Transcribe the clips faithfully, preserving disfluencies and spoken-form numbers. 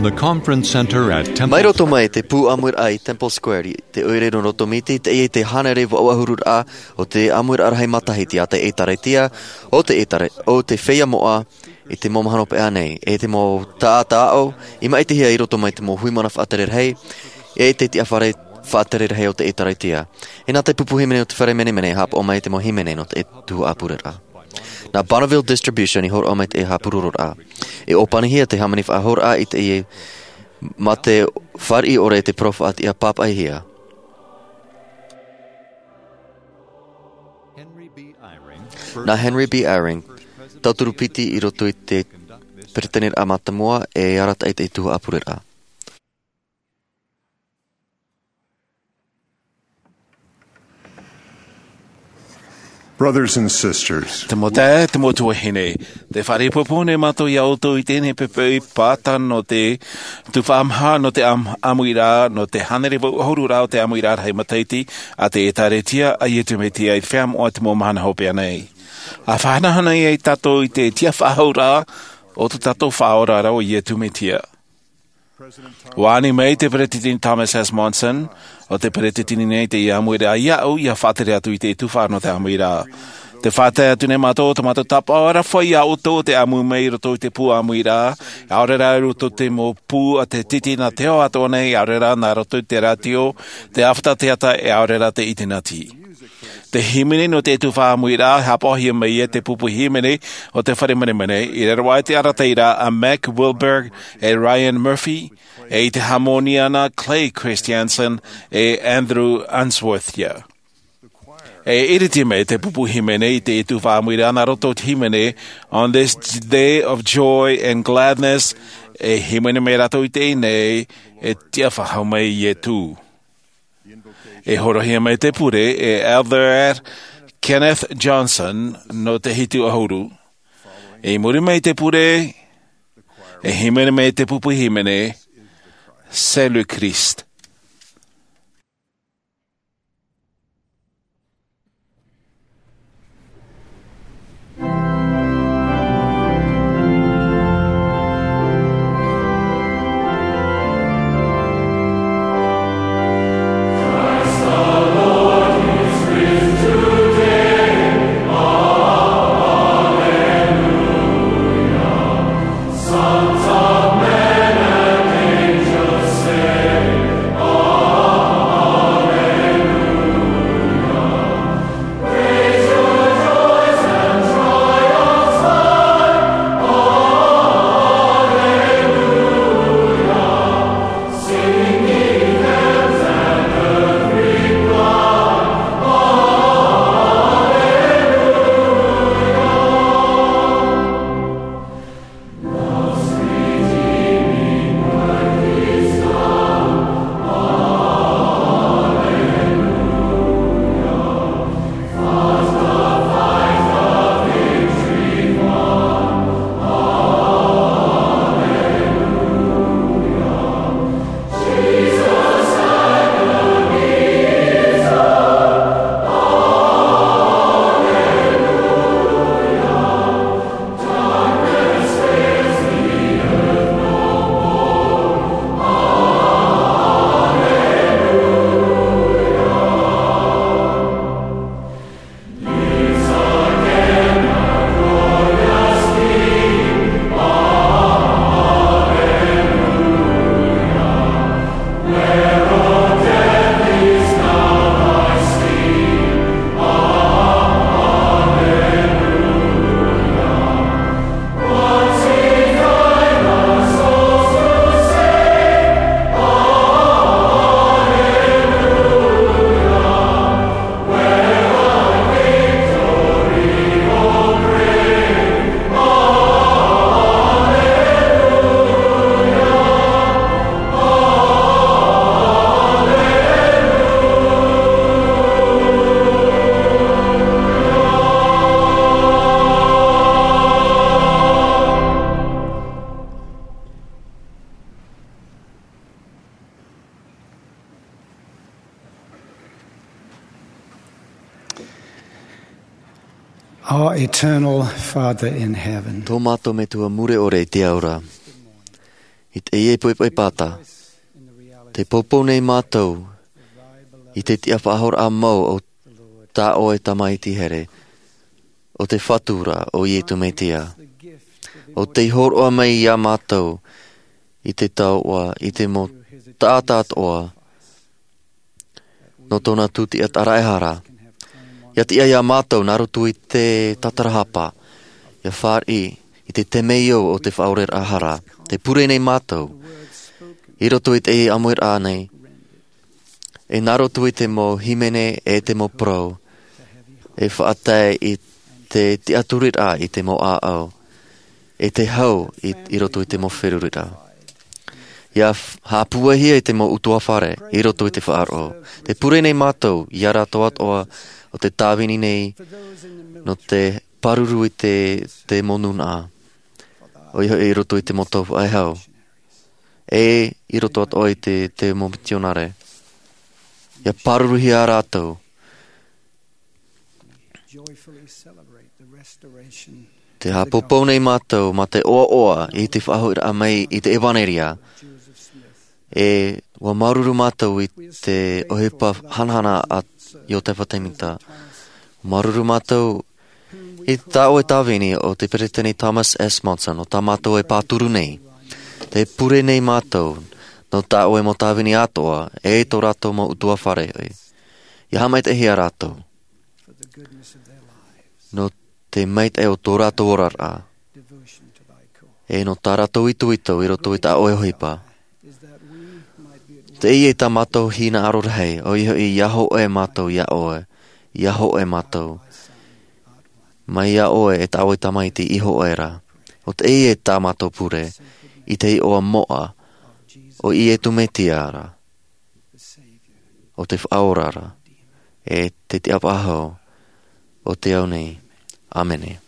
The Conference Center at Temple Mai roto mai te pū ʻāmuiraʻa i Temple Square, i te ʻoire nō roto mai te, teie te hānere vau ʻahuru raʻa o te ʻāmuiraʻa rahi matahiti a te ʻĒtārētia, o te ʻĒtāre-, o te feiā moʻa, i te mau mahana hopeʻa nei, e te mau taʻata aʻo, i maʻitihia i roto mai te mau hui mana faʻatere rahi, e te tiʻafare faʻatere rahi o te ʻĒtārētia. E nā te pupu hīmene o te fare menemene, e haʻapaʻo mai te mau hīmene nō te tuhaʻa pureraʻa. Nā Bonneville Distribution i hōroʻa mai te haʻapurororaʻa. E ʻōpanihia te hāmani faʻahou i te, mā te fāriʻi ʻore te parau faʻatiʻa pāpaʻihia. Nā Henry B. Eyring, tauturu piti i roto i te peresideni mātāmua e arataʻi i te tuhaʻa pureraʻa. Brothers and sisters, te mau taeaʻe, te mau tuahine, tē faʻaroʻo nei mātou iā ʻoutou i teie nei poʻipoʻi pāta nō te tuhaʻa maha nō te ʻām-, ʻāmuiraʻa, nō te hānere vau ʻahuru raʻa o te ʻāmuiraʻa rahi matahiti a te ʻĒtārētia a Iesu Mesia i te feiā moʻa i te mau mahana hopeʻa nei. ʻA faʻahanahana ai tātou i te tiʻafaʻahouraʻa o tō tātou Faʻaora ra ʻo Iesu Mesia. ʻUa ani mai te Peresideni Thomas S. Monson, ʻo te peresideni nei i teie ʻāmuiraʻa iāʻu, ʻia faʻatere atu i te tuhaʻa nō te ʻāmuiraʻa. Tē faʻatae atu nei mātou, tō mātou tāpaʻo areʻa iā ʻoutou te ʻāmui mai i roto i te pū ʻāmuiraʻa, ʻaore rā i roto i te mau pū a te titi nā te ao atoʻa nei, ʻaore rā nā roto i te rātio, te ʻāfata teata, e ʻaore rā te ʻinitaneti. Te hīmene nō te tuhaʻa ʻāmuiraʻa, e haʻapaʻohia mai e te pupu hīmene o te fare menemene, i raro aʻe i te arataʻiraʻa a Mack Wilberg e Ryan Murphy, e i te hāmoni iāna Clay Christensen e Andrew Unsworth ia. E iriti mai te pupu hīmene i te tuhaʻa ʻāmuiraʻa nā roto i te hīmene On This Day of Joy and Gladness, e hīmene mai rātou i teie nei, e tiʻafaʻahou mai Iesu. E hōroʻahia mai te pure e Elder Kenneth Johnson nō te hitu ʻahuru. I muri mai te pure, e hīmene mai te pupu hīmene, C'est le Christ. Our eternal Father in heaven. Tō mātou Metua mure ʻore i te ao ra. I teie poʻipoʻi pāta, tē poupou nei mātou i te tiʻa faʻahoraʻa mau o tā ʻoe Tamaiti here, o te Fatu ra, ʻo Iesu Mesia. ʻO tei hōroʻa mai iā mātou i te taoʻa, i te mau taʻata atoʻa, nō tōna tūtiʻa tāraʻehara. ʻIa tiʻa iā mātou nā roto i te tatarahapa, ʻia fāriʻi i te temeio o te faʻaoreraʻa hara. Tē pure nei mātou, i roto i teie ʻāmuiraʻa nei, e nā roto i te mau hīmene e te mau parau, e faʻatae i te tiʻaturiraʻa i te mau ʻāʻau, e te hau i, i roto i te mau feruriraʻa. ʻIa f-, haʻapūaihia i te mau ʻutuāfare i roto i te faʻaroʻo. Tē pure nei mātou iā rātou atoʻa ʻo tē tāvini nei nō te pāruru i te, te mau nūnaʻa. ʻOia hoʻi i roto i te mau tau faʻehau. E i roto atoʻa i te, te mau mitionare. ʻIa pāruruhia rātou. Tē haʻapōpou nei mātou mā te ʻoaʻoa i te faʻahoʻiraʻa mai i te ʻevanelia. E ʻua māuruuru mātou i te ʻohipa hanahana a Iosepha Semita. Māuruuru mātou i tā ʻoe tāvini ʻo te Peresideni Thomas S. Monson, ʻo tā mātou e pāturu nei. Tē pure nei mātou nō tā ʻoe mau tāvini atoʻa, e tō rātou mau ʻutuāfare. ʻIa haʻamaitaʻihia rātou nō te maitaʻi o tō rātou oraraʻa, e nō tā rātou itoito i roto i tā ʻoe ʻohipa. Teie tā mātou hinaʻaro rahi, ʻoia hoʻi ʻia hōʻē mātou iā ʻoe, ʻia hōʻē mātou mai iā ʻoe e tā ʻoe Tamaiti i hōʻē ra. ʻO teie tā mātou pure, i te iʻoa moʻa o Iesu Mesia ra, ʻo te Faʻaora ra, e te Tiʻa Faʻahou o te ao nei. ʻĀmene.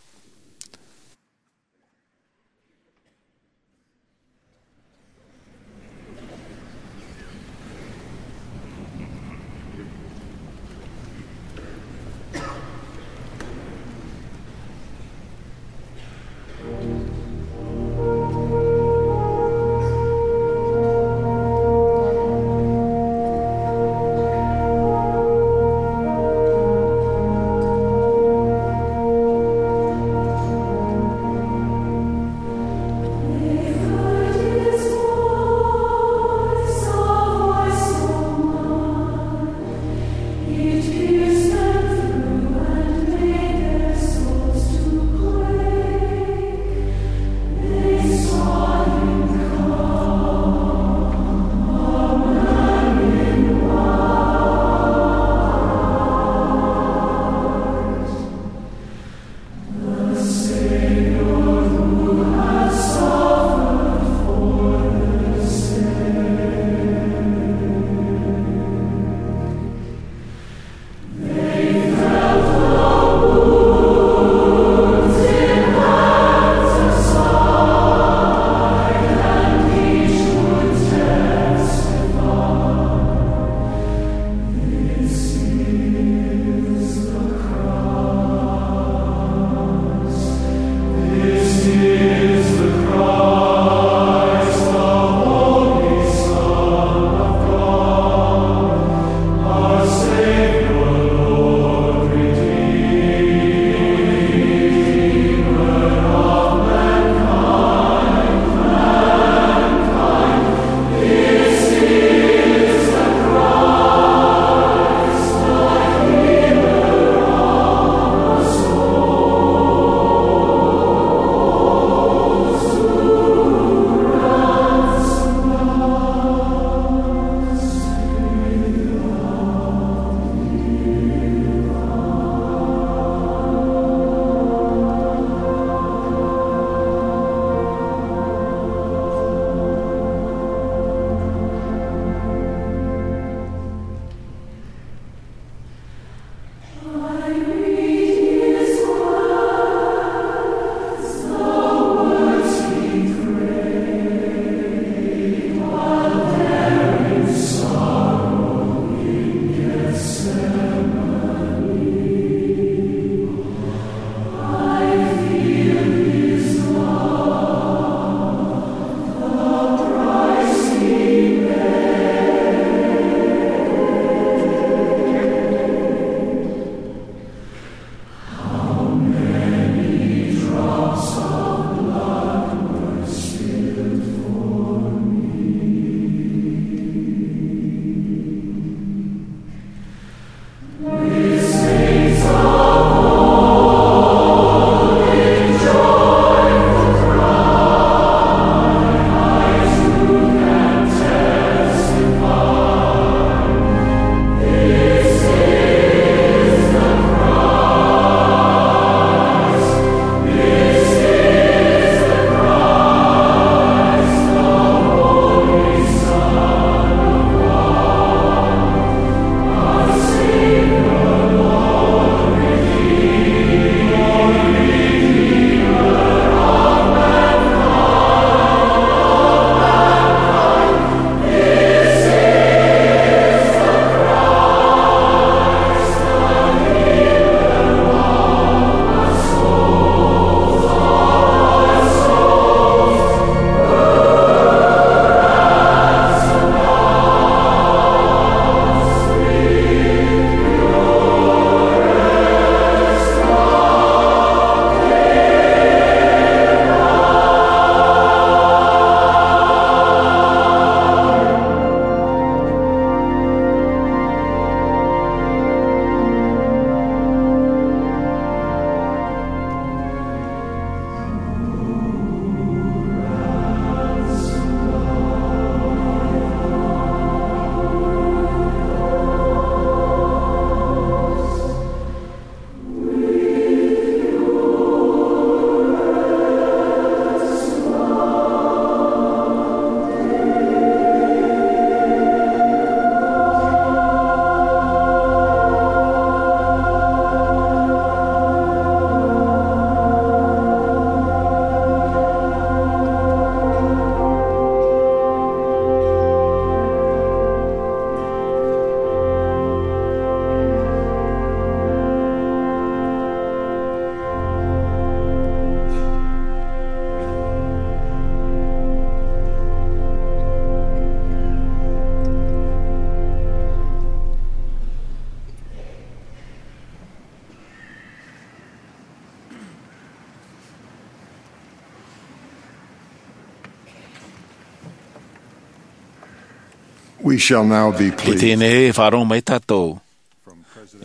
We shall now be pleased. I teie nei e faʻaroʻo mai tātou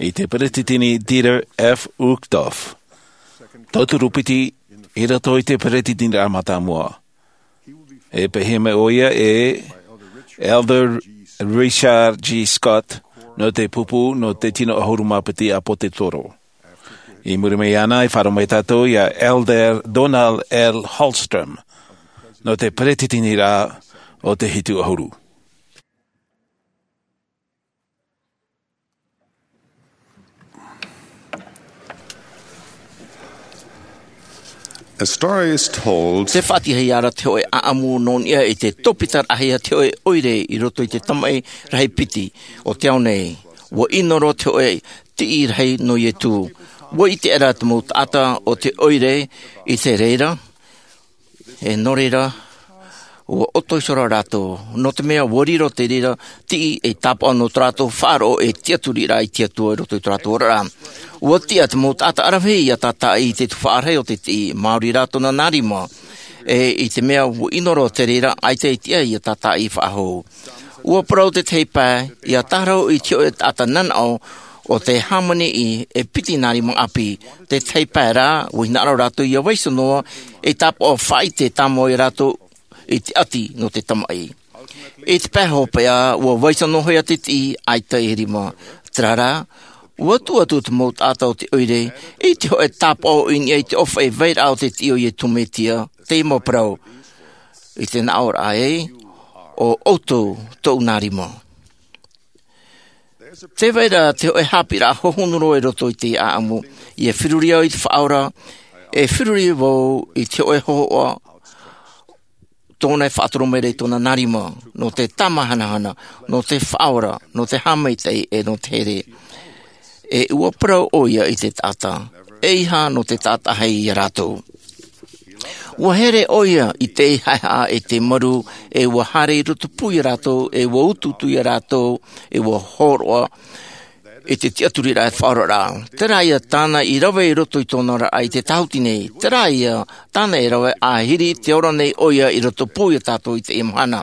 i te Peretiteni Dieter F. Uchtdorf, tauturu piti i roto i te Peretiteniraʻa Mātāmua. E pēhia mai ʻoia e Elder Richard G. Scott nō te pupu nō te tino ʻahuru mā piti ʻāpōsetolo. I muri mai iāna e faʻaroʻo mai tātou iā Elder Donald L. Hallstrom nō te Peretiteniraʻa o te Hitu ʻAhuru. A story is told. Te faʻatiʻahia ra te hōʻē ʻāʻamu nō niʻa i te tōpitaraʻahia te hōʻē ʻoire i roto i te tamaʻi rahi piti o te ao nei. ʻUa ʻino roa te hōʻē tiʻi rahi nō Ietu. ʻUa ʻite ra te mau taʻata o te ʻoire i te reira, e nō reira, ʻua ʻoto iho ra rātou, nō te mea ʻua riro te reira tiʻi ei tāpaʻo nō tō rātou faʻaroʻo e tiʻaturiraʻa i te Atua i roto i tō rātou oraraʻa. ʻUa tiʻa te mau taʻata ʻaravihi ʻia tātaʻi i te tuhaʻa rahi o te tiʻi, maori rā tōna nā rima, e i te mea ʻua ʻino roa te reira ʻaita e tiʻa ʻia tātaʻi faʻahou. ʻUa parau te tahi pae, ʻia tārahu i te hōʻē taʻata nanaʻo o te hāmani e piti nā rima ʻāpī. Te tahi pae rā, ʻua hinaʻaro rātou ʻia vaiiho noa ei tāpaʻo faʻaʻite tāmau ia rātou i te ʻati nō te tamaʻi. I te pae hopeʻa, ʻua vaiiho noa hoʻi te tiʻi ʻaita e rima. Terā rā, ʻua tuʻu atu te mau taʻata o te ʻoire i te hōʻē tāpaʻo i niʻa i te ʻōfaʻi vairaʻa o te tiʻi o Ietu Metia, tei mau parau, i te nā ʻō ra ē, ʻo ʻoutou tōʻu nā rima. Tē vai ra te hōʻē haʻapiʻiraʻa hohonu roa i roto i te ʻāʻamu, ʻia feruri au i te Faʻaora, e feruri vau i te hōʻē hōhoʻa tōna e faʻatoro mai ra i tōna nā rima, nō te tāmāhanahana, nō te faʻaora, nō te haʻamaitaʻi, e nō te here. E ʻua parau ʻoia i te taʻata, ʻeiaha nō te taʻata ʻē ia rātou. ʻUa here ʻoia i te haʻehaʻa e te maru, e ʻua haere i rotopū ia rātou, e ʻua utuutu ia rātou, e ʻua hōroʻa i te tiʻaturiraʻa e faʻaoraraʻa. Terā ia tāna i rave i roto i tōna oraraʻa i te tāhuti nei. Terā ia tāna e rave ʻahiri te ora nei ʻoia i rotopū ia tātou i teie mahana.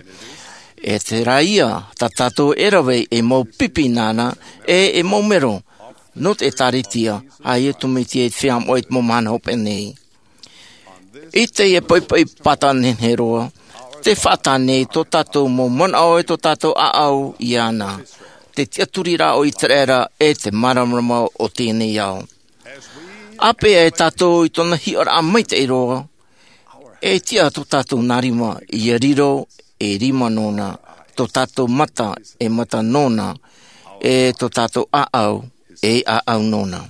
E terā ia tā tātou e rave ei mau pipi nāna, e ei mau mero nō te ʻĒtārētia a Ietu Metia i te feiā moʻa i te mau mahana hopeʻa nei. I teie poʻipoʻi pāta nehenehe roa, tē faʻatae nei tō tātou mau manaʻo e tō tātou ʻāʻau iāna, te tiʻaturiraʻa o Iteraera e te māramarama o teie nei ao. ʻĀpeʻe e tātou i tōna hiʻoraʻa maitaʻi roa, e tiʻa tō tātou nā rima ʻia riro ei rima nōna, tō tātou mata ei mata nōna, e tō tātou ʻāʻau ei ʻāʻau nōna.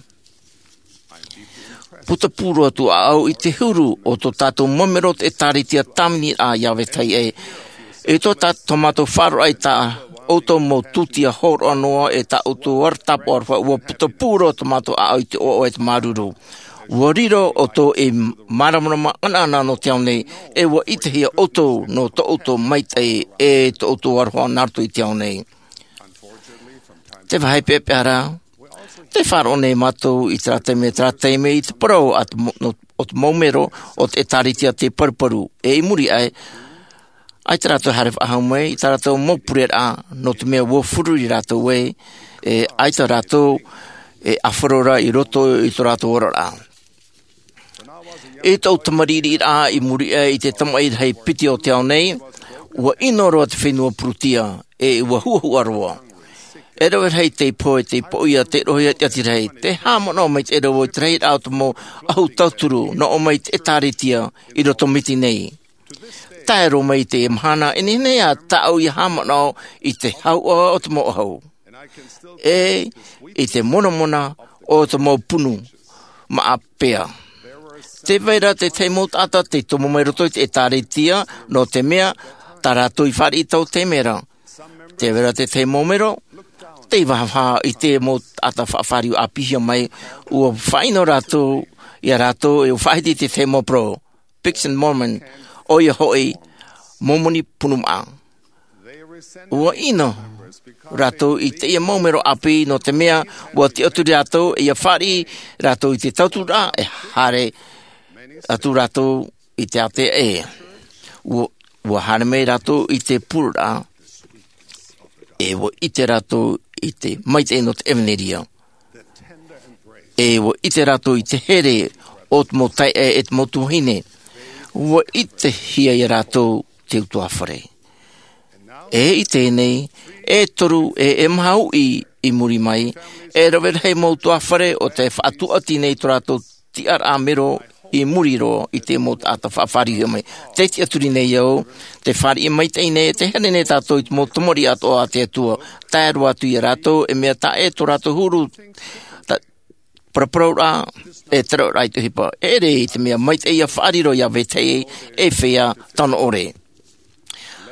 Putapū roa atu ʻāʻau i te huru o tō tātou mau mero o te ʻĒtārētia tāviniraʻa iā vetahi ʻē. I tō tā-, tō mātou faʻaroʻo i tā ʻoutou mau tūtia hōroʻa noa, e tā ʻoutou ara tāpaʻo aroha, ʻua putapū roa tō mātou ʻāʻau i te ʻoaʻoa e te māuruuru. ʻUa riro ʻoutou ei māramarama ʻanaʻana nō te ao nei, e ʻua ʻitehia ʻoutou nō tō ʻoutou maitaʻi e tō ʻoutou aroha nā roto i te ao nei. Te vāhi peʻapeʻa rā, tē faʻaroʻo nei mātou i terā taime, terā taime i te parau a te mo-, no, o te mau mero o te ʻĒtārētia tei paruparu, e i muri aʻe, ʻaita rātou e haere faʻahou mai i tā rātou mau pureraʻa, nō te mea ʻua feruri rātou ē, e ʻaita rātou e ʻāfaro ra i roto i tō rātou oraraʻa. I tōʻu tamariʻiraʻa i muri aʻe i te tamaʻi rahi piti o te ao nei, ʻua ʻino roa te fenua Purutia, e ʻua huʻahuʻa roa. E rave rahi tei pohe, tei poʻia, tei roʻohia i te ʻati rahi, tē haʻamanaʻo maitaʻi ra vau i te rahiraʻa o te mau ʻahu tauturu, nō ʻō mai i te ʻĒtārētia i roto Miti nei. Tae roa mai i teie mahana, e nehenehe ā tāʻu ʻia haʻamanaʻo i te hauʻa o te mau ʻahu, e i te monamona o te mau punu maʻa pea. Tē vai ra te tahi mau taʻata tei tomo mai roto i te ʻĒtārētia, nō te mea tā rātou i fāriʻi i taua taime ra. Tē vai ra te tahi mau mero tei vahaʻa i te mau taʻata faʻafāriu ʻāpīhia mai, ʻua faʻaʻino rātou ia rātou, e ʻua faʻahiti i te tahi mau parau, Books of Mormon, ʻoia hoʻi, Momoni punu maʻa. ʻUa ʻino rātou i teie mau mero ʻāpī, nō te mea ʻua tiʻaturi rātou ʻia fāriʻi rātou i te tauturaʻa, e haere atu rātou i te ātea ʻē. ʻUa, ʻua haere mai rātou i te pureraʻa. E ua ʻite rātou i te maitaʻi nō te ʻevanelia. E ua ʻite rātou i te here o te mau taeaʻe e te mau tuahine. Ua ʻitehia ia rātou te utuāfare. E i teie nei, e toru e e maha uʻi i muri mai, e rave rahi mau utuāfare o te faʻatuati nei tō rātou tiʻaraʻa mero i muri roa i te mau taʻata faʻafāriuhia mai. Te tiʻaturi nei au, te fāriʻi maitaʻi nei, te here nei tātou i te mau tamariʻi atoʻa a te Atua, tae roa atu ia rātou, e mea taʻa ʻē tō rātou huru, ta-, paraparauraʻa, e te rauraʻa i te ʻohipa. E ʻere i te mea maitaʻi ia faʻariro ia vetahi e feiā tano ʻore.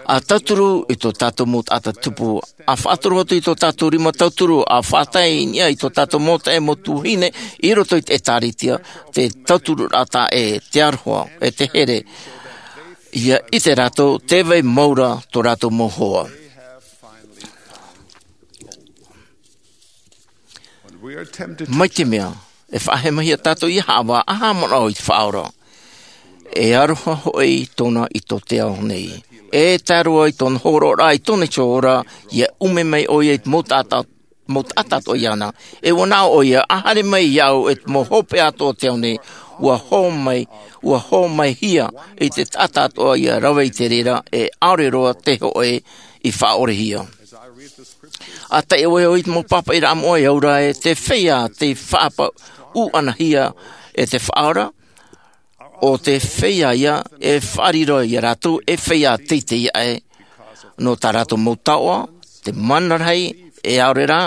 A tauturu i tō tātou mau taʻata tupu, a faʻatoro atu i tō tātou rima tauturu, a faʻatae i niʻa i tō tātou mau taeaʻe mau tuahine, i roto i te ʻĒtārētia, te tauturuʻraʻa taʻa ʻē, te aroha, e te here. Ia ʻite rātou, tē vai mau ra tō rātou mau hoa. Mai te mea, e faʻahemahia tātou ia haʻavā, ʻaita e haʻamanaʻo i te Faʻaora. E aroha hoʻi tōna i tō te ao nei. E tae roa i tōna hōroʻaraʻa i tōna iho ora, ia ʻume mai ʻoia i te mau taʻata, mau taʻata atoʻa iāna. E ua nā ʻoia, ʻa haere mai iāʻu e te mau hopeʻa atoʻa o te ao nei, ua hō mai, ua hō mai hia i te taʻata atoʻa ia rave i te reira, e ʻaore roa te hōʻē i faʻaʻorehia. ʻA tae ʻoe i te mau pāpaʻiraʻa moʻa e au ra e te feiā tei faʻapaʻuʻanahia e te Faʻaora, ʻo te feiā ia e faʻariro ia rātou e feiā teitei aʻe, nō tā rātou mau taoʻa, te mana rahi, e ʻaore rā,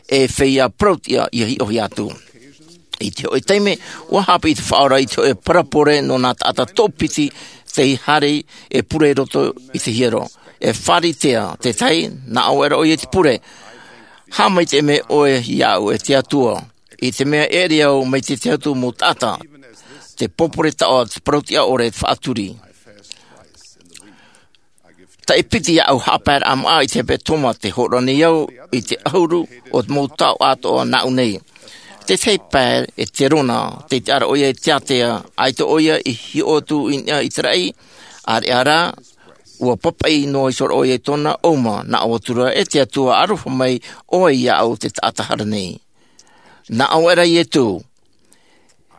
e feiā parautiʻa ia hiʻohia atu. I te hōʻē taime, ua haʻapiʻi te Faʻaora i te hōʻē parabole nō nā taʻata toʻopiti tei haere e pure i roto i te hiero. E Pharisea te tahi, nā ʻō aʻera ʻoia i te pure. Haʻamaitaʻi mai ʻoe iāʻu e te Atua, i te mea e ʻere au mai te tahi atu mau taʻata, te pōpore taoʻa, te parautiʻa ʻore, te faʻaturi. Taʻi piti iāʻu haʻapaeraʻa māʻa i te hepetoma, tē hōroʻa nei au i te ʻahuru o te mau taoʻa atoʻa nāʻu nei. Te tahi pae e Terona, tei tiʻa ra ʻoia e te ātea, ʻaita ʻoia i hiʻo atu i niʻa i te raʻi, ʻāreʻa rā, ua papaʻi noa iho ra ʻoia i tōna ʻouma, nā ʻō atu ra, e te Atua, aroha mai ʻoe iāʻu te taʻata hara nei. Nā ʻō aʻera Ietu,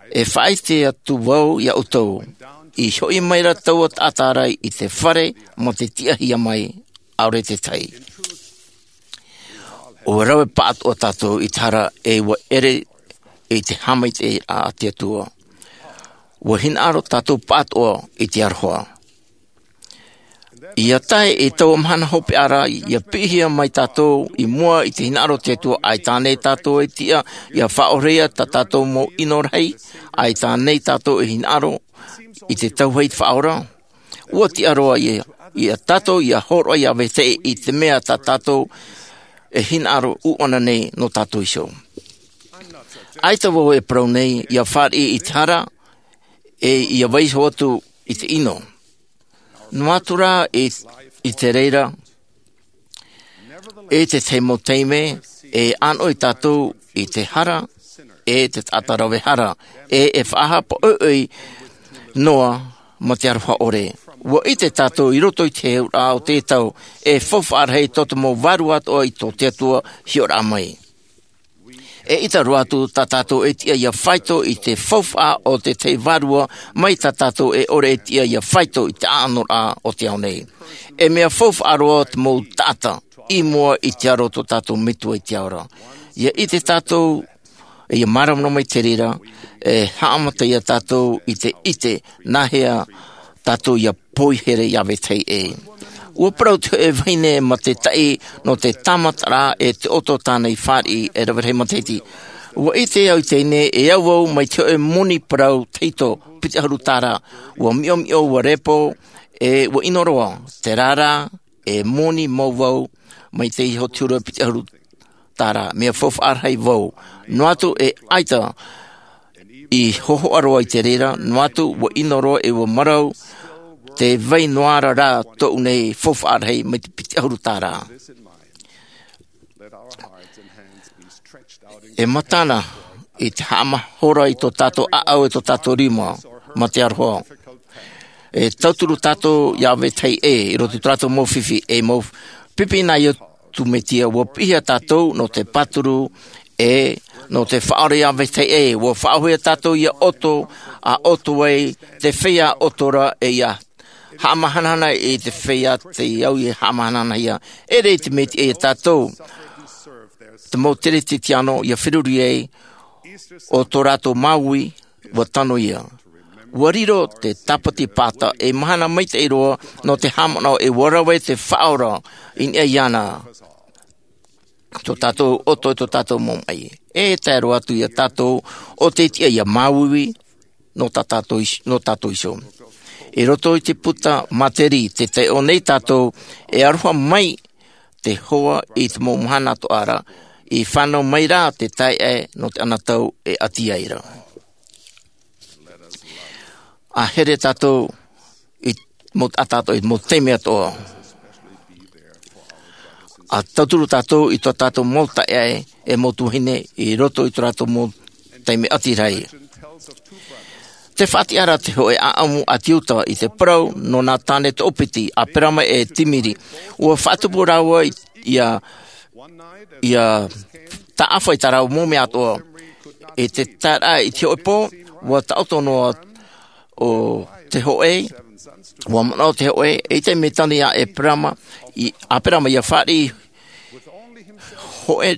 e faʻaʻite atu vau ia ʻoutou, i hoʻi mai ra taua taʻata ra i te fare, mā te tiʻahia mai, ʻaore te tahi. ʻUa rave pāʻatoʻa tātou i te hara e ʻua ʻere i te haʻamaitaʻiraʻa a te Atua. ʻUa hinaʻaro tātou pāʻatoʻa i te aroha. ʻIa tae i taua mahana hopeʻa ra, ʻia piʻihia mai tātou i mua i te hinaʻaro o te Atua, ʻaita ānei tātou e tiʻa ʻia faʻaʻorehia tā tātou mau ʻino rahi, ʻaita ānei tātou e hinaʻaro i te tahi Faʻaora. ʻUa tiʻa roa ia, ia tātou ʻia hōroʻa ia vetahi i te mea tā tātou e hinaʻaro ʻuʻana nei nō tātou iho. ʻAita vau e parau nei, ʻia fāriʻi i te hara, e ʻia vaiiho atu i te ʻino. Noa atu rā i, i te reira, e te tahi mau taime, e ʻānoʻi tātou i te hara, e te taʻata rave hara, e, e faʻahaʻapaʻoʻi noa mā te aroha ʻore. ʻUa ʻite tātou i roto i te heheuraʻa o te tau, e faufaʻa rahi tō te mau vārua atoʻa i tō te Atua hiʻoraʻa mai. E ʻita roa atu tā tātou e tiʻa ʻia faito i te faufaʻa o te tahi vārua mai tā tātou e ʻore e tiʻa ʻia faito i te ʻānoraʻa o te ao nei. E mea faufaʻa roa te mau taʻata i mua i te aro o tō tātou Metua i te ao ra. ʻIa ʻite tātou, ʻia māramarama i te reira, e haʻamata ia tātou i te ʻite nāhea tātou ʻia poihere ia vetahi ʻē. ʻUa parau te hōʻē vahine mā te taʻi nō te tāmataraʻa e te ʻoto tāna i fāriʻi e rave rahi matahiti. ʻUa ʻite au i teie nei e au vau mai te hōʻē moni parau tahito piti ʻahuru tāra. ʻUa miʻomiʻo, ʻua repo, e ʻua ʻino roa, terā rā, e moni mau vau mai te iho te huru piti ʻahuru tāra, mea faufaʻa rahi vau. Noa atu e ʻaita i hōhoʻa roa i te reira, noa atu ʻua ʻino roa e ʻua marau te vai noa ra rā tōʻu nei faufaʻa rahi mai te piti ʻahuru tāra. E matana i te haʻamahora i tō tātou ʻāʻau e tō tātou rima, mā te aroha. E tauturu tātou ia vetahi ʻē, i roto i tō rātou mau fifi, e mau pipi nā ʻoe Tū Metia, ua piʻihia tātou nō te pāturu, ʻe nō te faʻaora iā vetahi ʻē. Ua faʻaʻohipahia tātou ia ʻoto, ʻa ʻoto ai te feiā ʻoto ra, ʻe ia haʻamahanahana i te feiā tei au ia haʻamahanahanahia. ʻEʻere i te mea tiʻa iā tātou, te mau teretetiano ia feruri ai, ʻo tō rātou māuiui, ua tano ia. Ua riro te tāpati pāta ei mahana maitaʻi roa nō te haʻamanaʻo, ʻe ua rave te faʻaora i niʻa iāna. Tō tātou ʻoto, tō tātou mau maʻi. E tae roa atu iā tātou ʻo tei tiʻa ia māuiui nō tā tātou is-, nō tātou iho. I roto i te puta Materi, tē taiʻo nei tātou, e aroha mai te hoa i te mau mahana atoʻa ra, i fānau mai rā te taeaʻe nō te anotau e ʻati ai ra. ʻA here tātou i mau taʻata atoʻa, i mau taime atoʻa. ʻA tauturu tātou i tō tātou mau taeaʻe ʻe mau tuahine i roto i tō rātou mau taime ʻati rahi. Tē faʻatiʻa ra te hōʻē ʻaʻamu a Tiuta i te parau nō nā tāne toʻopiti, ʻa Perama ʻe Timiri. Ua faʻatupu rāua i, ia, ia taʻafa i tā rāua mau mea atoʻa. I te taeraʻa i te hōʻē pō, ua taʻoto noa ʻo te hōʻē, ua manaʻo te hōʻē, eʻita i te mea tano ia Eperama, i, ʻa Eperama ia fāriʻi hōʻē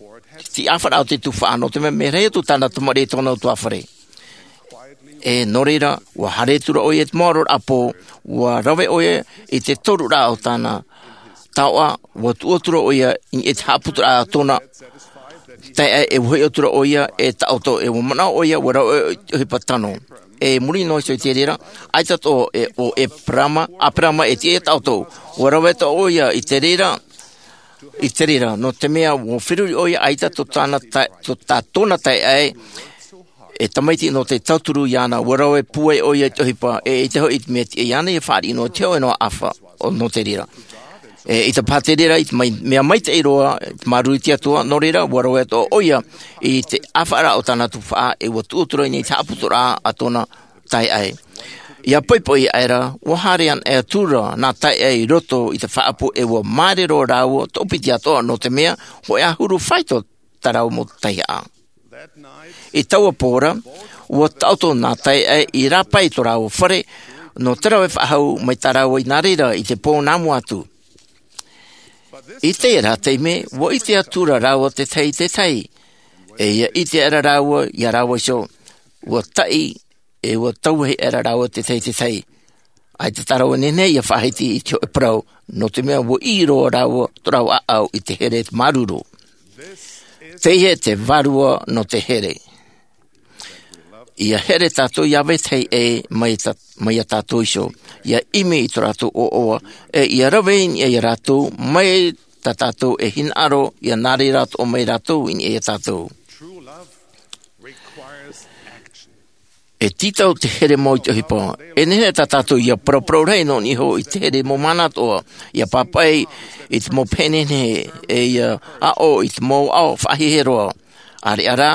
te ʻāfaraʻa o te tufaʻa, nō te mea mea rahi atu tāna tamariʻi e tōna ʻutuāfare. ʻE nō reira, ua haere atu ra ʻoia i te mau aroraʻa pō, ua rave ʻoia i te toruraʻa o tāna taoʻa, ua tuʻu atu ra ʻoia i te haʻaputuraʻa a tōna taeaʻe, ʻe ua hoʻi atu ra ʻoia e taʻoto, ʻe ua manaʻo ʻoia, ua rave ʻoia i te ʻohipa tano. ʻE i muri noa iho i te reira, ʻaita atoʻa e, ʻo Eperama, ʻa Eperama e tiʻa ia taʻoto. Ua rave atoʻa ʻoia i te reira, i te reira, nō te mea ua feruri ʻoia ʻaita tō tāna tae-, tō tā tōna taeaʻe, e tamaiti nō te tauturu iāna, ua rave pūai ʻoia i te ʻohipa, ʻe ʻaita hoʻi te mea tiʻa iāna ia fāriʻi noa i te hōʻē noa ʻāfa, ʻo nō te reira. ʻE ʻaita paha te reira, i te mai-, mea maitaʻi roa, te māuruuru i te Atua, nō reira, ua rave atoʻa ʻoia i te ʻāfaraʻa o tāna tufaʻa, ʻe ua tuʻu atu ra i te haʻaputuraʻa a tōna taeaʻe. ʻIa poʻipoʻi aʻera, ua haere anaʻe atu ra nā taeaʻe i roto i te faʻaʻapu, ʻe ua māere roa rāua, toʻopiti atoʻa, nō te mea, hōʻē ʻahuru faito tā rāua mau taihaʻa. I taua pō ra, ua taʻoto nā taeaʻe i rāpae i tō rāua fare, nō te rave faʻahou mai tā rāua i nā reira i te pō nā mua atu. I terā taime, ua ʻite atu ra rāua te tahi i te tahi, ʻe ʻia ʻite aʻera rāua ia rāua iho, ua taʻi, ʻe ua tauahi aʻera rāua te tahi i te tahi. ʻAita tā rāua nehenehe ia faʻahiti i te hōʻē parau, nō te mea ua ʻī roa rāua, tō rāua ʻāʻau i te here māuruuru. Teie te vārua nō te here. ʻIa here tātou iā vetahi ʻē mai tā-, mai iā tātou iho. ʻIa ʻimi i tō rātou ʻoaʻoa, ʻe ʻia rave i niʻa iā rātou, mai tā tātou e hinaʻaro, ʻia nā reira atoʻa mai rātou i niʻa iā tātou. E tītau te here mau i te ʻohipa. E nehenehe tā tātou ʻia paraparau rahi nō niʻa iho i te here mau mahana atoʻa, ʻia pāpaʻi i te mau pehe nehenehe, ʻe ʻia aʻo i te mau ao faʻahiahia roa. ʻĀreʻa rā,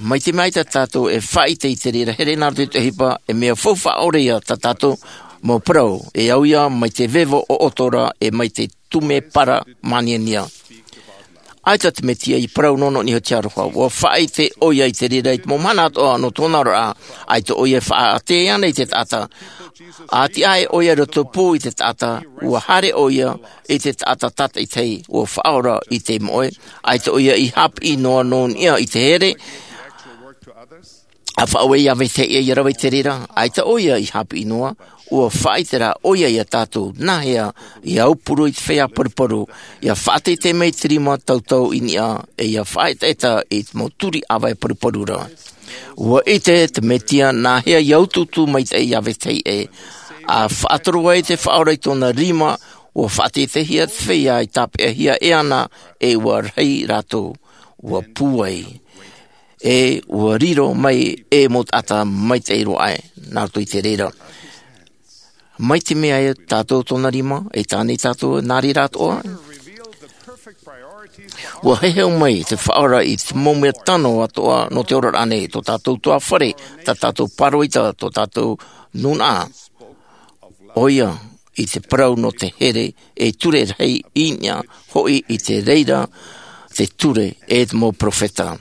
mai te mea ʻaita tātou e faʻaʻite i te reira here nā roto i te ʻohipa, e mea faufaʻa ʻore ïa tā tātou mau parau, e au ïa mai te vevo ʻoʻoto ra, ʻe mai te tumu parau māniania. ʻAita te Mesia i parau noa nō niʻa iho i te aroha. ʻUa faʻaʻite ʻoia i te reira i te mau mahana atoʻa nō tōna oraraʻa. ʻAita ʻoia e faʻaʻite ana i te taʻata. ʻA tiʻa aʻe ʻoia i roto pū i te taʻata, ʻua haere ʻoia i te taʻata tātaʻitahi, ʻua faʻaora i te moʻe. ʻAita ʻoia i haʻapiʻi noa nō niʻa i te here, ʻa faʻaue iā vetahi ʻē ʻia rave i te reira. ʻAita ʻoia i haʻapiʻi noa, ʻua faʻaʻite rā ʻoia iā tātou, nāhea ʻia aupuru i te feiā paruparu, ʻia faʻateitei mai i te rima tautau i niʻa, ʻe ʻia faʻaetaeta i te mau turi ʻāvae paruparu ra. ʻUa ʻite te Mesia nāhea ʻia utuutu maitaʻi iā vetahi ʻē. ʻA faʻatoro ai te Faʻaora i tōna rima, ʻua faʻateiteihia te feiā i tāpeʻahia e ana, ʻe ʻua rahi rātou. ʻUa pūai. ʻE ʻua riro mai e mau taʻata maitaʻi roa aʻe, nā roto i te reira. Mai te mea ē tātou tōna rima, e tāne tātou nā reira atoʻa. ʻUa heheu mai te Faʻaora i te mau mea tano atoʻa nō te oraraʻa nei, tō tātou ʻutuāfare, tā tātou pāroita, tō tātou nūnaʻa. ʻOia, i te parau nō te here, e ture rahi i niʻa hoʻi i te reira te ture e te mau peropheta.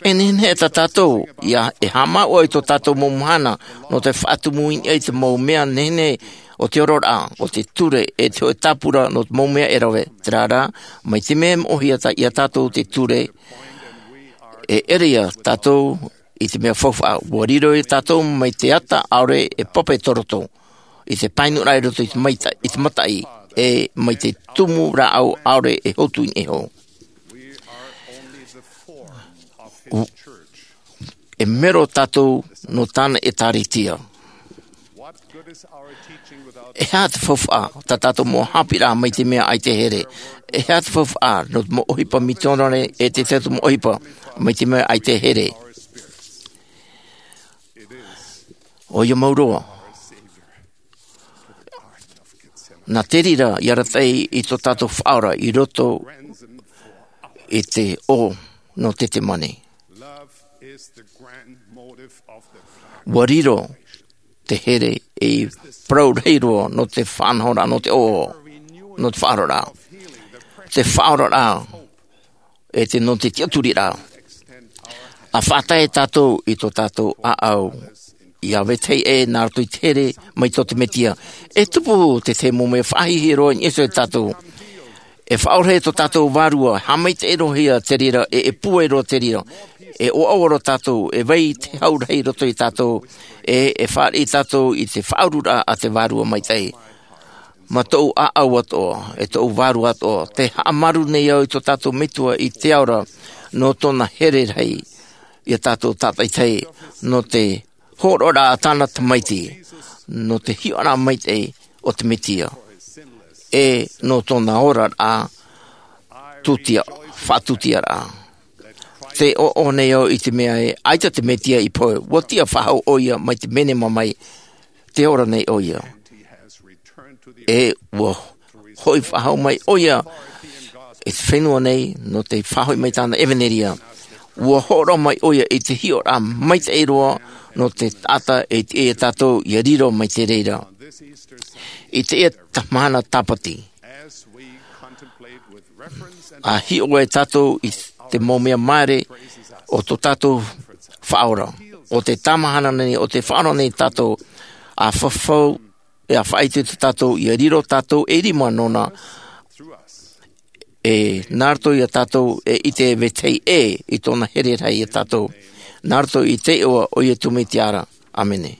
E nehenehe tā tātou ia e haʻamāuʻa i tō tātou mau mahana nō te faʻatumu i niʻa i te mau mea nehenehe o te oraraʻa, o te ture e te hoʻe tāpura nō te mau mea e rave. Terā rā, mai te mea e moʻohia ia tātou te ture, e ʻere ia tātou i te mea faufaʻa. Ua riro ia tātou mai te ata ʻaore e papa i tō roto, i te painuraʻa i roto i te maita i te mataʻi, e mai te tumu rāʻau ʻaore e hotu i niʻa iho. E mero tātou nō tāna ʻēkālesia. E aha te faufaʻa tā tātou mau haʻapiʻiraʻa mai te mea ʻaita e here? E aha te faufaʻa nō te mau ʻohipa mitionare e te tahi mau ʻohipa mai te mea ʻaita e here? ʻOia mau roa. Nā te reira i arataʻi i tō tātou Faʻaora i roto i te ʻō nō Ketesemane. Ua riro te here ei parau rahi roa nō te faʻanahoraʻa, nō te ʻō, nō te faʻaoraraʻa. Te faʻaoraraʻa e te nō te tiʻaturiraʻa. ʻA faʻatae tātou i tō tātou ʻāʻau ia vetahi ʻē nā roto i te here mai tō te Mesia. E tupu te tahi mau mea faʻahiahia roa i niʻa iho ia tātou. E faʻaora tō tātou vārua, haʻamaitaʻi roa hia te reira, e, e pūai roa te reira. E ʻoaʻoa roa tātou, e vai te hau rahi i roto ia tātou, e, e fāriʻi tātou i te faʻaururaʻa a te Vārua Maitaʻi. Mā tōʻu ʻāʻau atoʻa, e tōʻu vārua atoʻa, tē haʻamāuruuru nei au i tō tātou Metua i te ao ra, nō tōna here rahi ia tātou tātaitahi, nō te hōroʻaraʻa a tāna Tamaiti, nō te hiʻoraʻa maitaʻi o te Mesia, e nō tōna oraraʻa tūtia, faʻatūtiaraʻa. Tē ʻoaʻoa nei au i te mea ē, ʻaita te Mesia i pohe, ua tiʻa faʻahou ʻoia mai te menema mai, tē ora nei ʻoia. E ua hoʻi faʻahou mai ʻoia i te fenua nei, nō te faʻahoʻi mai tāna ʻevanelia. Ua hōroʻa mai ʻoia i te hiʻoraʻa maitaʻi roa nō te taʻata e tiʻa ia tātou ia riro mai te reira. I teie mahana Tāpati, ʻa hiʻo ai tātou i te mau mea māere o tō tātou Faʻaora, o te tāmahana nei, o te Faʻaora nei tātou, ʻa fafau, e ʻa faʻaʻite tō tātou, ia riro tātou e rima nōna, e nā roto ia tātou e ʻite e vetahi ʻē i tōna here rahi ia tātou. Nā roto i te iʻoa o Iesu Mesia ra. ʻĀmene.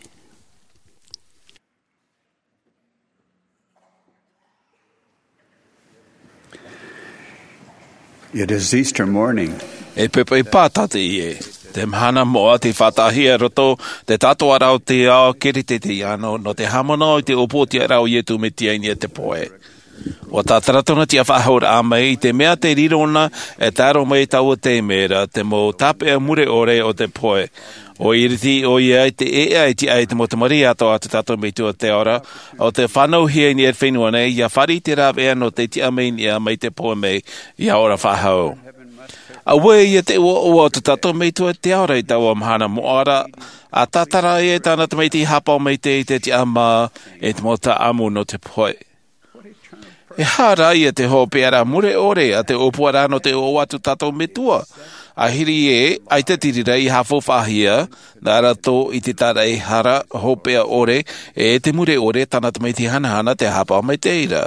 It is Easter morning. E poʻipoʻi pātata ē. Te mahana moʻa tei faʻataʻahia i roto te tātou ʻāraʻa o te ao Kerisetiano, nō te haʻamanaʻo i te ʻōpū o te tiʻaraʻa o Iesu Mesia i niʻa i te pohe. ʻUa tātara tōna tiʻafaʻahouraʻa mai i te mea tei riro na e tae roa mai i taua taime ra, te mau tāpeʻa mure ʻore o te pohe. ʻUa iriti ʻoia i te ʻēʻa e tiʻa i te mau tamariʻi atoʻa a tō tātou Metua te ao ra, ʻo tē fānauhia i niʻa i te fenua nei, ʻia fāriʻi i te rāveʻa nō te tiʻa mai i niʻa mai te pohe mai, ʻia ora faʻahou. Auē ia te ʻoaʻoa o tō tātou Metua te ao ra i taua mahana moʻa ra, ʻa tātara ai e tāna Tamaiti Haʻapaʻo Maitaʻi i te tiʻamā, e te mau taʻamu nō te pohe. E aha rā ia te hopeʻaraʻa mure ʻore a te ʻōpuaraʻa nō te ʻoaʻoa a tō tātou Metua? ʻAhiri ē, ʻaita te reira i haʻafaufaʻahia, nā roto i te tāraʻehara hopeʻa ʻore, e te mure ʻore tāna Tamaiti hanahana te Haʻapaʻo Maitaʻi ra.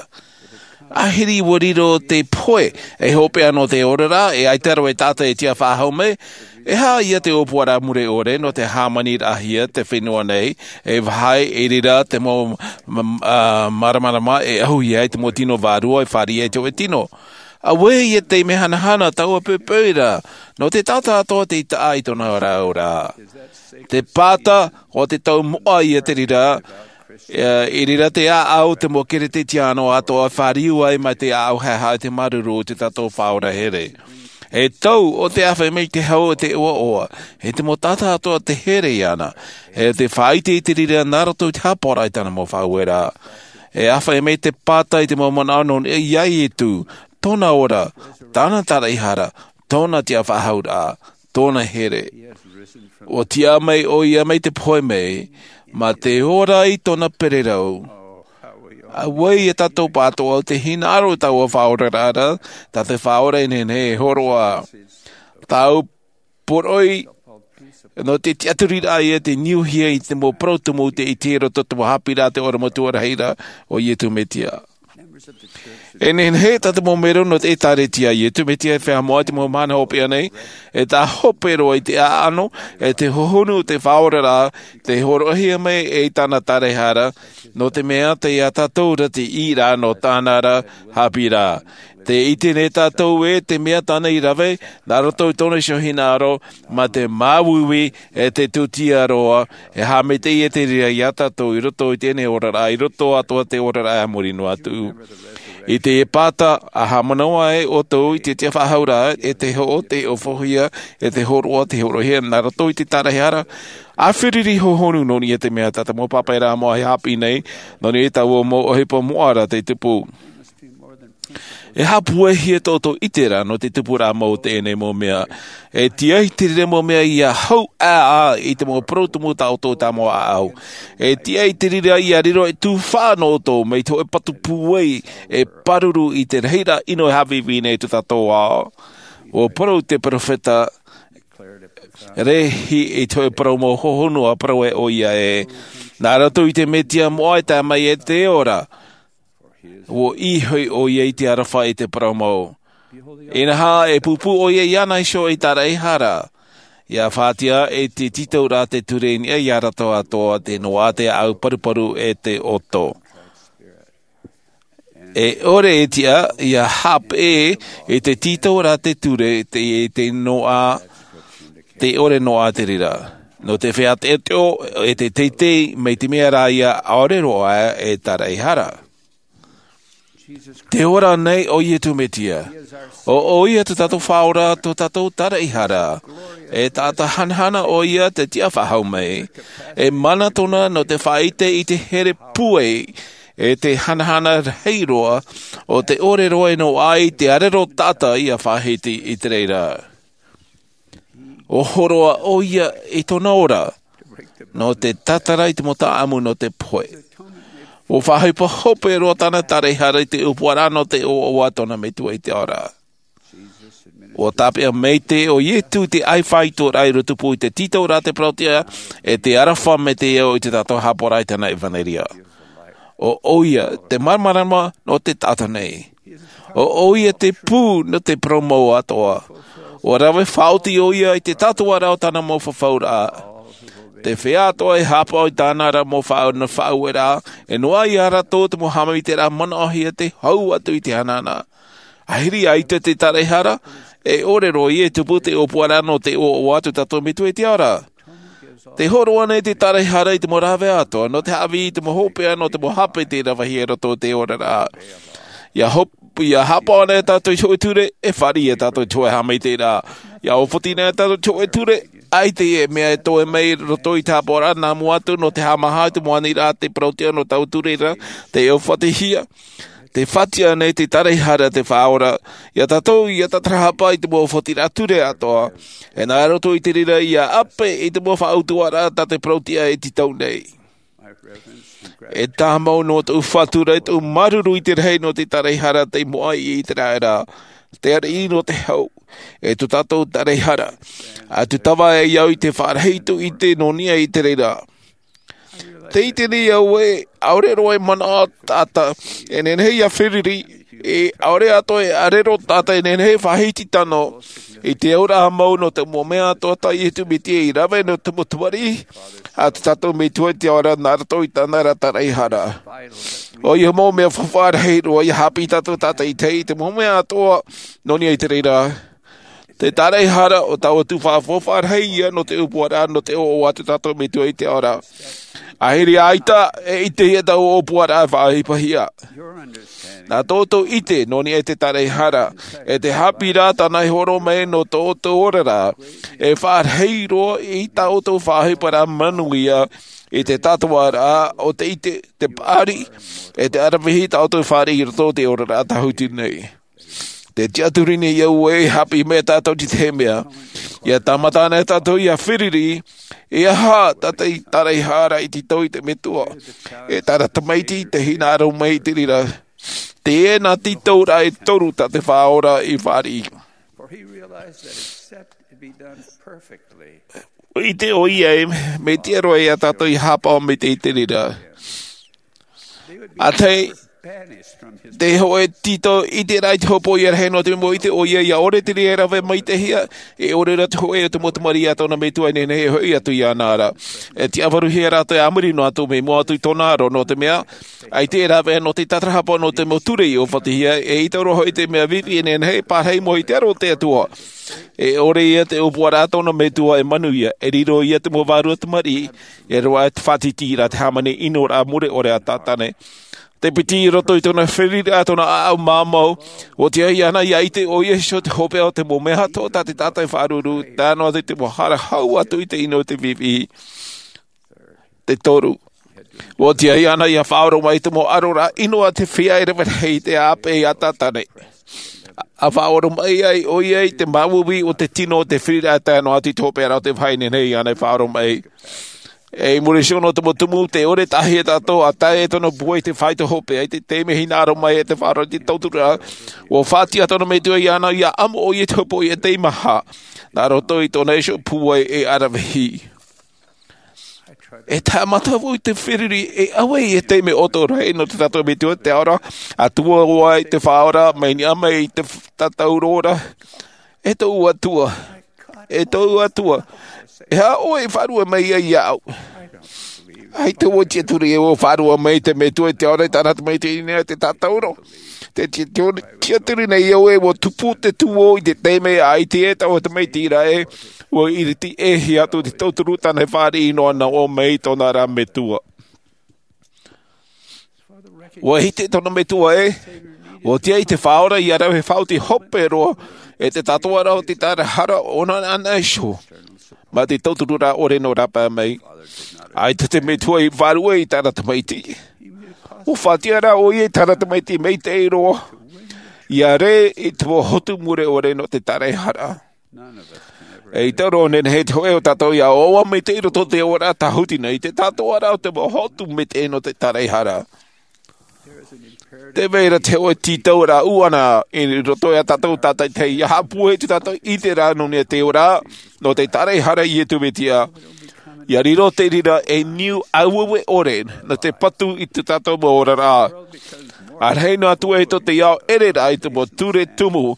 ʻAhiri ʻua riro te pohe, e hopeʻa nō te oraraʻa, e ʻaita roa e taʻata e tiʻa faʻahou mai, e aha ia te ʻōpuaraʻa mure ʻore nō te hāmaniraʻahia te fenua nei, e vāhi i reira te mau, m-, ā, māramarama e ʻahuhia ai te mau tino vārua e fāriʻi ai te hōʻē tino. Auē ia te mea hanahana taua poʻipoʻi ra, nō te taʻata atoʻa tei taʻa i tōna ora ora. Te pāta, ʻo te tau moʻa ia te reira, ā, i reira te ʻāʻau te mau Kerisetiano atoʻa e fāriu ai mai te ʻāʻau haʻehaʻa i te māuruuru o tō tātou Faʻaora here. E tau, ʻo tē ʻāfaʻi mai te hau o te ʻoaʻoa, e te mau taʻata atoʻa tē here iāna, e tē faʻaʻite i te reira nā roto i te haʻapaʻoraʻa i tāna mau faʻaueraʻa. E ʻāfaʻi mai te pāta i te mau manaʻo nō niʻa iā Iesu, tōna ora, tāna tāraʻehara, tōna tiʻafaʻahouraʻa, tōna here. ʻUa tiʻa mai ʻoia mai te pohe mai, mā te ora i tōna pererau. Auē ia tātou pātoʻa o te hinaʻaro i taua faʻaoraraʻa, tā te Faʻaora e nehenehe e hōroʻa. Tāʻu poroʻi nō te tiʻaturiraʻa ia te niuhia i te mau parau tumu te ʻite i roto i te mau haʻapiʻiraʻa te ora matua rahi ra, ʻo Iesu Mesia. E nehenehe tā te mau melo nō te ʻĒtārētia a Iesu Mesia e feiā moʻa i te mau mahana hopeʻa nei, e tā hope roa i te ʻaʻano, e te hohonu o te faʻaoraraʻa, tei hōroʻahia mai e tāna taraehara, nō te mea tei iā tātou ra te ʻīraʻa nō tāna ra haʻapiʻiraʻa. Tē ʻite nei tātou ē te mea tāna i rave, nā roto i tōna iho hinaʻaro, mā te māuiui, e te tūtia roa, e haʻamaitaʻi e te reira iā tātou i roto i teie nei oraraʻa, i roto atoʻa i te oraraʻa a muri noa atu. I te Epata, ʻa haʻamanaʻo ai ʻoutou i te tiʻafaʻahouraʻa, e te hoʻo, te ʻofohia, e te hōroʻa, te hōroʻahia, nā roto i te taraehara, ʻa feruri hohonu nō niʻa i te mea tā te mau pāpaʻiraʻa moʻa e haʻapiʻi nei, nō niʻa i taua mau ʻohipa moʻa ra tei tupu. E haʻapūaihia tō ʻoutou ʻiteraʻa nō te tupuraʻa mau o teie nei mau mea. E tiʻa i te reira mau mea ia hau ʻāʻā i te mau parau tumu tā ʻoutou tāmau ʻāʻau. E tiʻa i te reira ia riro e tufaʻa nō ʻoutou, mai te hōʻē patu pūai e pāruru i te rahiraʻa ʻino e haʻavīvī nei tō tātou ao. ʻUa parau te peropheta, Lehi i te hōʻē parau mau hohonu ʻa parau ai ʻoia ē, nā roto i te Mesia moʻa e tae mai e te ora. ʻUa ʻī hoʻi ʻoia i te aroha i te parau mau. Inaha, e pūpū ʻoia iāna iho i te taraehara. ʻIa faʻatiʻa e te tītauraʻa te ture i niʻa iā rātou atoʻa, te noaʻa, te ʻāʻau paruparu e te ʻoto. E ʻore e tiʻa, ʻia haʻapeʻe i te tītauraʻa te ture, te, te noaʻa, tē ʻore noaʻa te reira. Nō te feiā teʻoteʻo, e te teitei, mai te mea rā ia ʻaore roa e taraehara. Tē ora nei ʻo Iesu Mesia. ʻO, ʻoia tō tātou Faʻaora, tō tātou taraehara. E taʻata hanahana ʻoia te tiʻafaʻahou mai. E mana tōna nō te faʻaʻite i te here pūai, e te hanahana rahi roa, ʻo te ʻore roa e noaʻa i te ʻarero taʻata ʻia faʻahiti i te reira. ʻUa hōroʻa ʻoia i tōna ora, nō te tātara i te mau taʻamu nō te pohe. ʻUa faʻaʻohipa hope roa tāna taraehara i te ʻōpuaraʻa nō te ʻoaʻoa tōna Metua i te ao ra. ʻUa tāpeʻa maitaʻi ʻo Iesu i te ʻāifaitoraʻa i rotopū i te tītauraʻa te parau-tiʻa, e te aroha mai te ao i tā tātou haʻapaʻoraʻa i tāna ʻevanelia. ʻO ʻoia te māramarama nō te taʻata nei. ʻO ʻoia te pū nō te parau mau atoʻa. ʻUa rave faʻaoti ʻoia i te tātaraʻa o tāna mau fafauraʻa. Te feiā atoʻa e haʻapaʻo i tāna ra mau faʻau-, faʻaueraʻa, e noaʻa iā rātou te mau haʻamaitaʻiraʻa manaʻohia tei hau atu i te hanahana. ʻAhiri ʻaita te taraehara, e ʻore roa ia e tupu te ʻōpuaraʻa nō te ʻoaʻoa tō tātou Metua i te ao ra. Tē hōroʻa nei te taraehara i te mau rāveʻa atoʻa, nō te haʻavī i te mau hopeʻa, nō te mau hape tei ravehia i roto i te oraraʻa. ʻIa hop-, ʻia haʻapaʻo anaʻe tātou i te hōʻē ture, e fāriʻi tātou i te hōʻē haʻamaitaʻiraʻa. ʻIa ʻōfoti anaʻe tātou i te hōʻē ture, ʻaita e mea e toe mai i roto i te haʻapaʻoraʻa nā mua atu nō te haʻamāha i te mau aniraʻa te parau-tiʻa nō taua ture ra, tei ʻōfatihia. Tē faʻatiʻa nei te taraehara te Faʻaora iā tātou ʻia tātarahapa i te mau ʻōfatiraʻa ture atoʻa. E nā roto i te reira ʻia ʻape i te mau faʻautuaraʻa tā te parau-tiʻa e tītau nei. E tāmau noa tōʻu faʻatura, e tōʻu māuruuru i te rahi nō te taraehara tei moʻa i ʻĪteraʻera, te ariʻi nō te hau, e tō tātou taraehara. ʻA tūtava ai au i te faʻarahi i tōʻu ʻite nō niʻa i te reira. Tē ʻite nei au ē, ʻaore roa e manaʻo taʻata e nehenehe ʻia feruri, e ʻaore atoʻa e ʻarero taʻata e nehenehe e faʻahiti tano, i te auraʻa mau nō te mau mea atoʻa tā Iesu Mesia i rave nō te mau tamariʻi a tō tātou Metua i te ao ra nā roto i tāna ra taraehara. ʻOia mau mea faufaʻa rahi roa ʻia haʻapiʻi tātou tātaʻitahi i te mau mea atoʻa nō niʻa i te reira. Te taraehara ʻo taua tuhaʻa faufaʻa rahi ia nō te ʻōpuaraʻa nō te ʻoaʻoa a tō tātou Metua i te ao ra. ʻAhiri ʻaita e ʻitehia taua ʻōpuaraʻa e faʻaʻohipahia. Nā tō ʻoutou ʻite nō niʻa i te taraehara, e te haʻapiʻiraʻa tāna e hōroʻa mai nō tō ʻoutou oraraʻa, e faʻarahi roa i tā ʻoutou faʻaʻohiparaʻa manuia i te tātaraʻa o te ʻite, te paʻari, e te ʻaravihi tā ʻoutou fāriʻi i roto i te oraraʻa tāhuti nei. Te tiʻaturi nei au ē, haʻapiʻi mai tātou i te tahi mea. Ia tāmata ana e tātou ia feruri, e aha tā te taraehara i tītau i te metua, e tāna tamaiti te hinaʻaro mai i te reira. Teie nā tītauraʻa e toru tā te Faʻaora i fāriʻi. For he realized that except it be done perfectly, ʻIte ʻoia ē, mea tiʻa roa ia tātou ia haʻapaʻo mai te, te reira. ʻĀtaʻi te hōʻē tītau ʻiteraʻa i te hopoiʻa rahi, nō te mea ʻite ʻoia ia ʻore te reira e rave maitaʻihia, e ʻore rā te hōʻē o te mau tamariʻi a tōna metua e nehenehe e hoʻi atu iāna ra. E tiʻafaruhia rātou e a muri noa atu, mea moʻa atu i tōna aro, nō te mea ʻaita e rāveʻa nō te tātarahapa, nō te mau ture i ʻōfatihia, e ʻaita roa hoʻi te mea vivi e nehenehe e pārahi mai i te aro o te Atua. E ʻore ia te ʻōpuaraʻa a tōna metua e manuia, e riro ia te mau vārua tamariʻi, e roaʻa te faʻatītīraʻa, te hāmani ʻinoraʻa mure ʻore a Tātane. Te piti i roto i tōna feruriraʻa, tōna ʻāʻau māmau, ʻua tiʻa iāna ia ʻite ʻo Iesu te hopeʻa o te mau mea atoʻa tā te taʻata e faʻaruru, tae noa atu i te mau hara hau atu i te ʻino o te vivi. Te toru, ʻua tiʻa iāna ia faʻaoromaʻi i te mau ʻaroraʻa ʻino a te feiā e rave rahi i te ʻāpeʻe a Tātane. ʻA faʻaoromaʻi ai ʻoia i te māuiui o te tino o te feruriraʻa tae noa atu i te hopeʻa ra o te vahine nei iāna e faʻaoromaʻi. E i muri iho nō te mau tumu, tē ʻore tahi ia tātou ʻa tae e tōna pūai i te fāito hopeʻa, i te taime e hinaʻaro mai e te Faʻaora i te tauturu ra, ʻua faʻatiʻa tōna metua iāna ia ʻamo ʻoia i te hopoiʻa teimaha, nā roto i tōna iho pūai e ʻaravihi. E tāmata vau i te feruri, e ʻave i te taime ʻoto rahi nō te tātou Metua te Atua ra, ʻa tuʻu ai te Faʻaora, mai niʻa mai i te f-, tātauro ra. E tōʻu Atua, e tōʻu Atua, e aha ʻoe e faʻaroʻo mai ai iāʻu? ʻAita vau e tiʻaturi ē ʻua faʻaroʻo mai te Metua i te ao ra i tāna tamaiti i niʻa i te tātauro. Tē tiʻa-, tiʻaturi nei au ē ʻua tupu te tuō i te taime ʻaita e taʻu tamaiti ra ē, ʻua ʻiriti ʻē hia atu te tauturu tāna e fāriʻi noa noa mai tōna ra Metua. ʻUa ʻite tōna metua ē, ʻua tiʻa i te Faʻaora ia rave faʻaoti hope roa, e te tātaraʻa o te taraehara ʻōna anaʻe iho, mā te tauturu ra ʻore nō rāpae mai. ʻAita te Metua i faʻaruʻe i tāna tamaiti. ʻUa faʻatiʻa rā ʻoia i tāna tamaiti maitaʻi roa, ia rē i te mau hotu mure ʻore nō te taraehara. ʻAita roa e nehenehe te hōʻē o tātou ia ʻoaʻoa maitaʻi i roto i te oraraʻa tāhuti nei, te tātaraʻa o te mau hotu maitaʻi nō te taraehara. Tē vai ra te hōʻē tītauraʻa ʻuʻana i roto ia tātou tātaʻitahi, ia haʻapūai tō tātou ʻiteraʻa nō niʻa i te ora, nō te taraehara a Iesu Mesia. Ia riro te reira ei niu aueue ʻore, nō te patu i tō tātou mau oraraʻa. ʻA rahi noa atu ē tō te ao ʻereraʻa i te mau ture tumu,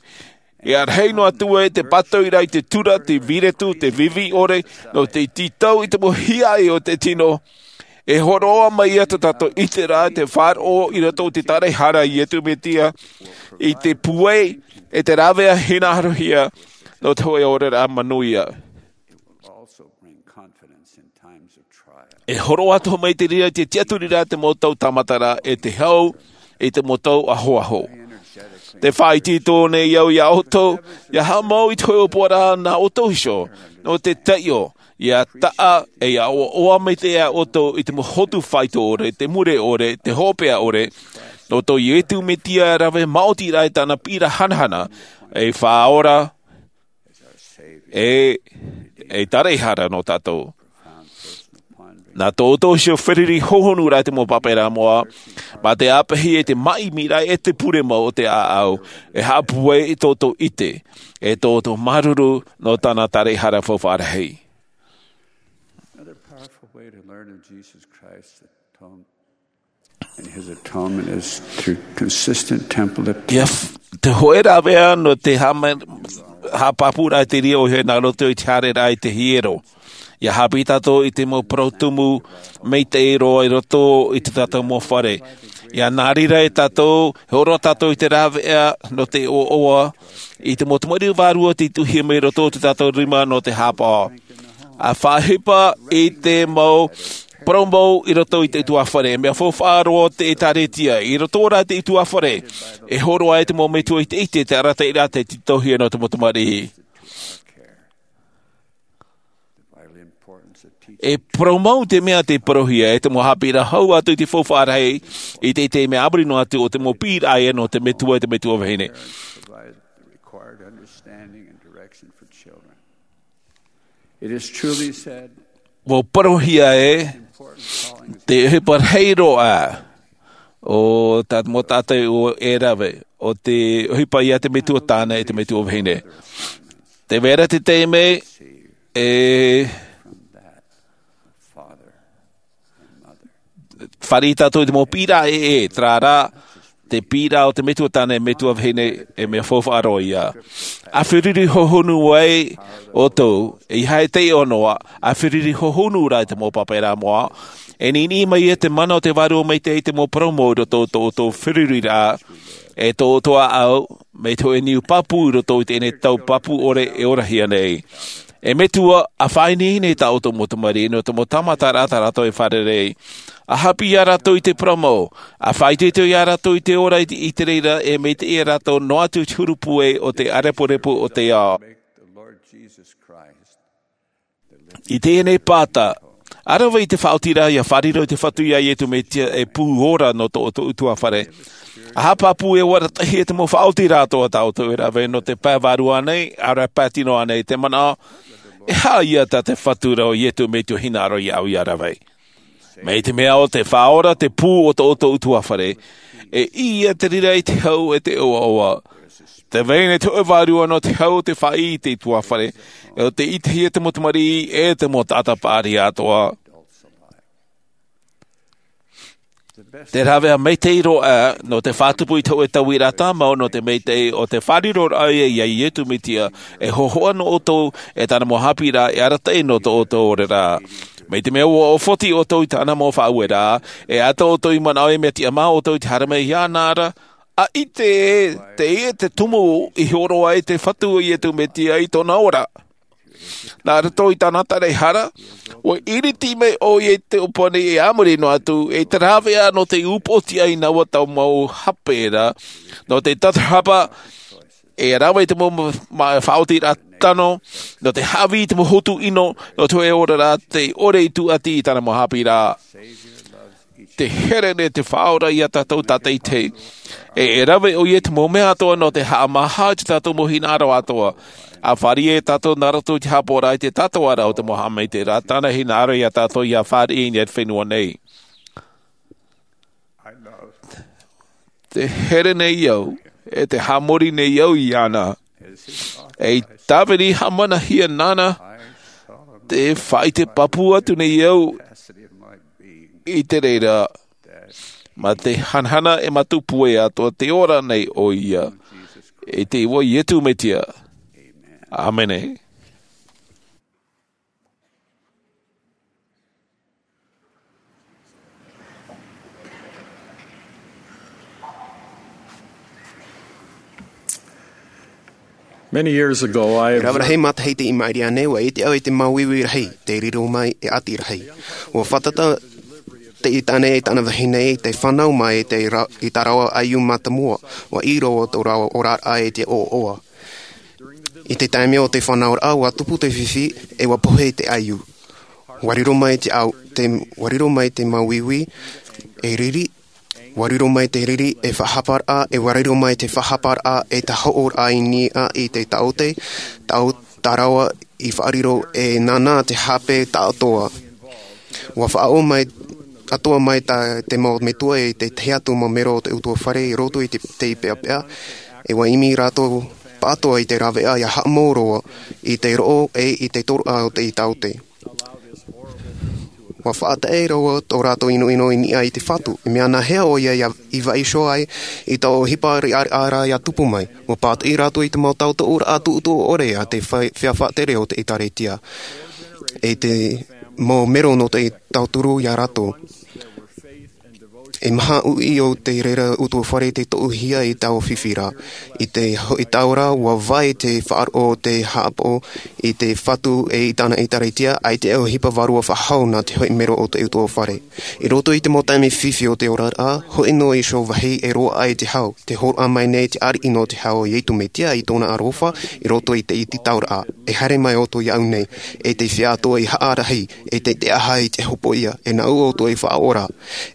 e ʻa rahi noa atu ē te pātoʻiraʻa i te tura, te vīretu, te vivi ʻore, nō te tītau i te mau hiaʻai o te tino. E hōroʻa mai ia tō tātou ʻiteraʻa te faʻaroʻo i roto i te taraehara a Iesu Mesia, i te pūai, e te rāveʻa hinaʻarohia, nō te hōʻē oraraʻa manuia. E hōroʻa atoʻa mai te reira i te tiʻaturiraʻa te mau tau tāmata ra e te hau i te mau tau ahoaho. Tē faʻaitoito nei au ia ʻoutou, ia haʻamau i te hōʻē ʻōpuaraʻa nā ʻoutou iho, nō te taiʻo, ia taʻa, e ia ʻoaʻoa maitaʻi ʻoutou i te mau hotu faito ʻore, te mure ʻore, te hopeʻa ʻore, nō tō Iesu Mesia e rave maoti ra i tāna piʻiraʻa hanahana, ei Faʻaora, e, ei taraehara nō tātou. Nā tō ʻoutou iho feruri hohonu ra i te mau pāpaʻiraʻa moʻa, mā te āpeʻahi e te māʻimiraʻa e te pure mau o te ʻāʻau, e haʻapūai i tō ʻoutou ʻite, e tō ʻoutou māuruuru nō tāna taraehara faufaʻa rahi. Another powerful way to learn of Jesus Christ, the atonement, and his atonement is through consistent temple. Ia f-, te hōʻē rāveʻa nō te hāma-, haʻapāpūraʻa te reira ʻoia hoʻi nā roto i te haereraʻa i te hiero. Ia haʻapiʻi tātou i te mau parau tumu maitaʻi roa i roto i tō tātou mau fare. Ia nā reira e tātou, e hōroʻa tātou i te rāveʻa nō te ʻoaʻoa, i te mau tamariʻi vārua tei tuʻuhia mai i roto i tō tātou rima nō te haʻapaʻo. ʻA faʻaʻohipa i te mau parau mau i roto i te ʻutuāfare, mea faufaʻa roa te ʻĒtārētia, i roto rā i te ʻutuāfare, e hōroʻa ai te mau metua i te ʻite, te arataʻiraʻa tei tītauhia nō te mau tamariʻi. E parau mau te mea tei parauhia, e te mau haʻapiʻiraʻa hau atu i te faufaʻa rahi, i te, i te mea a muri noa atu o te mau piʻiraʻa ia nō te metua, te metua vahine. Provide the required understanding and direction for children. It is truly said, ua parauhia e te ʻohipa rahi roa o tā te mau taʻata ʻua e rave, o te ʻohipa ia te metua tāne e te metua vahine. Te vera te taime e fāriʻi tātou i te mau pīraʻa e e tarara te pīraʻa o te metua tāne e metua vahine. E mea faufaʻa roa ia. A feruri hohonu ai ʻoutou i hae te ʻonoa, a feruri hohonu rā i te mau pāpaʻiraʻa moa. E niniʻi mai ia te mana o te vārua maitaʻi i te mau parau mau i roto o tō ʻoutou feruriraʻa, e tō ʻoutou ʻāʻau mai te hoʻe niu pāpū i roto i teie nei tau pāpū ʻore e orahia nei. E metua, a faʻaineine i tā ʻoutou mau tamariʻi nō te mau tāmataraʻa tā rātou e fārerei. A haʻapiʻi ia rātou i te parau mau, a faʻaitoito ia rātou i te ora i te reira e maitaʻi ia rātou noa atu i te huru pūai o te ʻārepurepu o te ao. I teie nei pāta, a rave i te faʻaotiraʻa ia fārerei i te fatu ia iesu mesia e pū ora nō tō ʻoutou utuafare. A haʻapāpū e ʻua arataʻihia te mau faʻaotiraʻa atoʻa tā ʻoutou e rave nō te pae vārua nei, a rave pātino ānei te manaʻo, e haʻa ia tā te fatu ra o iesu mesia hinaʻaro ia au ia rave. Mai te mea o te faʻaora te pū o tō ʻoutou utuafare, e ia te reira i te hau e te ʻoaʻoa. Te vai nei te hoʻe vārua nō te hau o te faʻaʻī i te utuafare, e o te ʻitehia te mau tamariʻi e te mau taʻata paʻari atoʻa. Te rāveʻa maitaʻi roa nō te faʻatupu i te hoʻe tauiraʻa tāmau nō te maitaʻi o te fāriroraʻa ia iesu mesia, e hōhoʻa nō ʻoutou e tāna mau haʻapiʻiraʻa e arataʻi nō tō ʻoutou oraraʻa. Mai te mea ua ʻofoti ʻoutou i tāna mau faʻaueraʻa, e ʻaita ʻoutou i manaʻo e mea tiʻamā ʻoutou i te haere mai iāna ra, a ʻite e te tumu i horo ai te fatu o iesu mesia i tōna ora. Nā roto i tāna taraehara, ua iriti mai ʻoia i te ʻōpani e a muri noa atu i te rāveʻa nō te upoʻotiʻa i naua tau mau hape ra, nō te tatarahapa e rave i te mau faʻaotiraʻa tano, nō te haʻavī i te mau hotu ʻino nō te hoʻe oraraʻa, te ʻore i tūʻati i tāna mau haʻapiʻiraʻa. Te here nei te faʻaora ia tātou tātaitahi. E e rave ʻoia i te mau mea atoʻa nō te haʻamāha i tā tātou mau hinaʻaro atoʻa. A fāriʻi e tātou nā roto i te haʻapaʻoraʻa i te tātauʻaraʻa o te mau haʻamaitaʻiraʻa, tāna hinaʻaro ia tātou ia fāriʻi i niʻa i te fenua nei. Te here nei au, e te haʻamori nei au iāna. E i tāvini haʻamanahia nāna, te faʻaʻite pāpū atu nei au i te reira, mā te hanahana e mātou pūai atoʻa te ora nei ʻoia. I te iʻoa o iesu mesia. ʻĀmene. Many years ago, I rave rahi matahiti i maʻiri aʻe nei, ua ʻite au i te māuiui rahi, te riro mai e ʻati rahi. Ua fātata te ʻitehia e tāna vahine i te fānau mai i te ra-, i tā rāua ʻaiū mātāmua, ua ʻī roa tō rāua oraraʻa i te ʻoaʻoa. I te taime o te fānauraʻa, ua tupu te fifi, e ua pohe te ʻaiū. Ua riro mai te au-, te, ua riro mai te māuiui, e riri, ua riro mai te riri, e faʻahaparaʻa, e ua riro mai te faʻahaparaʻa, e tahoʻoraʻa i niʻa i te taote, tao-, tā rāua i faʻariro, e nānā te hape taʻatoʻa. Ua faʻaʻō mai, atoʻa mai tā te mau metua e te tahi atu mau mero o te utuafare i roto i te, te peʻapeʻa, e ua ʻimi rātou pāʻatoʻa i te rāveʻa ia haʻamou roa i te roʻo e i te tōroʻa o te taote. Ua faʻataʻe roa tō rātou ʻinoʻino i niʻa i te fatu, e mea nāhea ʻoia ia i vaiiho ai i taua ʻohipa riʻariʻa ra ia tupu mai. Ua pātoʻi rātou i te mau tautoʻoraʻa tuʻutuʻu ʻore a te fai-, feiā faʻatere o te ʻĒtārētia. E te mau mero nō te tauturu ia rātou. E maha uʻi o te reira utuafare te toʻuhia i taua fifi ra. I te hoʻi tau ra, ua vai te faʻaroʻo o te haʻapaʻo i te fatu e i tāna ʻĒtārētia, ʻaita e ʻohipa vārua faʻahou nā te hoʻi mero o te utuafare. I roto i te mau taime fifi o te oraraʻa, hoʻi noa iho vāhi e roaʻa ai te hau, te hōroʻa mai nei te ariʻi nō te hau o Iesu Mesia i tōna aroha, i roto i te ʻitetauraʻa, e haere mai ʻoutou iāʻu nei, e te feiā atoʻa i haʻarahi, e te, te aha i te hopoiʻa, e nāʻu ʻoutou i faʻaora,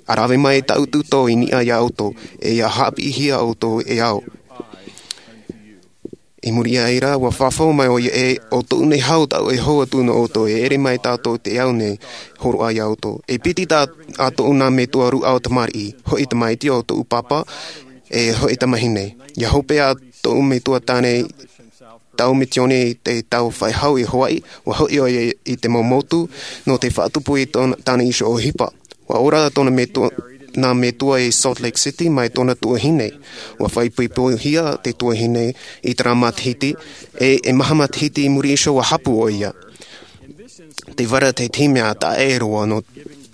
ʻa rave mai tāʻu tūtō i niʻa iā ʻoutou, e ia haʻapiʻihia ʻoutou e au. I muri iho ra, ua fafau mai ʻoia ē, ʻo tōʻu nei hau taʻu e hou atu nō ʻoutou, e ʻere mai tātou te au nei, hōroʻa iā ʻoutou. E piti tā, ā tōʻu nā metua rūʻau tamariʻi, hoʻi tamaiti ʻo tōʻu pāpā, e hoʻi tamahine. ʻIa hope ā tōʻu metua tāne, tau misiōni i te tau faʻehau i Hawaiʻi, ua hoʻi ʻoia i te mau motu, nō te faʻatupu i tōna, tāna iho ʻohipa. Ua ora tōna metua, nā metua i Salt Lake City mai tōna tuahine. Ua faʻaipoipohia te tuahine i terā matahiti, e, e maha matahiti i muri iho ua hapu ʻoia. Tē vai ra te tahi mea taʻa ʻē roa nō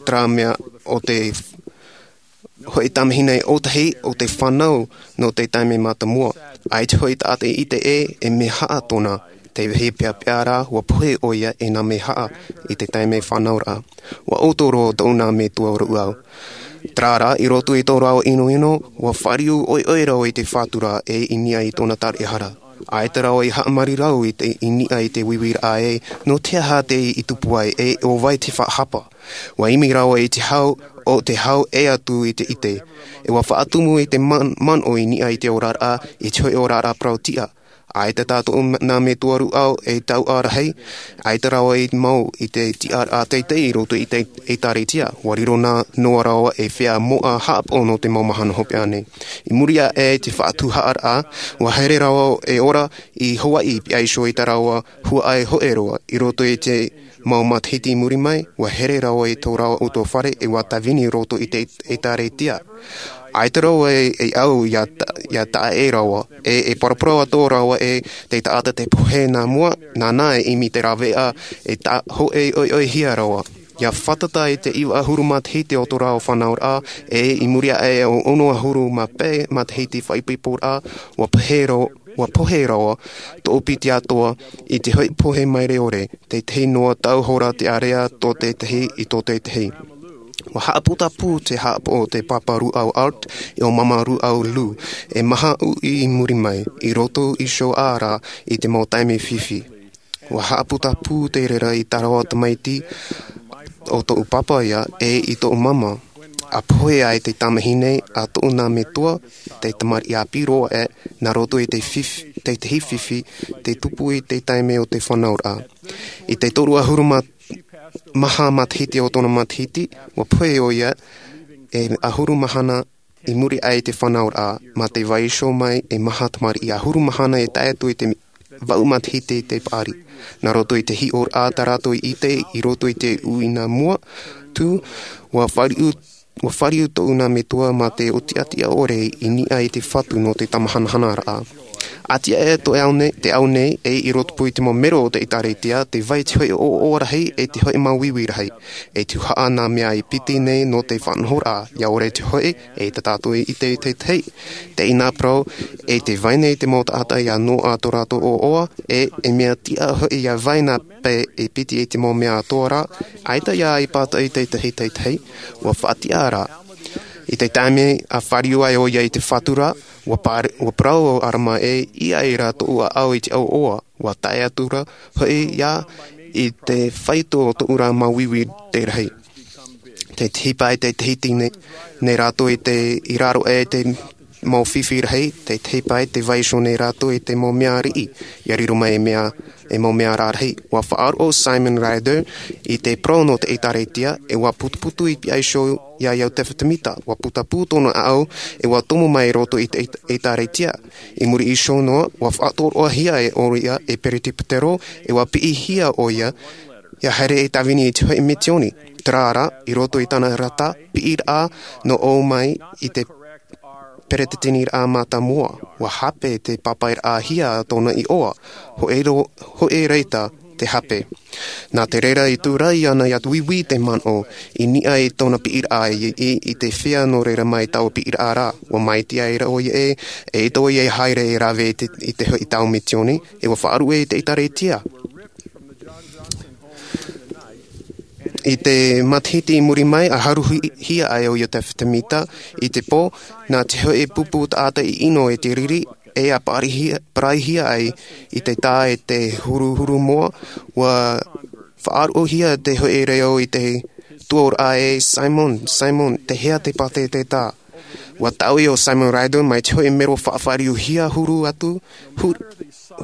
terā mea ʻo te hoʻi tamahine ʻōtahi ʻo te fānau nō te taime mātāmua. ʻAita hoʻi taʻata i ʻite ē, e mea haʻa tōna, tē vai ra te peapea rā, ua pohe ʻoia e nā mea haʻa i te taime fānauraʻa. Ua ʻoto roa tōʻu nā metua rūʻau. Terā rā, i roto i tō rāua ʻinoʻino, ua fāriu ʻoiʻoi rāua i te fatu ra e i niʻa i tōna taraehara. ʻAita rāua i haʻamarirau i te, i niʻa i te uiuiraʻa ē, nō te aha tē tupu ai e ʻo vai te faʻahapa. Ua imi rāua i te hau, ʻo te hau ʻē atu i te ʻite. E ua faʻatumu i te man-, manaʻo i niʻa i te oraraʻa, i te hoʻi oraraʻa parau tiʻa. ʻAita tā tōʻu nā metua rūʻau e tauʻa rahi, ʻaita rāua i mau i te tiʻaraʻa teitei i roto i te ʻĒtārētia. Ua riro nā noa rāua e feiā moʻa haʻapaʻo nō te mau mahana hopeʻa nei. I muri aʻe i te faʻatuhaʻaraʻa, ua haere rāua e ora i Hawaiʻi, pihaʻi iho i tā rāua huaʻai hōʻē roa. I roto i te mau matahiti i muri mai, ua haere rāua i tō rāua ʻutuāfare e ua tāvini i roto i te ʻĒtārētia. ʻAita rāua e, e au ʻia ta-, ʻia taʻa ʻē rāua, e, e paraparau atoʻa rāua ē te taʻata tē pohe nā mua, nāna e imi te rāveʻa, e tā hōʻē ʻoiʻoihia rāua. ʻIa fātata i te iva ʻahuru matahiti o tō rāua fānauraʻa, e i muri aʻe ʻo ono ʻahuru mā pae matahiti faʻaipoiporaʻa, ua pohe rāua, ua pohe rāua, tō piti atoʻa, i te hoʻi pohe maere ʻore, tētahi noa tau hora te ārea tō tētahi i tō tētahi. Ua haʻaputapū te haʻapaʻo o te pāpā rūʻau Art, e ʻo māmā rūʻau Lou, e maha uʻi i muri mai, i roto iho ā rā i te mau taime fifi. Ua haʻaputapū te reira i tā rāua tamaiti, ʻo tōʻu pāpā ïa, e i tōʻu māmā. ʻA pohe ai te tamahine a tōʻu nā metua, te tamariʻi ʻāpī roa ē, nā roto i te fif-, tētahi fifi, tē tupu i te taime o te fānauraʻa. I te toru ʻahuru ma-, maha matahiti o tōna matahiti, ua pohe ʻoia, e ʻahuru mahana i muri aʻe i te fānauraʻa, mā te vaiiho mai e maha tamariʻi ʻahuru mahana e tae atu i te vaʻu matahiti i te paʻari. Nā roto i te hiʻoraʻa tā rātou i ʻite i roto i te uʻi nā mua, tū, ua fāriu, ua fāriu tōʻu nā metua mā te ʻōtiʻatiʻa ʻore i niʻa i te fatu nō te tāmāhanahanaraʻa. ʻA tiʻa ē tō te ao nei, te ao nei, e i rotopū i te mau mero o te ʻĒtārētia, tē vai te hoʻi ʻoaʻoa rahi, e te hoʻi māuiui rahi. E tuhaʻa nā mea i piti nei nō te faʻanahoraʻa, ʻia ʻore te hoʻi, e tā tātou i ʻite i te tahi. Teie nā parau, e tē vai nei te mau taʻata ʻia noaʻa tō rātou ʻoaʻoa, e, e mea tiʻa hoʻi ʻia vai nā pae e piti i te mau mea atoʻa ra, ʻaita ʻia ʻaipata i te tahi te tahi, ua faʻatiʻa rā. I te taime ʻa fāriu ai ʻoia i te fatu ra, ua pār-, ua parau ʻo Arama ē, ʻia ʻai rā tōʻu ʻāʻau i te ʻoaʻoa, ua tae atu ra, hoʻi ïa i te faito o tōʻu ra māuiui te rahi. Te tahi pae te tahi tine, nei rātou i te, i raro e te mau fifi rahi, te tahi pae te vaiiho nei rātou i te mau mea riʻi, ʻia riro mai e mea, e mau mea rarahi. Ua faʻaroʻo Simon Rather i te parau nō te ʻĒtārētia, e ua putuputu i pihaʻi iho iā Iosepha Semita, ua putapū tōna ʻāʻau, e ua tomo mai i roto i te ʻĒt-, ʻĒtārētia. I muri iho noa, ua faʻatoroʻahia e ʻoia e peretiputero, e ua piʻihia ʻoia, ʻia haere e tāvini i te hoʻi misiōni. Terā rā, i roto i tāna rata, piʻiraʻa, nō ʻō mai i te peretiteniraʻa mātāmua, ua hape te pāpaʻiraʻahia tōna iʻoa, hōʻē ro-, hōʻē reira te hape. Nā te reira i tūrai ana ʻia uiui te manaʻo, i niʻa i tōna piʻiraʻa i, i, i te feiā nō reira mai taua piʻiraʻa ra, ua maitaʻi ai ra ʻoia ē, e ʻaita ʻoia e haere e rave i te, i te hoʻi tau misiōni, e ua faʻaruʻe i te ʻĒtārētia. I te matahiti i muri mai, ʻa haruhia ai ʻo Iosepha Semita i te pō, nā te hoʻi pupu taʻata i ʻino e te riri, e ʻa pārahi-, pārahihia ai i te tā e te huruhuru moa, ua faʻaroʻohia te hoʻi reo i te tuaoraʻa ē, Simon, Simon, tei hea te pātete tā? Ua taui o Simon Ryder mai te hoʻi mero faʻafāriuhia huru atu, hur-,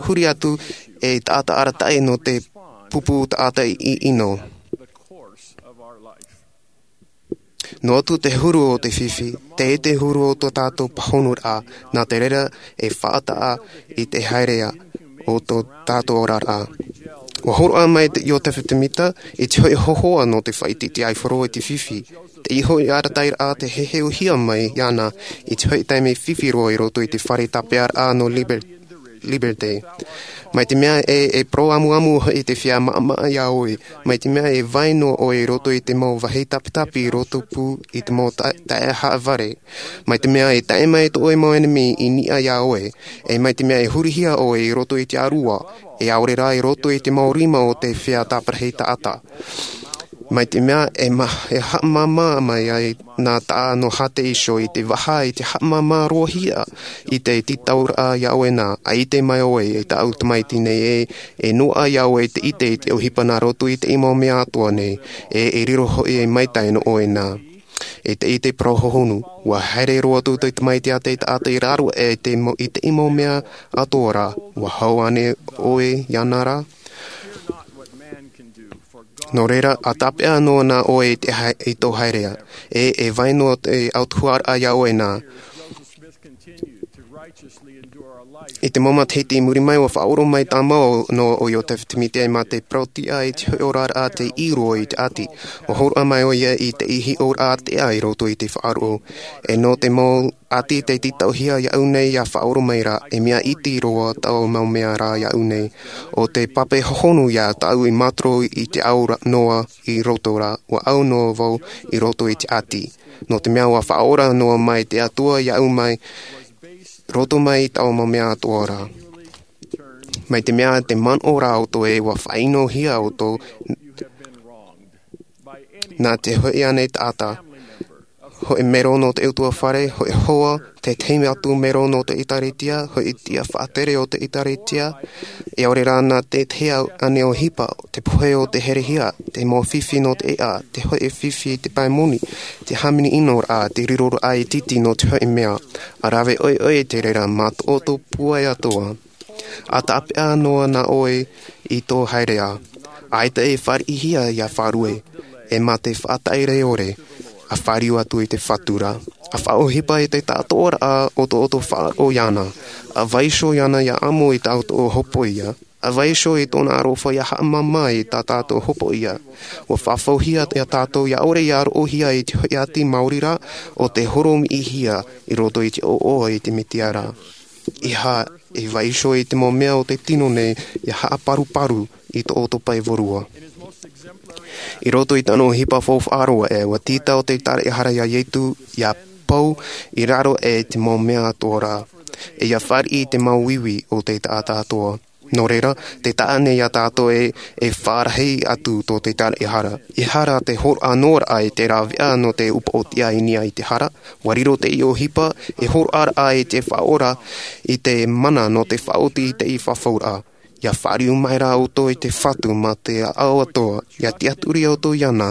huri atu e taʻata arataʻi nō te pupu taʻata i ʻino. Noa atu te huru o te fifi, te ʻite huru o tō tātou pāhonoraʻa, nā te reira e faʻataʻa i te haereʻa o tō tātou oraraʻa. Ua hōroʻa mai te Iosepha Smith i te hoʻi hōhoʻa nō te faʻaʻiteʻite aifaro i te fifi. Te iho i arataʻiraʻa te heheuhia mai iāna i te hoʻi taime fifi roa i roto i te fare tāpeʻaraʻa nō Liber-, Liberté. Mai te mea e, e parau amuamu hoʻi te feiā maʻamaʻa iā ʻoe. Mai te mea e vai noa ʻoe i roto i te mau vāhi tapitapi i roto pū i te mau ta-, taeaʻe haʻavare. Mai te mea e taʻe mai tō ʻoe mau ʻenemi i niʻa iā ʻoe. E mai te mea e hurihia ʻoe i roto i te ʻārua. E ʻaore rā i roto i te mau rima o te feiā tāparahi taʻata. Mai te mea e ma-, e haʻamāmā mai ai nā taʻa nō Hāte Iso i te vaha i te haʻamāmā roahia i te tītauraʻa iā ʻoe nā, ʻa ʻite mai ʻoe e tāʻu tamaiti nei ē, e noaʻa iā ʻoe te ʻite i te ʻohipa nā roto i te mau mea atoʻa nei, e, e riro hoʻi e maitaʻi nō ʻoe nā. E te ʻite parau hohonu, ua haere roa atu te tamaiti a te taʻata i raro e te mau, i te mau mea atoʻa rā, ua hau ānei ʻoe iāna rā? Nō reira, ʻa tāpeʻa noa nā ʻoe i te hai-, i tō haereʻa, e, e vai noa te autahuʻaraʻa iā ʻoe nā. I te mau matahiti i muri mai, ua faʻaora mai tāmau nō ʻo Iosepha Smith mā te parau-tiʻa i te hoʻi oraraʻa tei ʻī roa i te ʻati. Ua hōroʻa mai ʻoia i te hiʻoraʻa ʻātea i roto i te faʻaroʻo. E nō te mau ʻati tei tītauhia iāʻu nei ʻia faʻaora mai ra, e mea iti roa taua mau mea rā iāʻu nei. ʻO te pape hohonu iā tāʻu i mātaro i te au ra-, noa i roto ra, ua au noa vau i roto i te ʻati. Nō te mea ua faʻaora noa mai te Atua iāʻu mai, roto mai i taua mau mea atoʻa rā. Mai te mea te manaʻo ra ʻoutou ē ua faʻaʻinohia ʻoutou nā te hoʻi ānei taʻata, hoʻi mero nō te ʻutuāfare, hoʻi hoa, te tahi atu mero nō te ʻĒtārētia, hoʻi tiʻa faʻatere o te ʻĒtārētia, e ʻaore rā nā te tahi ānei ʻohipa, te pohe o te herehia, te mau fifi nō te ʻēʻa, te hoʻi fifi i te pae moni, te hāmani ʻino rā, te riroraʻa iti nō te hoʻi mea, ʻa rave ʻoiʻoi te reira mā tō ʻoutou pūai atoʻa. ʻA tāpeʻa noa nā ʻoe i tō haereʻa, ʻaita e fāriʻihia ʻia faʻarue, e mā te faʻataʻi reo ʻore, ʻa fāriu atu i te Fatu ra. ʻA faʻaʻohipa i te tāʻātoʻaraʻa o tō ʻoutou faʻaroʻo iāna, ʻa vaiiho iāna ʻia amo i tā ʻoutou hopoiʻa, ʻa vaiiho i tōna aroha ʻia haʻamāmā i tā tātou hopoiʻa. Ua fafauhia iā tātou ʻia ʻore ʻia roʻohia i te hoʻi ʻati maori ra, ʻo te horomiʻihia i roto i te ʻoaʻoa i te Mesia ra. ʻEiaha e vaiiho i te mau mea o te tino nei ʻia haʻaparuparu i tō ʻoutou pae vārua. I roto i tāna ʻohipa faufaʻa roa ē, ua tītau te taraʻehara iā Iesu ʻia pau i raro aʻe i te mau mea atoʻa ra, e ʻia fāriʻi i te mau ivi o te taʻata atoʻa. Nō reira, tē taʻa nei iā tātou ē, e faʻarahi atu tō te taraʻehara. ʻEiaha te hōroʻa noa ra i te rāveʻa nō te upoʻotiʻa i niʻa i te hara, ua riro te ʻohipa, e hōroʻa ra i te Faʻaora, i te mana nō te faʻaoti i te fafauraʻa. ʻIa fāriu mai ra ʻoutou i te Fatu mā te ʻāʻau atoʻa, ʻia tiʻaturi ʻoutou iāna,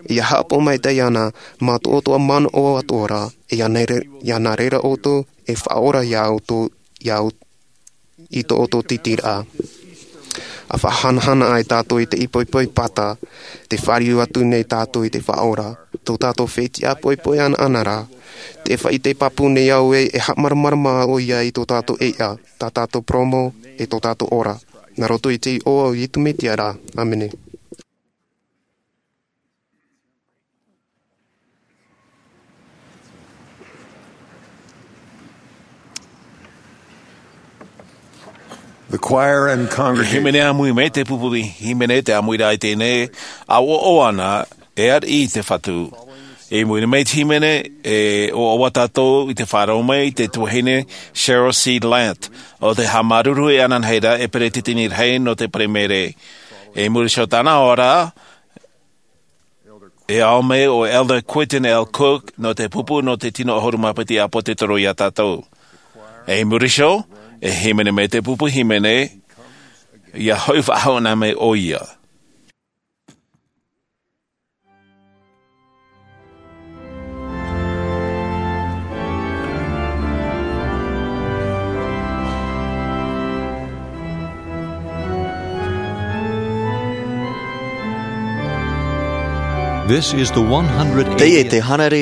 ʻia haʻapaʻo maitaʻi iāna, mā tō ʻoutou manaʻo atoʻa ra, e ʻia nā re-, ʻia nā reira ʻoutou, e faʻaora iā ʻoutou, iā ʻou-, i tō ʻoutou tītīraʻa. ʻA faʻahanahana ai tātou i te poipoi pāta, tē fāriu atu nei tātou i te Faʻaora, tō tātou fetiʻa poipoi anaʻanara, tē faʻaʻite pāpū nei au ē, e haʻamāramarama ʻoia i tō tātou ʻēʻa, tā tātou parau mau, e tō tātou ora. Nā roto i te iʻoa o Iesu Mesia ra. ʻĀmene. The choir and congregation. Hīmene ʻāmui mai te pupu hīmene, te ʻāmuiraʻa i teie nei, ʻa ʻoaʻoa ana, e ariʻi i te Fatu. I muri mai te hīmene, e ʻoaʻoa tātou i te faʻaroʻo mai i te tuahine Cheryl C. Lant, ʻo te haʻamāuruuru ananahi ra e peretiteni rahi nō te Palemere. I muri iho i tāna ora, e ao mai ʻo Elder Quentin L. Cook nō te pupu nō te tino ʻahuru mā piti ʻĀpōsetolo iā tātou. I muri iho, e hīmene mai te pupu hīmene, ʻia hoʻi faʻahou na mai ʻoia. This is the one hundred eightieth. Teie te hānere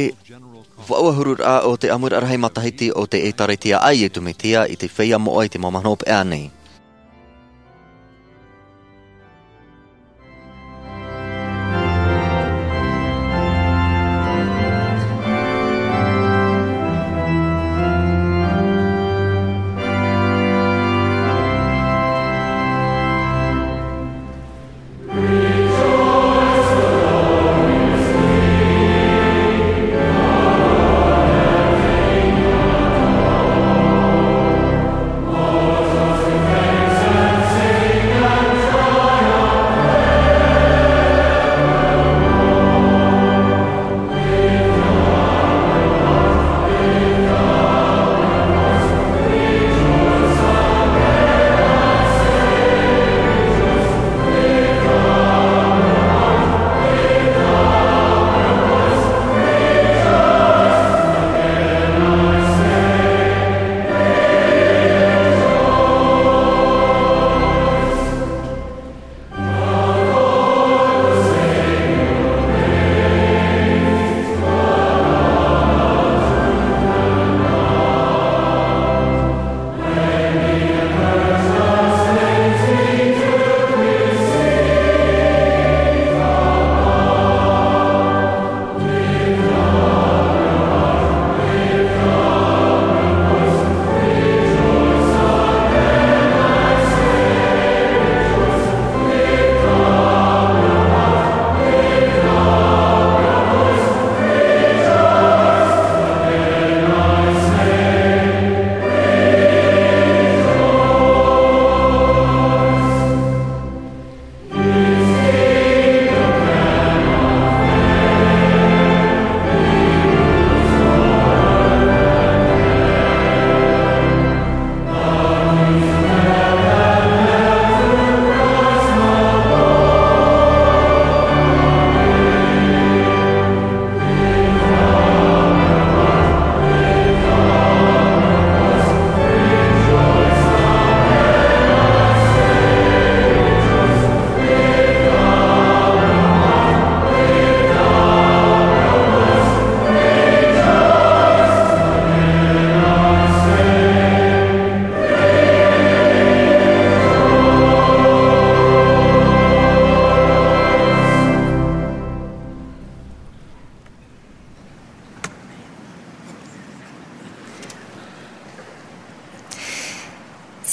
vau ʻahuru rā o te ʻamuraʻa rahi matahiti o te ʻĒtārētia a Iesu Mesia i te feiā moʻa i te māmā hopeʻa nei.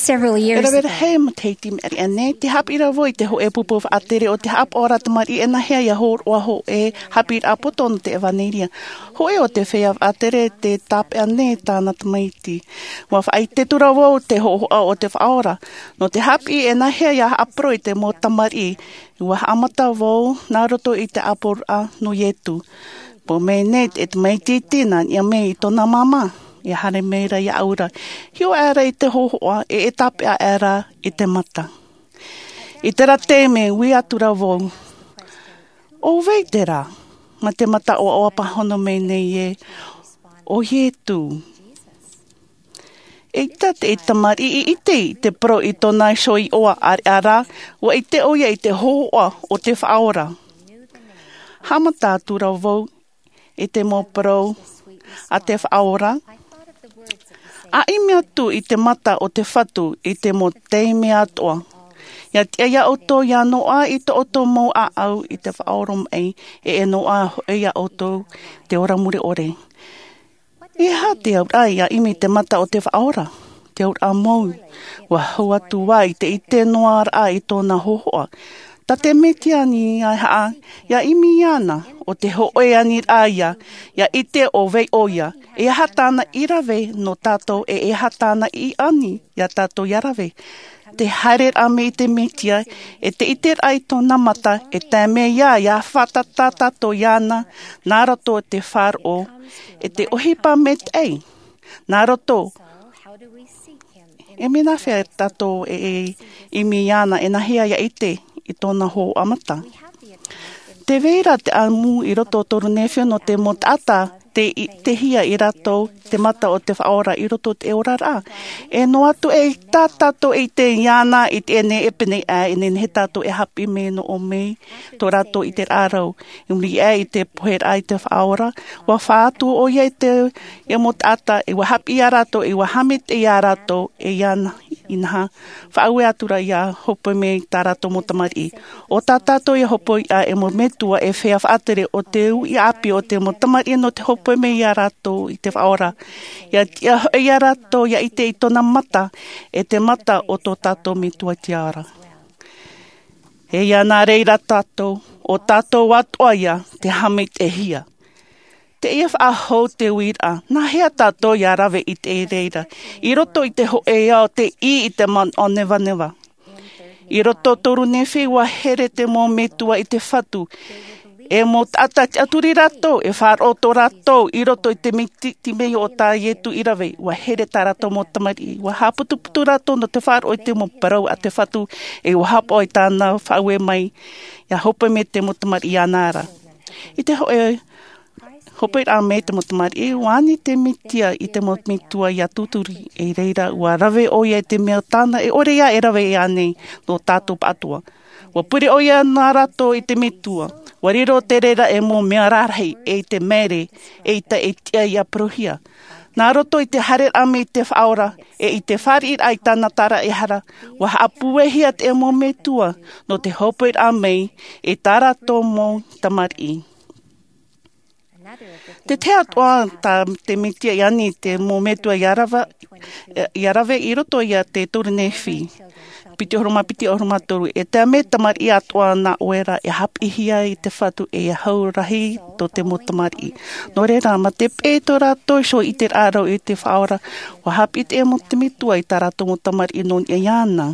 Several years ago, e rave rahi matahiti mai ʻānei, tē haʻapiʻi ra vau i te hōʻē pupu faʻatere o te haʻapaʻo ra tamariʻi e nāhea ia hōroʻa hōʻē haʻapiʻiraʻa poto nō te ʻevanelia. Hōʻē o te feiā faʻatere tē tāpeʻa nei tāna tamaiti. ʻUa faʻaʻite atu ra vau te hōhoʻa o te Faʻaora. Nō te haʻapiʻi e nāhea ia haʻaparau i te mau tamariʻi, ʻua haʻamata vau nā roto i te ʻāpoʻoraʻa nō Iesu. Pō mai nei te tamaiti iti nā niʻa mai i tōna māmā, e haere mai ra iāʻu ra. Hiʻo aʻera i te hōhoʻa, e, e tāpeʻa aʻera i te mata. I terā taime, ui atu ra vau, ʻo vai terā? Mā te mata ʻoaʻoa pāhono mai nei ē, ʻo Iesu. Eʻita te tamariʻi i ʻite i te parau i tōna iho iʻoa, ʻāreʻa rā, ʻua ʻite ʻoia i te hōhoʻa o te Faʻaora. Haʻamata atu ra vau i te mau parau a te Faʻaora. ʻA ʻimi atu i te mata o te Fatu i te mau taime atoʻa. ʻIa tiʻa ia ʻoutou ʻia noaʻa i tō ʻoutou mau ʻāʻau i te faʻaoromaʻi, e, e noaʻa hoʻi ia ʻoutou te ora mure ʻore. E aha te auraʻa ʻia ʻimi i te mata o te Faʻaora? Te auraʻa mau, ʻua hau atu vau i te ʻite noa raʻa i tōna hōhoʻa. Tā te Mesia anaʻe ā, ʻia ʻimi iāna, ʻo te hōʻē aniraʻa ïa, ʻia ʻite ʻo vai ʻoia, e aha tāna i rave nō tātou, e, e aha tāna i ani iā tātou ʻia rave. Te haereraʻa mai i te Mesia, e te ʻiteraʻa i tōna mata, e tae mai ïa ʻia fātata tātou iāna, nā roto i te faʻaroʻo, e te ʻohipa maitaʻi, nā roto. E mea nāfea tātou e, e ʻimi iāna, e nāhea ʻia ʻite i tōna hōhoʻa mata? Tē vai ra te ʻamu i roto o Poronefio nō te mau taʻata te i te hia i rātou te mata o te faʻaora i roto i te oraraʻa. E noa atu e tā tātou e ʻite iāna i teie nei e pēnei aʻe e nehenehe tātou e haʻapiʻi mai nō ʻō mai tō rātou i te rāʻau i muri aʻe i te poheraʻa i te faʻaora. Ua fā atu ʻoia i te ia mau taʻata e ua haʻapiʻi iā rātou e ua haʻamaitaʻi iā rātou e iāna inaha faʻaue atu rā ia hopoi mai tā rātou mau tamariʻi. O tā tātou ia hopoi aʻe e mau metua e feiā faʻatere o te uʻi ʻāpī o te mau tamariʻi nō te hopoi mai iā rātou i te faʻaora. Ia tiʻa hoʻi iā rātou ia ʻite i tōna mata e te mata o tō tātou metua tiʻa ra. E ia nā reira tātou o tātou atoʻa ia te haʻamaitaʻihia. Teie faʻahou te uiraʻa nā hea tātou ia rave i te reira i roto i te hōʻē ao te ʻī i te manaʻo nevaneva. I roto toru nehenehe ua here te mau metua i te fatu e mau taʻata tiʻaturi rātou e faʻaroʻo tō rātou i roto i te miti te mea o tā iesu i rave ua here tā rātou mau tamariʻi ua haʻaputuputu rātou nō te faʻaroʻo i te mau parau a te fatu e ua haʻapaʻo i tāna faʻaue mai ia hopoi mai te mau tamariʻi iāna ra. I te hōʻē hopoi rā mai te mau tamariʻi ua ani te metua i te mau metua ia tūturi i reira ua rave ʻoia i te mea tāna e ʻore ia e rave ia nei nō tātou pāʻatoʻa. Ua pure ʻoia nā rātou i te metua ua riro te reira e mau mea rarahi e i te maere e ʻita e tiʻa ia parauhia. Nā roto i te haereraʻa mai i te faʻaora e i te fāriʻiraʻa i tāna taraehara ua haʻapuehia te mau metua nō te hopoi rā mai i tā rātou mau tamariʻi. Te tahi atoʻa tā te metua i ani te mau metua ia rave i roto ia te toru nehenehe piti ʻahuru mā piti ʻahuru mā toru e tae mai tamariʻi atoʻa nā ʻoe ra e haʻapiʻihia i te fatu e ia hau rahi tō te mau tamariʻi. Nō reira mā te peʻe tō rātou iho i te rāʻau i te faʻaora ua haʻapiʻi te mau te metua i tā rātou mau tamariʻi nō niʻa iāna.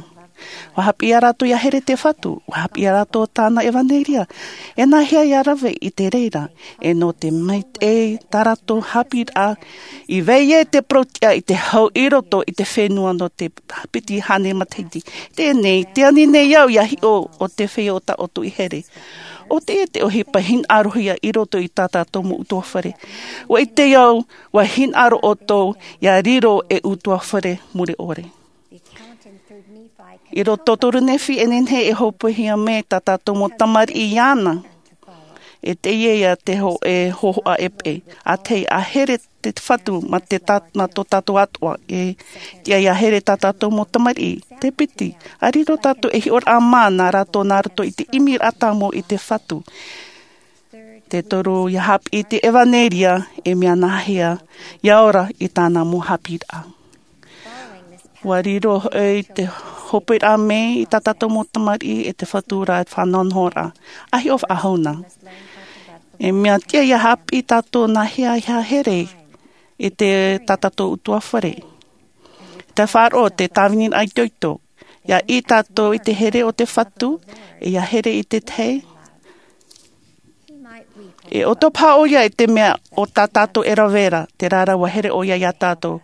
Ua haʻapiʻi iā rātou ia here te fatu ua haʻapiʻi iā rātou tāna evanelia. E nā hea ia rave i te reira e nō te maitaʻi tā rātou haʻapiʻiraʻa i vai ai te parau tiʻa i te hau i roto i te fenua nō te piti hānere matahiti. Teie nei te ani nei au ia hiʻo o te feiā o tā ʻoutou i here. O teie te ʻohipa hinaʻarohia i roto i tā tātou mau utuafare. Ua ʻite au ua hinaʻaro ʻoutou ia riro e utuafare mure ʻore. I roto toru nehenehe e nehenehe e hopoihia mai tā tātou mau tamariʻi iāna. E teie ia te hōʻē hōhoʻa e peʻe a te a here te fatu mā te tā nā tō tātou atoʻa e tiʻa ia here tā tātou mau tamariʻi. Te piti a riro tātou e hiʻoraʻa mā nā rātou nā roto i te ʻimiraʻa tāmau i te fatu. Te toru ia haʻapiʻi te evanelia e mea nā hea ia ora i tāna mau haʻapiʻiraʻa. Ua riro hoʻi te hopoiraʻa mai i tā tātou mau tamariʻi e te fatu ra e faʻanahonahoraʻa a hiʻo faʻahou na. E mea tiʻa ia haʻapiʻi tātou nā hea ia here i te tā tātou utuafare. Te faʻaroʻo te tāviniraʻa itoito ia ʻī tātou i te here o te fatu e ia here i te tahi. E ʻoto paha ʻoia i te mea o tā tātou e rave ra te rāra ua here ʻoia iā tātou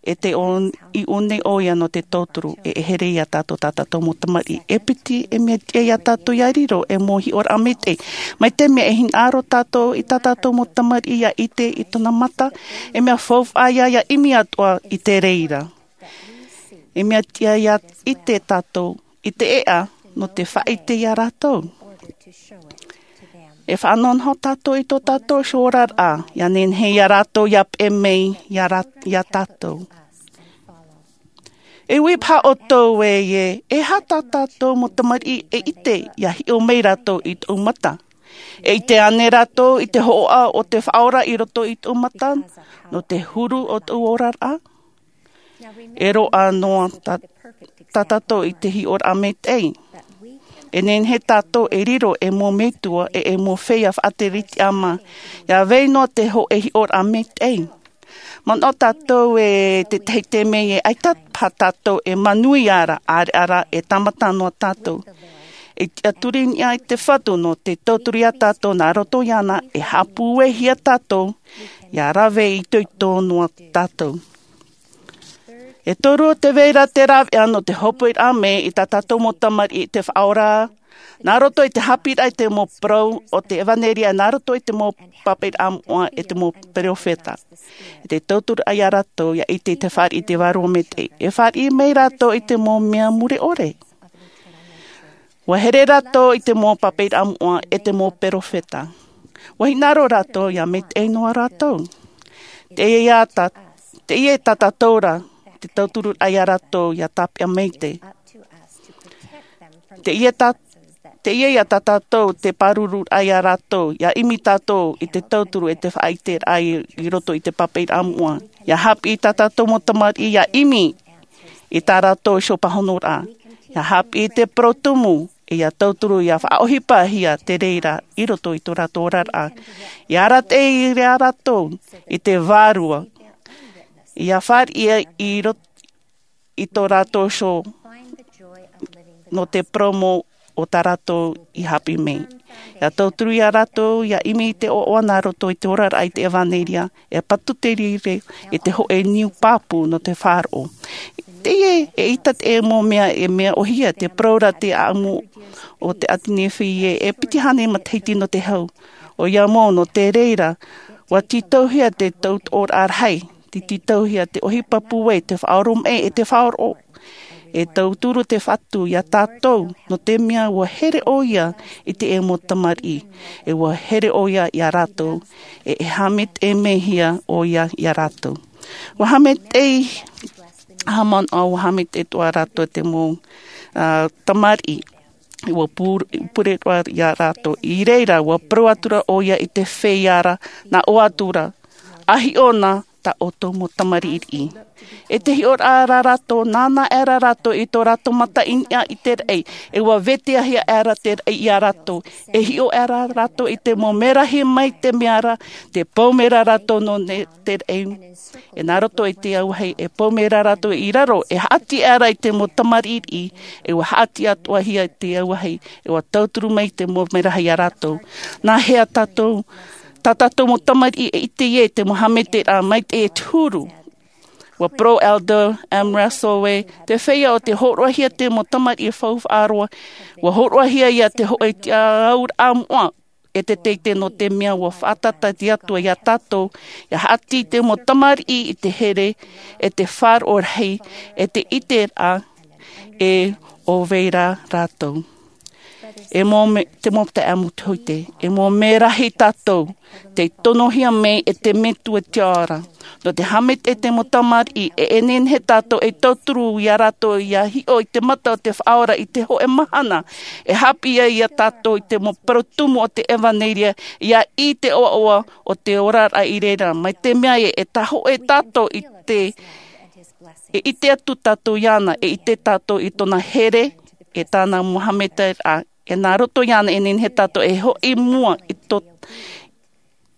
e te ʻō i ʻō nei ʻoia nō te tauturu e e here iā tātou tā tātou mau tamariʻi e piti e mea tiʻa iā tātou ia riro e mau hiʻoraʻa maitaʻi. Mai te mea e hinaʻaro tātou i tā tātou mau tamariʻi ia ʻite i tōna mata e mea faufaʻa ia ia ʻimi atoʻa i te reira. E mea tiʻa ia ʻite tātou i te ʻeʻa nō te faʻaʻite iā rātou. E faʻanahonaho tātou i tō tātou oraraʻa ia nehenehe iā rātou ia peʻe mai iā rā- iā tātou. E ui paha ʻoutou ē e e aha tā tātou mau tamariʻi e ʻite ia hiʻo mai rātou i tōʻu mata? E ʻite ānei rātou i te hōhoʻa o te faʻaora i roto i tōʻu mata nō te huru o tōʻu oraraʻa? E roaʻa noa tā- tā tātou i te hiʻoraʻa maitaʻi. E nehenehe tātou e riro e mau metua e e mau feiā faʻatere tiʻa mā ia vai noa te hōʻē hiʻoraʻa maitaʻi. Manaʻo tātou e te tahi te mea e ʻaita paha tātou e manuia ra ʻareʻa rā e tāmata noa tātou. E tiʻaturi niʻa i te fatu nō te tauturu iā tātou nā roto iāna e haʻapūaihia tātou ia rave itoito noa tātou. E toru o te vai ra te rāveʻa nō te hopoiraʻa mai i tā tātou mau tamariʻi i te faʻaora Nā roto i te hāpiʻiraʻa i te mau parau o te ʻevanelia, nā roto i te mau pāpaʻiraʻa moʻa e te mau peropheta. E te tauturu ai iā rātou ia ʻite i te fāriʻi i te vārua maitaʻi. E fāriʻi mai rātou i te mau mea mure ʻore. Ua here rātou i te mau pāpaʻiraʻa moʻa e te mau peropheta. Ua hinaʻaro rātou ia maitaʻi noa rātou. Teie ia tā, teie tā tātou ra, te tauturu ai iā rātou ia tāpeʻa maitaʻi. Teie tā, teie ia tā tātou te pāruru ai iā rātou, ia ʻimi tātou i te tauturu e te faʻaʻiteraʻa i roto i te pāpaʻiraʻa moʻa. Ia hāpiʻi tā tātou mau tamariʻi ia ʻimi i tā rātou iho pāhonoraʻa. Ia hāpiʻi te parau tumu, e ia tauturu ia faʻaʻohipahia te reira i roto i tō rātou oraraʻa. Ia arataʻi iā rātou i te vārua. Ia fāriʻi i roto i tō rātou iho nō te parau mau o tā rātou i hāpiʻi mai. Ia tauturu iā rātou ia ʻimi i te ʻoaʻoa nā roto i te oraraʻa i te ʻevanelia, e patu te riro i te hōʻē niu pāpū nō te faʻaroʻo. Teie e ʻita te mau mea e mea ʻohie te parau ra te ʻāʻamu o te ʻāti Nīfai e piti hānere matahiti nō te hau. ʻOia mau nō te reira, ua tītauhia te tautooraʻa rahi, te tītauhia te ʻohipa pūai, te faʻaoromaʻi e te faʻaroʻo. E tauturu te Fatu iā tātou, nō te mea ua here ʻoia i te mau tamariʻi, e ua here ʻoia iā rātou, e e haʻamaitaʻi mai hia ʻoia iā rātou. Ua haʻamaitaʻi haʻamanaʻo, ua haʻamaitaʻi atoʻa rātou te mau, ā, tamariʻi, ua pure, pure roa iā rātou. I reira, ua parau atura ʻoia i te feiā ra, nā ʻō atura, ʻa hiʻo na tā ʻoutou mau tamariʻi. E te hiʻoraʻa ra rātou, nānā aʻera rātou i tō rātou mata i niʻa i te raʻi, e ua vetahiahia aʻera te raʻi iā rātou. E hiʻo aʻera rātou i te mau merahi mai te mea ra, te pou mai ra rātou nō ne-, te raʻi. E nā roto i te auahi, e pou mai ra rātou i raro, e haʻati aʻera i te mau tamariʻi, e ua haʻati atoʻahia i te auahi, e ua tauturu mai te mau merahi iā rātou. Nā hea tātou, tā tātou mau tamariʻi e ʻite ai te mau haʻamaitaʻiraʻa maitaʻi e te huru. Ua parau Elder M. Russell ē, te feiā o te hōroʻahia te mau tamariʻi e faufaʻa roa, ua hōroʻahia ia te hōʻē tiʻauraʻa moʻa, e te teitei nō te mea ua faʻatata te Atua iā tātou, ia haʻati te mau tamariʻi i te here, e te faʻaroʻo rahi, e te ʻiteraʻa, e ʻo vai ra rātou. E mau me-, te mau taeaʻe Motuhoite, e mau merahi tātou, tei tonohia mai e te Metua i te ao ra. Nō te haʻamaitaʻi i te mau tamariʻi, e, e nehenehe tātou e tauturu iā rātou ia hiʻo i te mata o te Faʻaora i te hōʻē mahana. E haʻapiʻi ai iā tātou i te mau parau tumu o te ʻevanelia, ia ʻī te ʻoaʻoa o te oraraʻa i reira. Mai te mea ē, e tahoʻē tātou i te, e ʻite atu tātou iāna, e ʻite tātou i tōna here, e tāna mau haʻamaitaʻiraʻa, e nā roto iāna e nehenehe tātou e hoʻi i mua i tō,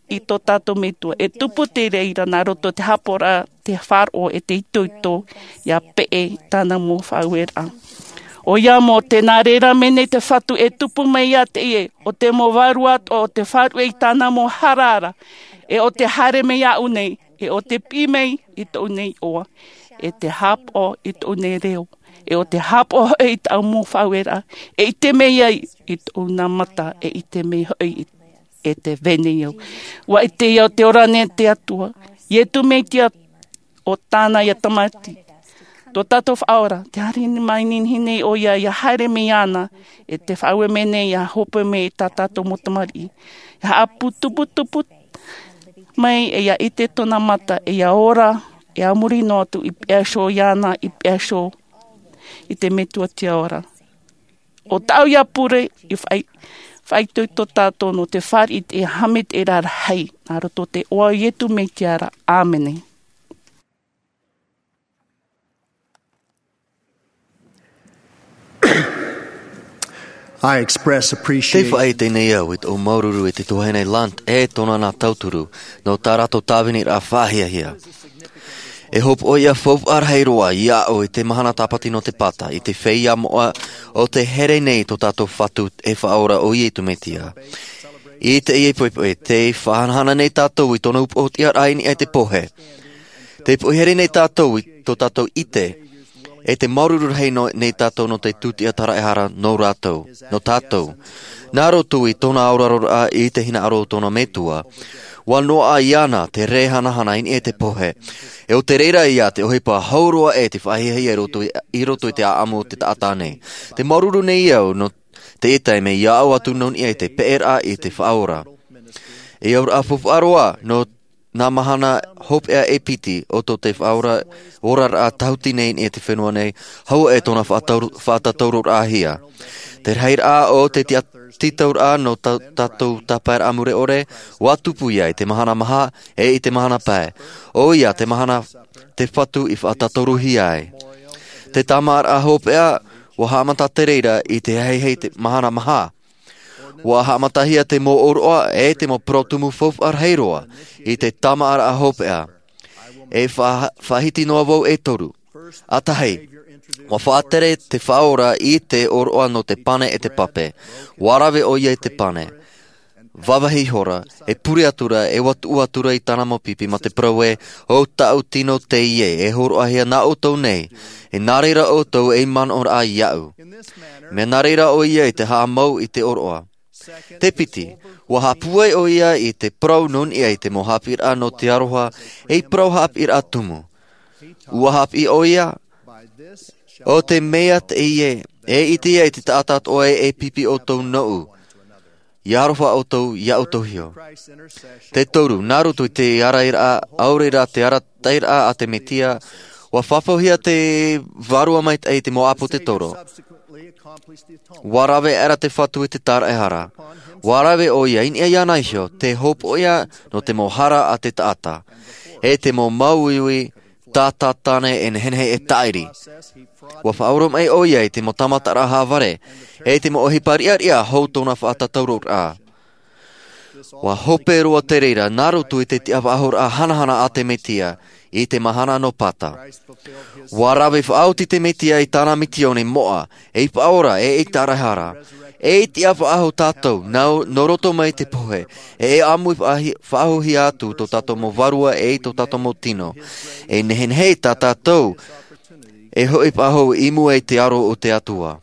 i tō tātou Metua. E tupu te reira nā roto te haʻapaʻoraʻa, te faʻaroʻo, e te itoito, ia peʻe i tāna mau faʻaueraʻa. ʻOia mau, tē nā reira mai nei te Fatu e tupu mai iā teie, ʻo te mau vārua atoʻa, ʻo te faʻaruʻe i tāna mau hara ra, e ʻo te haere mai iāʻu nei, e ʻo te piʻi mai i tōʻu nei iʻoa, e te haʻapaʻo i tōʻu nei reo, e ʻo te haʻapaʻo hoʻi i tāʻu mau faʻaueraʻa, e ʻite mai ai i tōʻu nā mata, e ʻite mai hoʻi i, e te vai nei au. Ua ʻite au te ora nei te Atua, Ietu Metia ʻo tāna ia Tamati. Tō tātou Faʻaora, tē haere mai nei nei ʻoia, ia haere mai iāna, e tē faʻaue mai nei, ia hope mai i tā tātou mau tamariʻi. Ia haʻaputuputupu mai, e ia ʻite tōna mata, e ia ora, e a muri noa atu i peʻa iho iāna, i peʻa iho i te Metua i te ao ra. ʻO tāʻu ia pure, i faʻai-, faʻaitoito tātou nō te fāriʻi i te haʻamaitaʻiraʻa rahi, nā roto i te iʻoa o Ietu Metia ra. ʻĀmene. I express appreciation. Tē faʻaʻite nei au i tōʻu māuruuru i te tuahine Lunt e tōna nā tauturu, nō tā rātou tāviniraʻa faʻahiahia. E hopoiʻa faufaʻa rahi roa iāʻu i te mahana tāpati nō te pata, i te feiā moʻa o te here nei tō tātou Fatu e Faʻaora ʻo Ietu Metia. I teie poʻipoʻi, tē faʻahanahana nei tātou i tōna upoʻotiʻaraʻa i niʻa i te pohe. Tē poʻihere nei tātou i tō tātou ʻite, E te māuruuru rahi nei tātou nō te tūtiʻa taraehara nō rātou, nō tātou. Nā roto i tōna aroaroraʻa i te hinaʻaro o tōna metua, ua noaʻa iāna te rē hanahana i niʻa i te pohe. E o te reira ia te ʻohipa hau roa e te faʻahiahia i roto i te ʻaʻamu o te taʻata nei. Te māuruuru nei au nō te ʻetaʻi mea ia au atu nō niʻa i te peʻeraʻa i te faʻaora. E auraʻa faufaʻa roa nō nā mahana hopeʻa e piti o tō te faʻaora oraraʻa tahuti nei i te fenua nei. Hau e tōna faʻatauroraʻahia te rahiraʻa o te tītauraʻa nō tātou tāpaeraʻa mure ʻore. Ua tupu ia i te mahana maha e i te mahana pae. ʻO ia te mahana te fatu i faʻatauroraʻahia ai. Te tāmāʻaraʻa hopeʻa ua haʻamata te reira i te haihai te mahana maha. Ua haʻamatahia te mau ʻōroʻa e te mau parau tumu faufaʻa rahi roa i te tāmāʻaraʻa hopeʻa. E faʻahiti noa vau e toru. ʻAtahi, ua faʻatere te faʻaora i te ʻōroʻa nō te pane e te pape. Ua rave ʻo ia i te pane, vāvāhi ihora, e pure atura e ua tuʻu atura i tāna mau pipi mā te parau ē, ʻo taʻu tino teie e hōroʻahia nā ʻoutou nei. E nā reira ʻoutou ei manaʻoraʻa iaʻu. Mea nā reira ʻo ia i te haʻamau i te ʻōroʻa. Te piti, ua haʻapūai ʻo ia i te parau nō niʻa i te mau haʻapiʻiraʻa nō te aroha, ei parau haʻapiʻiraʻa tumu. Ua haʻapiʻi ʻo ia, ʻo te mea teie e ʻite ia i te taʻata atoʻa e pipi ʻoutou nōʻu, ia aroha ʻoutou ia ʻoutou iho. Te toru, nā roto i te arairaʻa ʻaore rā te arataʻiraʻa a te mesia, ua fafauhia te vārua maitaʻi i te mau ʻāpōsetolo. Ua rave aʻera te fatu i te taraehara. Ua rave ʻo ia i niʻa iāna iho te hopoiʻa nō te mau hara a te taʻata, e te mau māuiui tātātane e nehenehe e tāʻiri. Ua faʻaoromaʻi ʻo ia i te mau tāmataraʻa haʻavare e te mau ʻohipa riʻariʻa hou tōna faʻatauroraʻa. Ua hope roa te reira nā roto i te tiʻafaʻahoraʻa hanahana a te mesia i te mahana nō pata. Ua rave faʻaoti te mesia i tāna misiōni moʻa, ei faʻaora e ei taraehara, ei tiʻafaʻahou tātou nō roto mai te pohe, e ʻāmui faʻahouhia atu tō tātou mau vārua e tō tātou mau tino. E nehenehe tā tātou e hoʻi faʻahou i mua i te aro o te atua.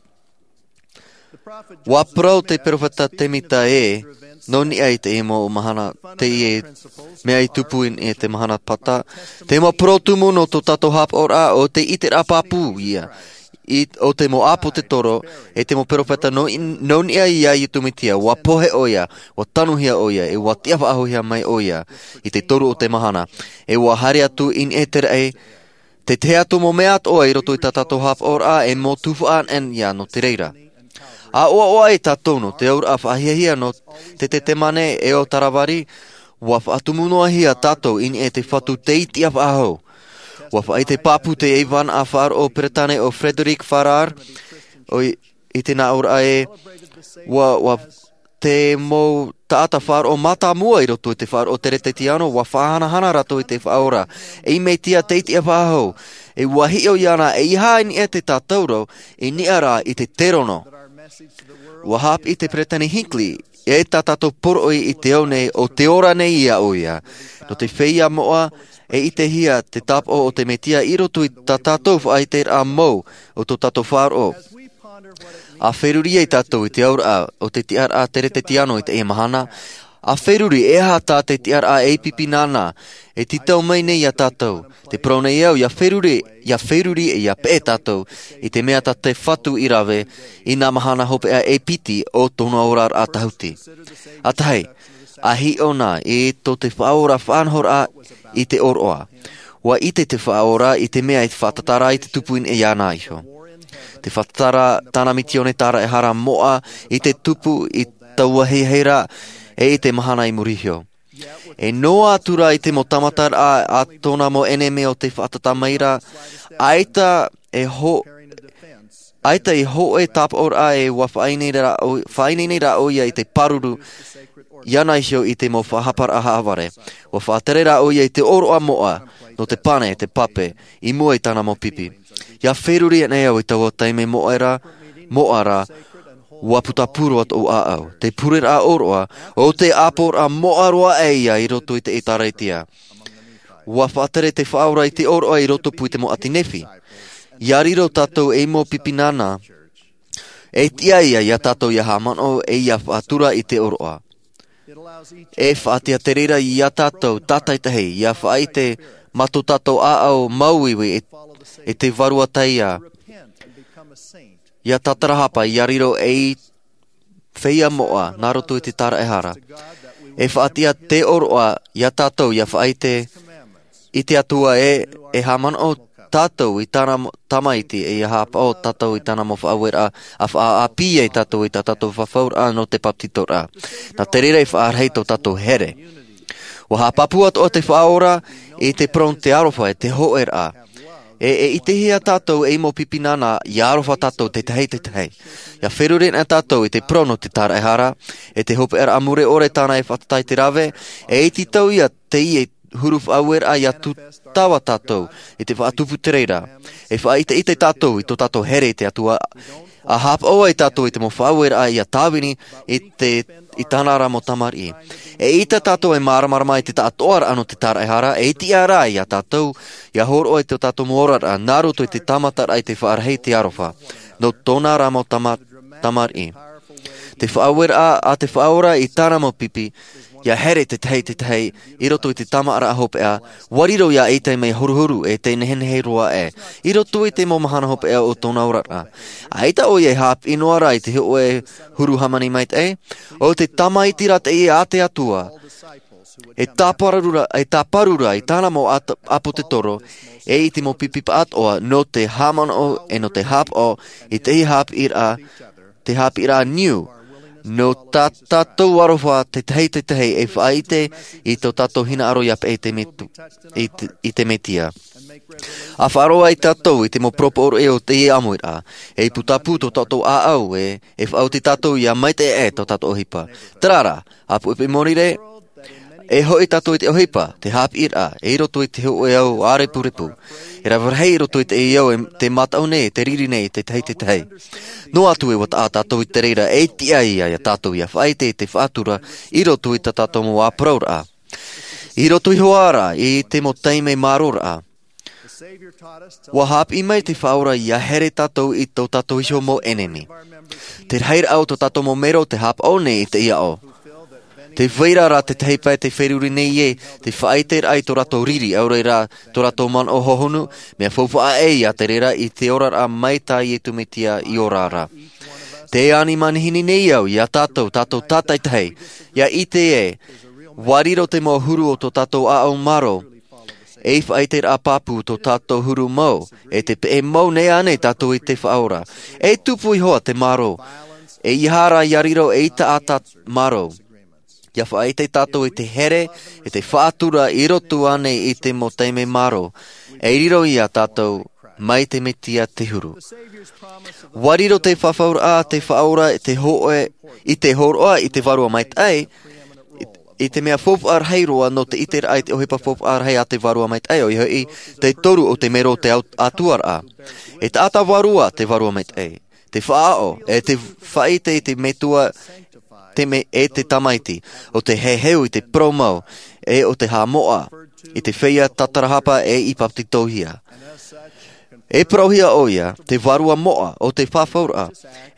Ua parau te peropheta semita ē nō niʻa i te mau mahana teie mea i tupu i te mahana pata. Te mau parau tumu nō tō tātou haʻapaʻoraʻa o te ʻiteraʻa pāpū ia o te mau ʻāpōsetolo e te mau peropheta nō niʻa iā iesu mesia. Ua pohe ʻo ia, ua tanuhia ʻo ia e ua tiʻafaʻahouhia mai ʻo ia i te toru o te mahana. E ua haere atu i niʻa i te raʻi te tahi atu mau mea atoʻa i roto i tā tātou haʻapaʻoraʻa e mau tuhaʻa ʻanaʻana ia nō te reira. A ʻoaʻoa ai tātou nō te auraʻa faʻahiahia nō te tetemane e o taravari. Ua faʻatumu noa hia tātou i niʻa i te fatu tei tiʻafaʻahou. Ua faʻaʻite pāpū te ʻaivānaʻa faʻaroʻo peretane o frederic farrar i te nā ʻōraʻa ē, ua te mau taʻata faʻaroʻo mātāmua i roto i te faʻaroʻo teretetiano ua faʻahanahana rātou i te faʻaora ei mesia tei tiʻafaʻahou. E ua hiʻo iāna eiaha i niʻa i te tātauro i niʻa rā i te terono. Ua haʻapiʻi te peretani hinckley e tā tātou poroʻi i te ao nei o te ora nei iā ʻoia nō te feiā moʻa e ʻitehia te tāpaʻo o te mesia i roto i tā tātou faʻaiteraʻa mau o tō tātou faʻaroʻo. A feruri ai tātou i te auraʻa o te tiʻaraʻa teretetiano i teie mahana. A feruri e aha tā te tiʻaraʻa ei pipi nāna e tītau mai nei iā tātou. Te parau nei au ia feruri ia feruri e ia peʻe tātou i te mea tā te fatu i rave i nā mahana hopeʻa ei piti o tōna oraraʻa tahuti. ʻAtahi, a hiʻo na i tō te faʻaora faʻanahoraʻa i te ʻōroʻa. Ua ʻite te faʻaora i te mea i te faʻatatara i te tupu i niʻa iāna iho. Te faʻatatara tāna misiōni taraehara moʻa i te tupu i taua heheira e i te mahana i muri iho. E noa atu rā i te mau tāmataraʻa a tōna mau ʻenemi o te faʻatatamaira. ʻAita e ho ʻaita i hoʻe tāpaʻoraʻa e ua faʻaineine rā ʻo ia i te pāruru iāna iho i te mau faʻahaparaʻa haʻavare. Ua faʻatere rā ʻo ia i te ʻōroʻa moʻa nō te pane e te pape i mua i tāna mau pipi. Ia feruri ana au i taua taime moʻa rā moʻa rā. Ua putapū roa tōʻu ʻāʻau te pureraʻa ʻōroʻa o te ʻāpoʻoraʻa moʻa roa ʻaia i roto i te ʻēkālesia. Ua faʻatere te faʻaora i te ʻōroʻa i roto pū i te mau ʻati nefi. Ia riro tātou ei mau pipi nāna, e tiʻa ia ia tātou ia haʻamanaʻo e ia faʻatura i te ʻōroʻa. E faʻatiʻa te reira ia tātou tātaitahi ia faʻaʻite mā tō tātou ʻāʻau māuiui e, e te vārua taʻa ia tātarahapa ia riro ei feiā moʻa nā roto i te tāraʻehara. E faʻatiʻa te ʻōroʻa ia tātou ia faʻaʻite i te Atua e, e haʻamanaʻo tātou i tāna mo-, tamaiti e ia haʻapaʻo tātou i tāna mau faʻaueraʻa a faʻaʻāpī ai tātou i tā tātou fafauraʻa nō te papetitoraʻa. Nā te reira e faʻarahi tō tātou here. ʻUa haʻapāpū atoʻa te Faʻaora i te parau nō te aroha e te hōʻēraʻa. E, e ʻitehia tātou ei mau pipi nāna ia aroha tātou te tahi te tahi. Ia feruri na tātou i te parau nō te tāraʻehara, e te hopeʻaraʻa mure ʻore tāna e fātata i te rave, e iti tau ia teie huru faʻaueraʻa ia tūtava tātou i te faʻatupu te reira. E faʻaʻiteʻite tātou i tō tātou here i te Atua, a haʻapaʻo ai tātou i te mau faʻaueraʻa ia tāvini i te, i tāna ra mau tamariʻi. E ʻite tātou e māramarama i te taʻatoʻaraʻa nō te tāraʻehara, e tiʻa rā ia tātou ia hōroʻa i tō tātou mau oraraʻa nā roto i te tāmataraʻa i te faʻarahi i te aroha nō tōna ra mau tama-, tamariʻi. Te faʻaueraʻa a te Faʻaora i tāna mau pipi, ia here te tahi te tahi i roto i te tāmāʻaraʻa hopeʻa, ʻua riro ia ʻaita e mea huruhuru e te nehenehe roa aʻe i roto i te mau mahana hopeʻa o tōna oraraʻa. ʻAita ʻoia e haʻapiʻi noa ra i te hōʻē huru hāmani maitaʻi, ʻo te tamaiti ra teie a te Atua. E tāparu ra, e tāparu ra i tāna mau at-, ʻāpōsetolo, e i te mau pipi pāʻatoʻa, nō te haʻamanaʻo, e nō te haʻapaʻo i te haʻapiʻiraʻa, te haʻapiʻiraʻa niu, nō tā tātou aroha te tahi te tahi e faʻaʻite i tō tātou hinaʻaro ia peʻe i te Metu-, i te, i te Mesia. A faʻaroʻo ai tātou i te mau poroʻi o teie ʻāmuiraʻa, e putapū tō tātou ʻāʻau e, e faʻaoti tātou ia maitaʻi aʻe tō tātou ʻohipa. Terā rā, ʻāpuʻipuʻi mōrire, e hoʻi tātou i te ʻohipa, te haʻapiʻiraʻa, e i roto i te hōʻē ao ʻārepurepu. E rave rahi i roto i teie ao e te mātau nei, e te riri nei, te tahi te tahi. Noa atu e ʻua taʻa tātou i te reira, e tiʻa ia, ia tātou ia faʻaʻite i te faʻatura, i roto i tā tātou mau ʻāparauraʻa. I roto iho ā ra, i te mau taime mārōraʻa. ʻUa haʻapiʻi mai te Faʻaora ia here tātou i tō tātou iho mau ʻenemi. Te rahiraʻa o tō tātou mau mero te haʻapaʻo nei i teie ao. Tē vai ra rā te tahi pae tē feruri nei ē, te faʻaʻiteraʻa i tō rātou riri, ʻaore rā tō rātou manaʻo hohonu, mea faufaʻa aʻe ia te reira i te oraraʻa mai tā Iesu Mesia i ora ra. Tē ani manihini nei au ia tātou, tātou tātaitahi, ia ʻite ē, ʻua riro te mau huru o tō tātou ʻāʻau mārō, ei faʻaʻiteraʻa pāpū tō tātou huru mau, e te peʻe mau nei ānei tātou i te Faʻaora. E tupu iho ā te mārō, e ʻeiaha rā ia riro ei taʻata mārō. Ia faʻaʻite tātou i te here, e te faʻatura i roto ānei i te mau taime mārō. E riro ia tātou mai te Mesia te huru. ʻUa riro te fafauraʻa, te Faʻaora, te hōʻē, i te hōroʻa, i te Vārua Maitaʻi, i, i te mea faufaʻa rahi roa nō te ʻiteraʻa i te ʻohipa faufaʻa rahi a te Vārua Maitaʻi, ʻoia hoʻi, te toru o te mero o te au-, ʻatuaraʻa. E taʻata vārua te Vārua Maitaʻi. Te faʻaʻo, e te faʻaʻite i te Metua, te me-, e te Tamaiti, ʻo te heheu i te parau mau, e ʻo te haʻamoʻa, i te feiā tātarahapa e i papetitohia. E parauhia ʻoia, te Vārua Moʻa, ʻo te fafauraʻa,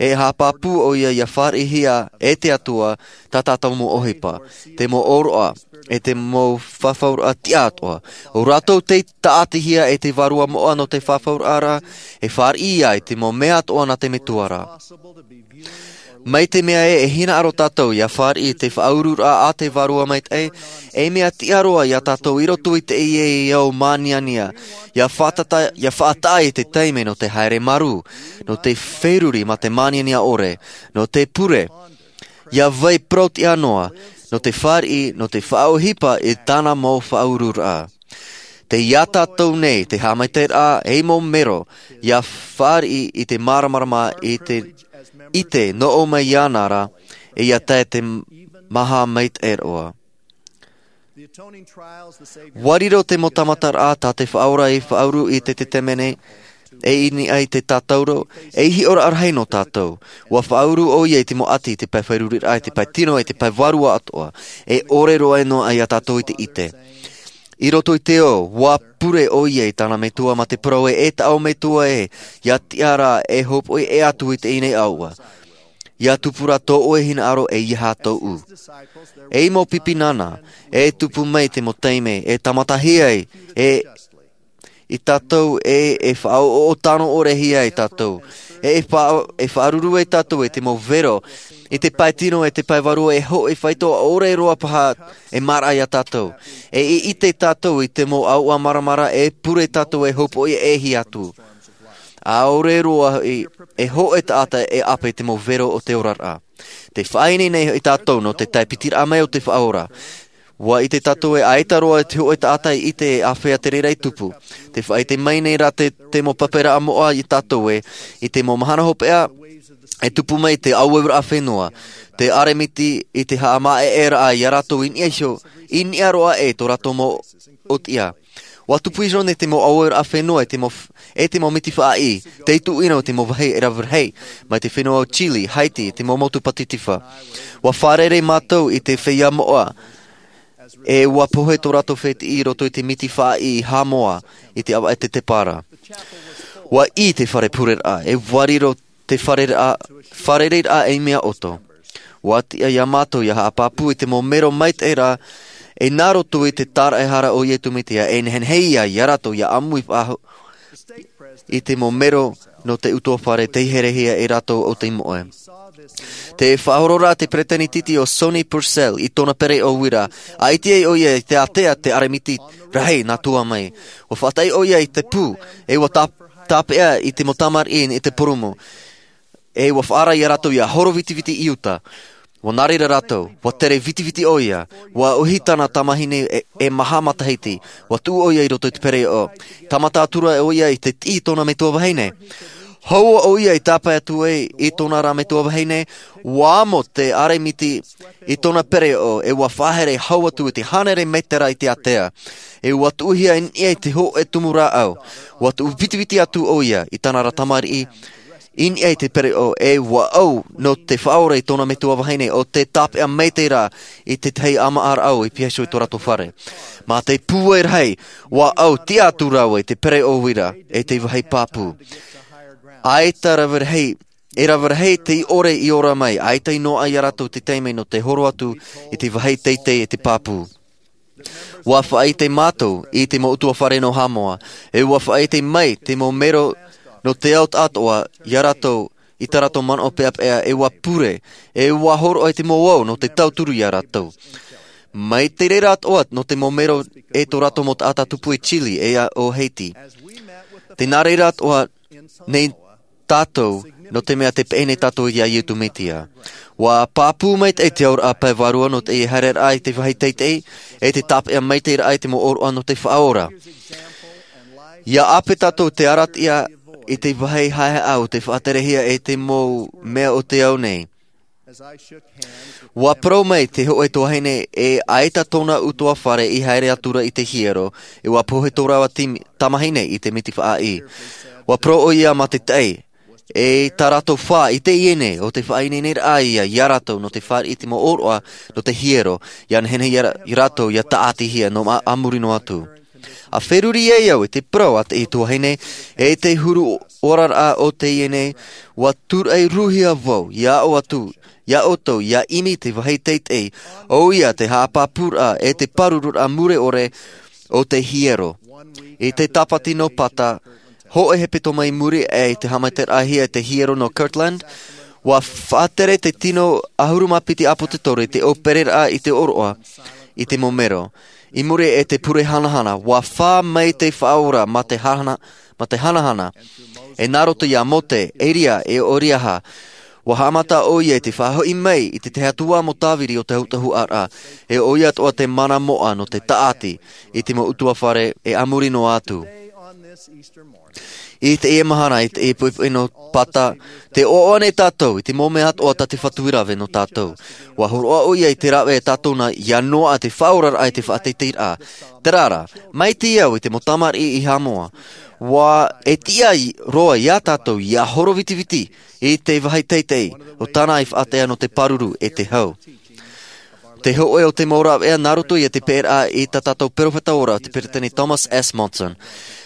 e haʻapāpū ʻoia ia fāriʻihia e te Atua, tā tātou mau ʻohipa, te mau ʻōroʻa, e te mau fafauraʻa tiʻa atoʻa. ʻO rātou tei tāʻatihia e te Vārua Moʻa nō te fafauraʻa ra, e fāriʻi ia i te mau mea atoʻa nā te Metua ra. Mai te mea ē, e hinaʻaro tātou ia fāriʻi i te faʻaururaʻa a te Vārua Maitaʻi, e mea tiʻa roa ia tātou i roto i teie ao māniania, ia faʻatata-, ia faʻataʻa i te taime nō te haere marū, nō te feruri mā te māniania ʻore, nō te pure, ia vai parau-tiʻa noa, nō te fāriʻi, nō te faʻaʻohipa i tāna mau faʻaururaʻa. Tei ia tātou nei te haʻamaitaʻiraʻa ei mau mero, ia fāriʻi i te māramarama i te, i te noʻo mai iāna ra, e ia tae te maha maitaʻi roa. ʻUa riro te mau tāmataraʻa tā te Faʻaora i faʻauru i te Tetemane, e i niʻa i te tātauro, e hiʻoraʻa rahi nō tātou. ʻUa faʻauru ʻoia i te mau ʻati, i te pae feruriraʻa, i te pae tino, i te pae vārua atoʻa. E ʻore roa e noaʻa ia tātou i te ʻite. I roto i te ao, ua pure ʻoia i tāna metua mā te parau ē, e tāʻu metua ē, ia tiʻa rā e hopoʻi ʻē atu i teie nei ʻāuʻa. Ia tupu rā tō ʻoe hinaʻaro ʻeiaha tōʻu. E mau pipi nāna, e tupu mai te mau taime, e tāmatahia ai, e i tātou e, e faʻaʻoʻoʻo tano ʻore hia i tātou. E, e faʻa-, e faʻaruru ai tātou e te mau vero, i te pae tino e te pae vārua e hoʻi faito ʻore roa paha e māraʻa ia tātou. E, e ʻite tātou i te mau ʻāuʻa maramara e pure tātou e hopoʻi ʻē hia atu. ʻAore roa i, e hoʻi taʻata e ʻape i te mau vero o te oraraʻa. Te faʻaineine nei hoʻi tātou nō te tae pitiraʻa mai o te Faʻaora. Ua ʻite tātou e ʻaita roa te hoʻi taʻata i ʻite e āfea te reira i tupu. Te faʻaʻite mai nei rā te, te mau pape raʻa moʻa i tātou ē, i te mau mahana hopeʻa, e tupu mai te auauraʻa fenua, te ʻeremiti i te haʻamāʻeʻeraʻa ia rātou i niʻa iho, i niʻa roa ē tō rātou mau ʻōtiʻa. Ua tupu iho nei te mau auauraʻa fenua e te mau f-, e te mau miti faʻaʻī, tei tuʻu ʻino te mau vāhi e rave rahi, mai te fenua o Chile, Haiti, te mau motu Pacific. Ua fārerei mātou i te feiā moʻa, e ua pohe tō rātou fētiʻi i roto i te miti faʻaʻī i Haʻamoa, i te ʻāvaʻe tetepara. Ua ʻī te fare pureraʻa, e ua riro te fārerei-, fārereiraʻa ei mea ʻoto. Ua tiʻa ia mātou ia haʻapāpū i te mau mero maitaʻi rā, e nā roto i te tāraʻehara o Iesu Mesia, e nehenehe ia, ia rātou ia ʻāmui faʻahou i te mau mero nō te ʻutuāfare tei herehia e rātou o te moʻe. Te faʻahoro rā te peresideni tītī o Sonny Purcell i tōna pereʻoʻo uira, ʻaita ai ʻoia i te ātea te ʻeremiti rahi nā tua mai. Ua faʻataʻi ʻoia i te pū, e ua tā-, tāpeʻa i te mau tamariʻi i te purūmu. E ua faʻaara ia rātou ia horo vitiviti i uta. Ua nā reira rātou, ua tere vitiviti ʻoia, ua ʻohi tāna tamahine e, e maha matahiti, ua tuʻu ʻoia i roto i te pereʻoʻo. Tāmata atu ra ʻoia i te tiʻi i tōna metua vahine. Hoʻi ʻoia i tāpae atu ai i tōna rā metua vahine, ua amo te ʻeremiti i tōna pereʻoʻo, e ua faʻahere hau atu i te hānere mētera i te ātea. E ua tuʻuhia i niʻa i te hōʻē tumu rāʻau. Ua tuʻu vitiviti atu ʻoia i tāna rā tamariʻi, i niʻa i te pereʻoʻo, e ua ʻau nō te Faʻaora i tōna metua vahine ʻo tē tāpeʻa maitaʻi ra i te tahi ʻāmaʻa rāʻau i piha iho i tō rātou fare. Mā te pūai rahi, ua ʻau tiʻa atu rāua i te pereʻoʻo uira, e te vāhi pāpū. ʻAita rave rahi, e rave rahi tei ʻore i ora mai, ʻaita i noaʻa ia rātou te taime nō te horo atu i te vāhi teitei e te pāpū. Ua faʻaʻite mātou i te mau ʻutuāfare nō Haʻamoa, e ua faʻaʻite mai te mau mero nō te ao atoʻa ia rātou i tā rātou manaʻo peʻapeʻa, e ua pure, e ua hōroʻa i te mau ao nō te tauturu ia rātou. Mai te reira atoʻa nō te mau mero e tō rātou mau taʻata tupu i Chile, e ʻo Haiti. Tē nā reira atoʻa nei tātou, nō te mea tē peʻe nei tātou ia Iesu Mesia. Ua pāpū maitaʻi te auraʻa pae vārua nō te haereraʻa i te vāhi teitei, e te tāpeʻa maitaʻi raʻa i te mau ʻōroʻa nō te Faʻaora. ʻIa ʻape tātou te arataʻi i te vāhi haʻehaʻa o te faʻaterehia e te mau mea o te ao nei. Ua parau mai te hōʻē tuahine e ʻaita tōna ʻutuāfare i haere atu ra i te hiero, e ua pohe tō rāua timi-, tamahine i te miti faʻaʻī. Ua parau ʻoia mā te taʻi, e tā rātou fā i teie nei, ʻo te faʻaineineraʻa ia, ia rātou nō te fāriʻi i te mau ʻōroʻa nō te hiero, ʻia nehenehe ia rā-, ia rātou ʻia tāʻatihia nō ma-, a muri noa atu. ʻA feruri ai au i te parau a te tuahine, e te huru oraraʻa o teie nei, ua tūraʻi rūhia vau, ʻia ʻō atu, ia ʻoutou, ʻia ʻimi te vāhi teitei, ʻoia te haʻapāpūraʻa e te pārururaʻa mure ʻore o te hiero. I te tāpati nō Pata, hōʻē hepetoma i muri aʻe i te haʻamaitaʻiraʻahia e te hiero nō Kirtland, ua faʻatere te tino ʻahuru mā piti ʻāpōsetolo i te ʻōpereraʻa i te ʻōroʻa, i te mau mero. I muri i te pure hanahana, ua fā mai te Faʻaora mā te hana-, mā te hanahana. E nā roto ia Mose, Elia, e ʻo Eriaha, ua haʻamata ʻoia i te faʻahoʻi mai i te tahi atu ā mau tāviri o te autahuʻaraʻa, e ʻoia atoʻa te mana moʻa nō te tāʻati i te mau ʻutuāfare e a muri noa atu. I teie mahana, i teie poʻipoʻi nō Pata, tē ʻoaʻoa nei tātou i te mau mea atoʻa tā te Fatu i rave nō tātou. Ua hōroʻa ʻoia i te rave e tātou nā ʻia noaʻa te faʻaoraraʻa i te faʻateiteiraʻa. Terā rā, mai te au i te mau tamariʻi i Haʻamoa. Ua e tiʻa i-, roa ia tātou ʻia horo vitiviti i te vāhi teitei o tāna i faʻatea nō te pāruru e te hau. Te hōʻē o te mau rāveʻa nā roto ia i te peʻeraʻa i tā tātou peropheta ora, te peresideni Thomas S. Monson.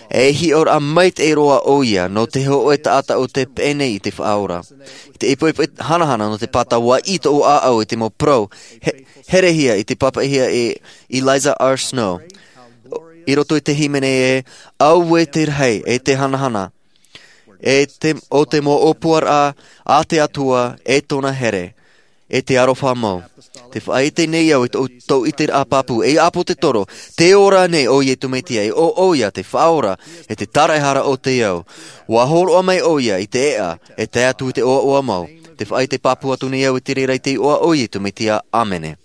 E hiʻoraʻa maitaʻi roa ʻoia nō te hōʻē taʻata o te peʻe nei i te Faʻaora. I te ipoipo hanahana nō te pātau, ʻua ʻī tōʻu ʻāʻau i te mau parau, he-, herehia i te pāpaʻihia e Eliza R. Snow. I roto i te hīmene ē, auē te rahi e te hanahana, e te, o te mau ʻōpuaraʻa a te Atua e tōna here, e te aroha mau. Te faʻaʻite nei au i tō, tō ʻiteraʻa pāpū, e ʻāpōsetolo, tē ora nei ʻo Iesu Mesia, e ʻo ʻoia te Faʻaora, e te Tāraʻehara o te ao. ʻUa hōroʻa mai ʻoia i te eʻa, e tae atu i te ʻoaʻoa mau. Te faʻaʻite pāpū atu nei au i te reira i te iʻoa o Iesu Mesia. ʻĀmene.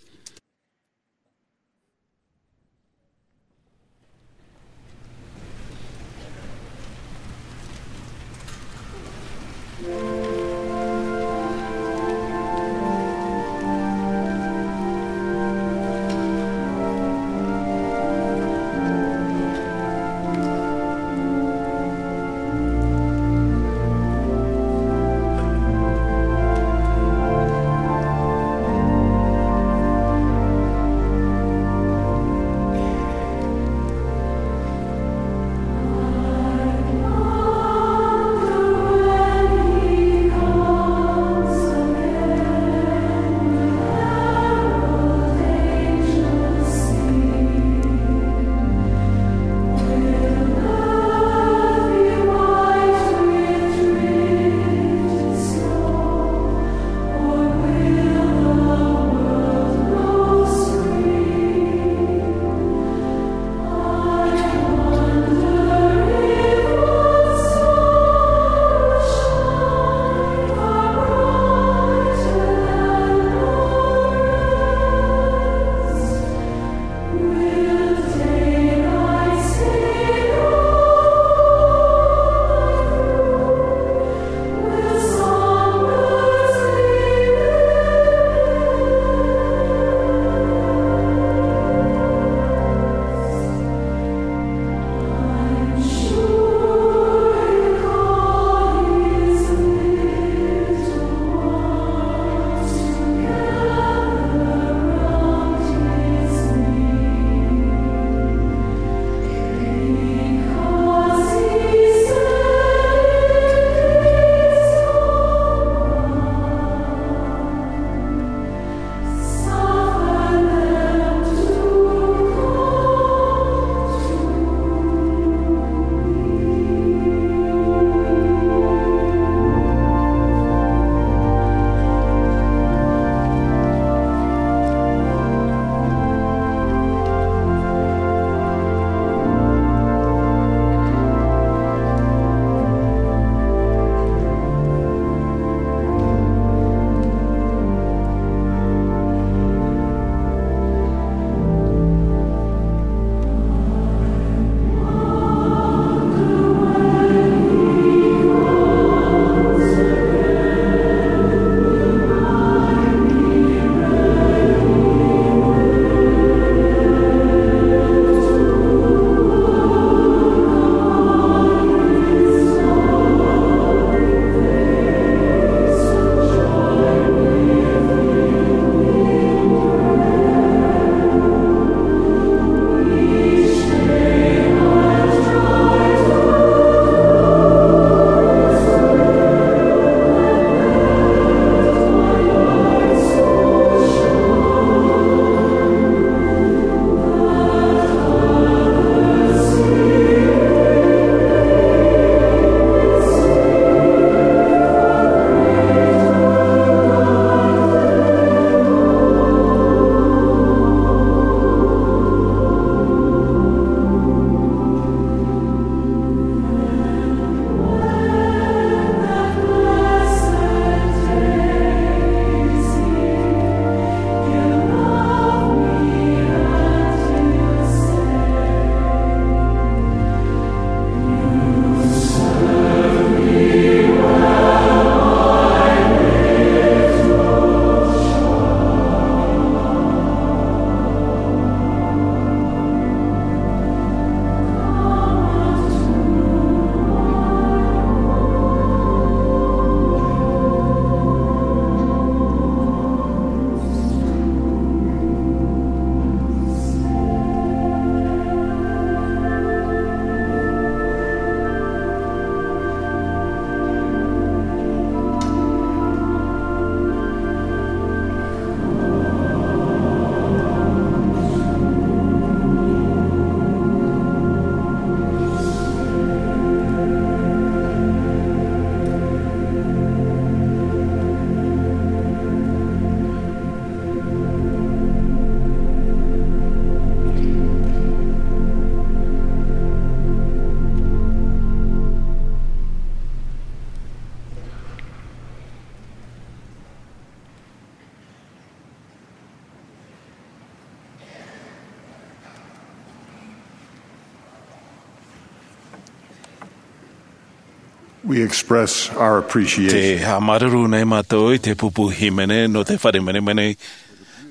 We express our appreciation. Te haʻamāuruuru nei mātou i te pupu hīmene nō te fare menemene,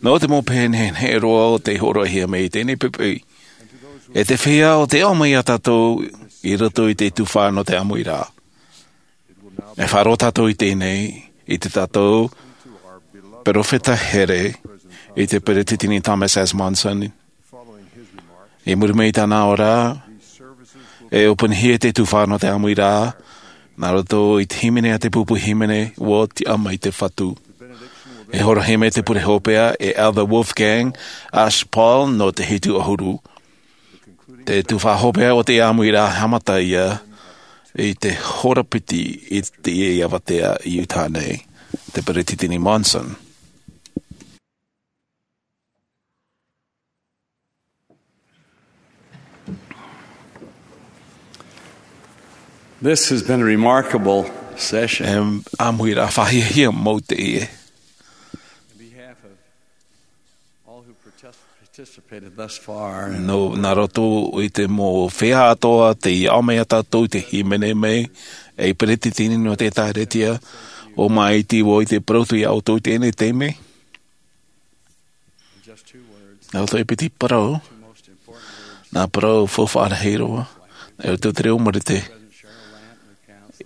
nō te mau pehe nehenehe roa o tei hōroʻahia mai i teie nei poʻipoʻi. E te feiā o tei ʻō mai ia tātou i roto i te tuhaʻa nō te ʻāmuiraʻa. E faʻaroʻo tātou i teie nei, i tā tātou perofeta here, i te Peresideni Thomas S. Monson. I muri mai i tāna ora, e ʻōpuahia te tuhaʻa nō te ʻāmuiraʻa, nā roto i te hīmene a te pupu hīmene, ʻua tiʻa mai te Fatu. E hōroʻahia mai te pure hopeʻa, e Elder Wolfgang Aspal nō te hitu ʻahuru. Te tuhaʻa hopeʻa o te ʻāmuiraʻa haʻamata ia, i te hora piti i te ia avatea i Utah nei, te Peresideni Monson. This has been a remarkable session. E ʻāmuiraʻa faʻahiahia mau teie. On behalf of all who partic-, participated thus far, and nō, nā roto i te mau feiā atoʻa tei ʻō mai ia tātou i te hīmene mai, e Peresideni nō te Ekalesia, ʻo māʻiti vau i te parau atu ia ʻoutou i teie nei taime. Nā roto i te piti parau, nā parau faufaʻa rahi roa, nā roto i te reo Marite,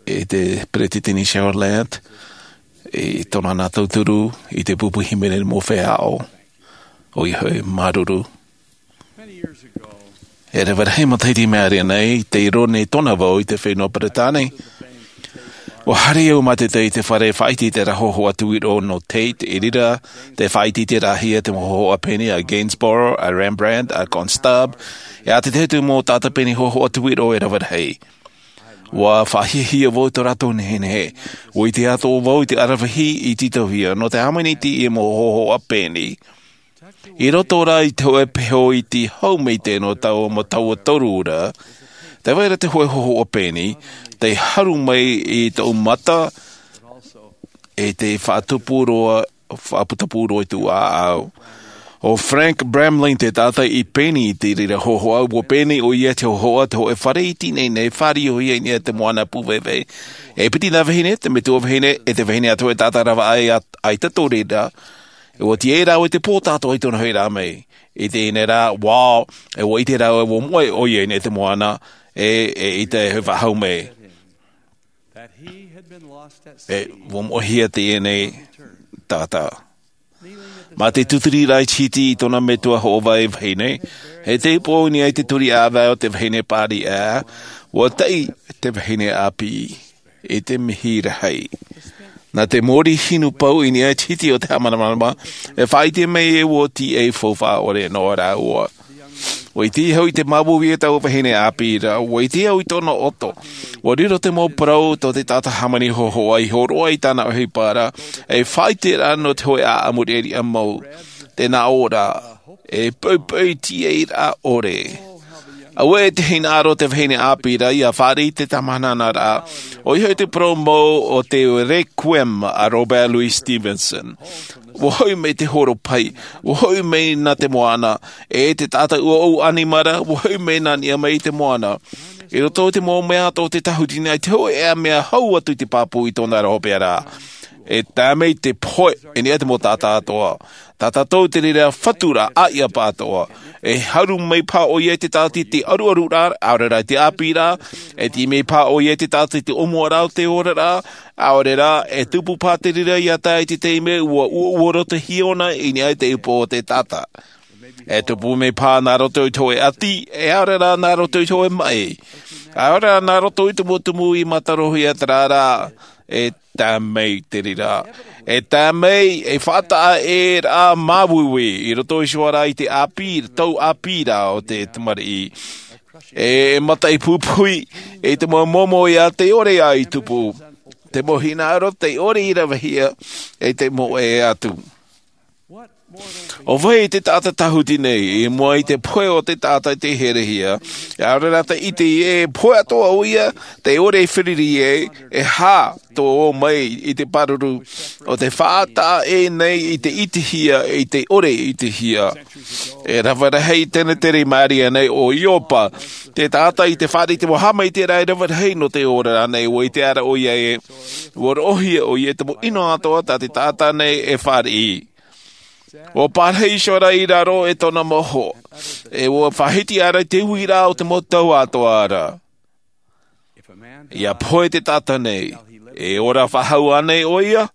i te Peresideni Cheryl Lant, i tōna nā tauturu, i te pupu hīmene mau feiā ʻāʻau, ʻoia hoʻi māuruuru. E rave rahi matahiti i maʻiri aʻe nei, tei roʻo nei tōna vau i te fenua Peretāne. ʻUa haere au mātete i te fare faʻaʻite i te hōhoʻa tuiroʻo nō Tate, i reira, tē faʻaʻiteʻitehia te mau hōhoʻa pēni a Gainsborough, a Rembrandt, a Constable, e ʻātaʻitahi atu mau taʻata pēni hōhoʻa tuiroʻo e rave rahi. ʻUa faʻahiahia vau i tō rātou nehenehe. ʻUa ʻite atoʻa vau i te aravihi i tītauhia, nō te hāmani i te mau hōhoʻa pēni. I roto rā i te hōʻē peho iti hau mai tēnā tau ma taua toru ra, tē vai ra te hōʻē hōhoʻa pēni, tei haru mai i tōʻu mata, e tē faʻatupu roa, faʻaputapū roa i tōʻu ʻāʻau. ʻO Frank Bramlin te taʻata i pēni i te reira hōhoʻa, ʻua pēni ʻoia i te hōhoʻa, te hōʻē fare iti nei, nei fāriʻi ʻoia i niʻa i te moana pūveve. E piti nā vahine, te metua vahine, e te vahine atoʻa e taʻata rave aʻe, ʻaita tō reira. E ʻua tīaʻi rāua i te pō tātou i tōna hoʻiraʻa mai. I teie nei rā, wow, e ʻua ʻite rāua, ʻua moʻe ʻoia i niʻa i te moana, e, e ʻaita e faʻahou mai. E ʻua moʻehia teie nei taʻata. Mā te tūturi rā i te hiti i tōna metua hoʻovai vahine, e tei pō i niʻa i te turi ʻāvae o te vahine pāriʻi, ʻua taʻi te vahine ʻāpī. I te mihi rahi. Nā te mōrī hinu pau i niʻa i te hiti o te haʻamāramarama, e faʻaʻite mai e ʻua tīaʻi faufaʻa ʻore nō rāua. ʻUa ʻite au i te māuiui o taua vahine ʻāpī ra, ʻua ʻite au i tōna ʻoto. ʻUa riro te mau parau tō te taʻata hāmani hōhoʻa i hōroʻa i tāna ʻohipa ra, e faʻaʻite ra nō te hōʻē ʻāʻamu reʻareʻa mau, te nā ʻō ra, e poʻipoʻi tīaʻi ra ʻore. Auē e te hinaʻaro te vahine ʻāpī ra ʻia fāriʻi i te tāmāhana ra, ʻoia hoʻi te parau mau o te Requiem a Robert Louis Stevenson. ʻUa hoʻi mai te horo pahi, ʻua hoʻi mai nā te moana, e te taʻata ʻuaʻu ʻanimara, ʻua hoʻi mai nā niʻa mai i te moana. I roto i te mau mea atoʻa o te tāhuti nei, te hōʻē mea hau atu i te pāpū i tōna ra hopeʻa ra. E tae mai te pohe, i niʻa i te mau taʻata atoʻa. Tā tātou te reira fatu ra, ʻāiʻa pāʻatoʻa. E haru mai paha ʻoia i te taʻata i te ʻaruʻaru ra, ʻaore rā i te ʻāpī ra, e tīaʻi mai paha ʻoia i te taʻata i te ʻōmua ra o te ora ra, ʻaore rā, e tupu paha te reira ʻia tae i te taime ʻua ʻuaʻua roto hia ʻōna i niʻa i te upoʻo o te taʻata. E tupu mai paha nā roto i te hōʻē ʻati, e ʻaore rā nā roto i te hōʻē maʻi. ʻAore rā nā roto i te mau tumu i mātarohia terā rā, e tae mai te reira. E tae mai, e faʻataʻa ʻē rā māuiui, i roto iho ā rā i te ʻāpī, tau ʻāpī ra o te tamariʻi. E, e mataʻi pupuhi, e te mau momo ia tei ʻore ā i tupu. Te mau hinaʻaro tei ʻore i ravehia, e te moʻe atu. ʻO vai te taʻata tāhuti nei, i mua i te pohe o te taʻata i te herehia, e ʻaore rā te ʻite i ē, e pohe atoʻa ʻoia, te ʻore e fāriʻi ai, e aha tō ʻō mai i te pāruru, ʻo te faʻataʻa ʻē nei i te ʻitehia, i te ʻore ʻitehia. E rave rahi i tenetere i Maria nei ʻo Iopa, te taʻata i te fāriʻi i te mau haʻamaitaʻiraʻa e rave rahi nō te ora nei, ʻua ʻite ra ʻoia ē, ʻua roʻohia ʻoia i te mau ʻino atoʻa tā te taʻata nei e fāriʻi. ʻUa parahi iho ra i raro e tōna mau hoa, e ʻua faʻahiti ra i te uiraʻa o te mau tau atoʻa ra. ʻIa pohe te taʻata nei, e ora faʻahou ānei ʻoia?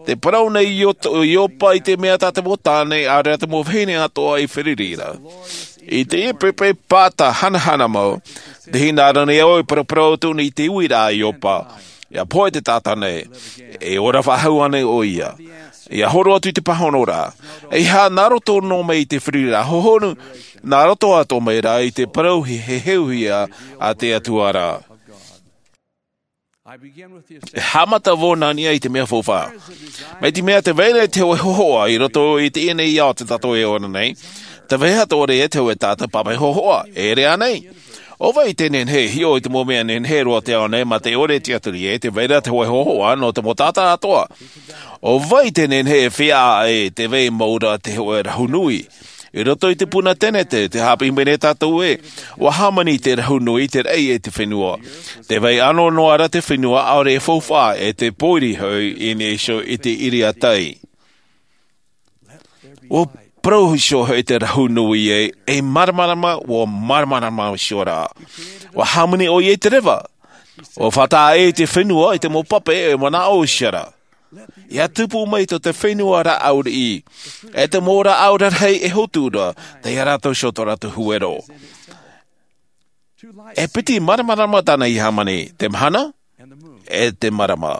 Te parau nei Io-, Iopa i te mea tā te mau tāne, ʻaore rā te mau vahine atoʻa i fāriʻi ra. I te ʻepirepa pāta hanahana mau, te hinaʻaro nei au e paraparau atu nei i te uiraʻa a Iopa. ʻIa pohe te taʻata nei, e ora faʻahou ānei ʻoia? ʻIa horo atu i te pāhono ra. E aha nā roto noa mai i te fāriʻiraʻa hōhonu, nā roto atoʻa mai rā i te parau heheuhia a te Atua ra. E haʻamata vau nā niʻa i te mea faufaʻa. Mai te mea tē vai ra te hōʻē hōhoʻa i roto i teie nei ao tā tātou e ora nei, tē vai atoʻa ra te hōʻē taʻata pāpaʻi hōhoʻa, e ʻere ānei? ʻO vai te nehenehe e hiʻo i te mau mea nehenehe roa o te ao nei mā te ʻore e tiʻaturi ai, tē vai ra te hōʻē hōhoʻa nō te mau taʻata atoʻa. ʻO vai te nehenehe e feiā ai, tē vai mau ra te hōʻē rahu nui. I roto i te puna tenetere, tē haʻapiʻi mai nei tātou ē, ʻua hāmani te rahu nui i te raʻi e te fenua. Tē vai ʻano noa ra te fenua ʻaore e faufaʻa e te pōiri hoʻi i niʻa iho i te ʻiriatai. ʻUa parau iho hoʻi te rahu nui ē, e māramarama, ʻua māramarama iho ra. ʻUa hāmani ʻoia i te reva. ʻUa faʻataʻa i te fenua, i te mau pape, e manaʻo iho ra. ʻIa tupu mai tō te fenua rāʻau riʻi, e te mau rāʻau rarahi e hotu ra, tei ʻō rātou iho tō rātou huero. E piti māramarama tāna i hāmani, te mahana, e te marama.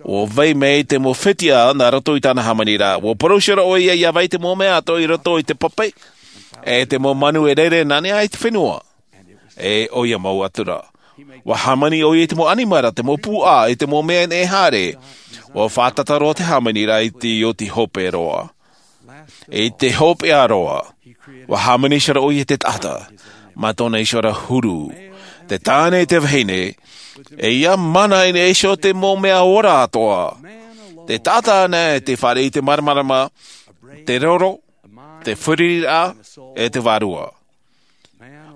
ʻUa vai mai te mau fetiʻa nā roto i tāna hāmani ra, ʻua parau iho ra ʻoia ʻia vai te mau mea atoʻa i roto i te pape, e te mau manu e rere nā niʻa i te fenua. E ʻoia mau atu ra. ʻUa hāmani ʻoia i te mau ʻanimara, te mau puaʻa, i te mau mea e haere. ʻUa fātata roa te hāmani ra i te oti hope roa. I te hopeʻa roa, ʻua hāmani iho ra ʻoia i te taʻata, mā tōna iho ra huru. Te tāne, te vahine, e ʻia mana i niʻa iho te mau mea ora atoʻa. Te taʻata anaʻe tei fāriʻi i te māramarama, te roro, te fāriʻiraʻa, e te vārua.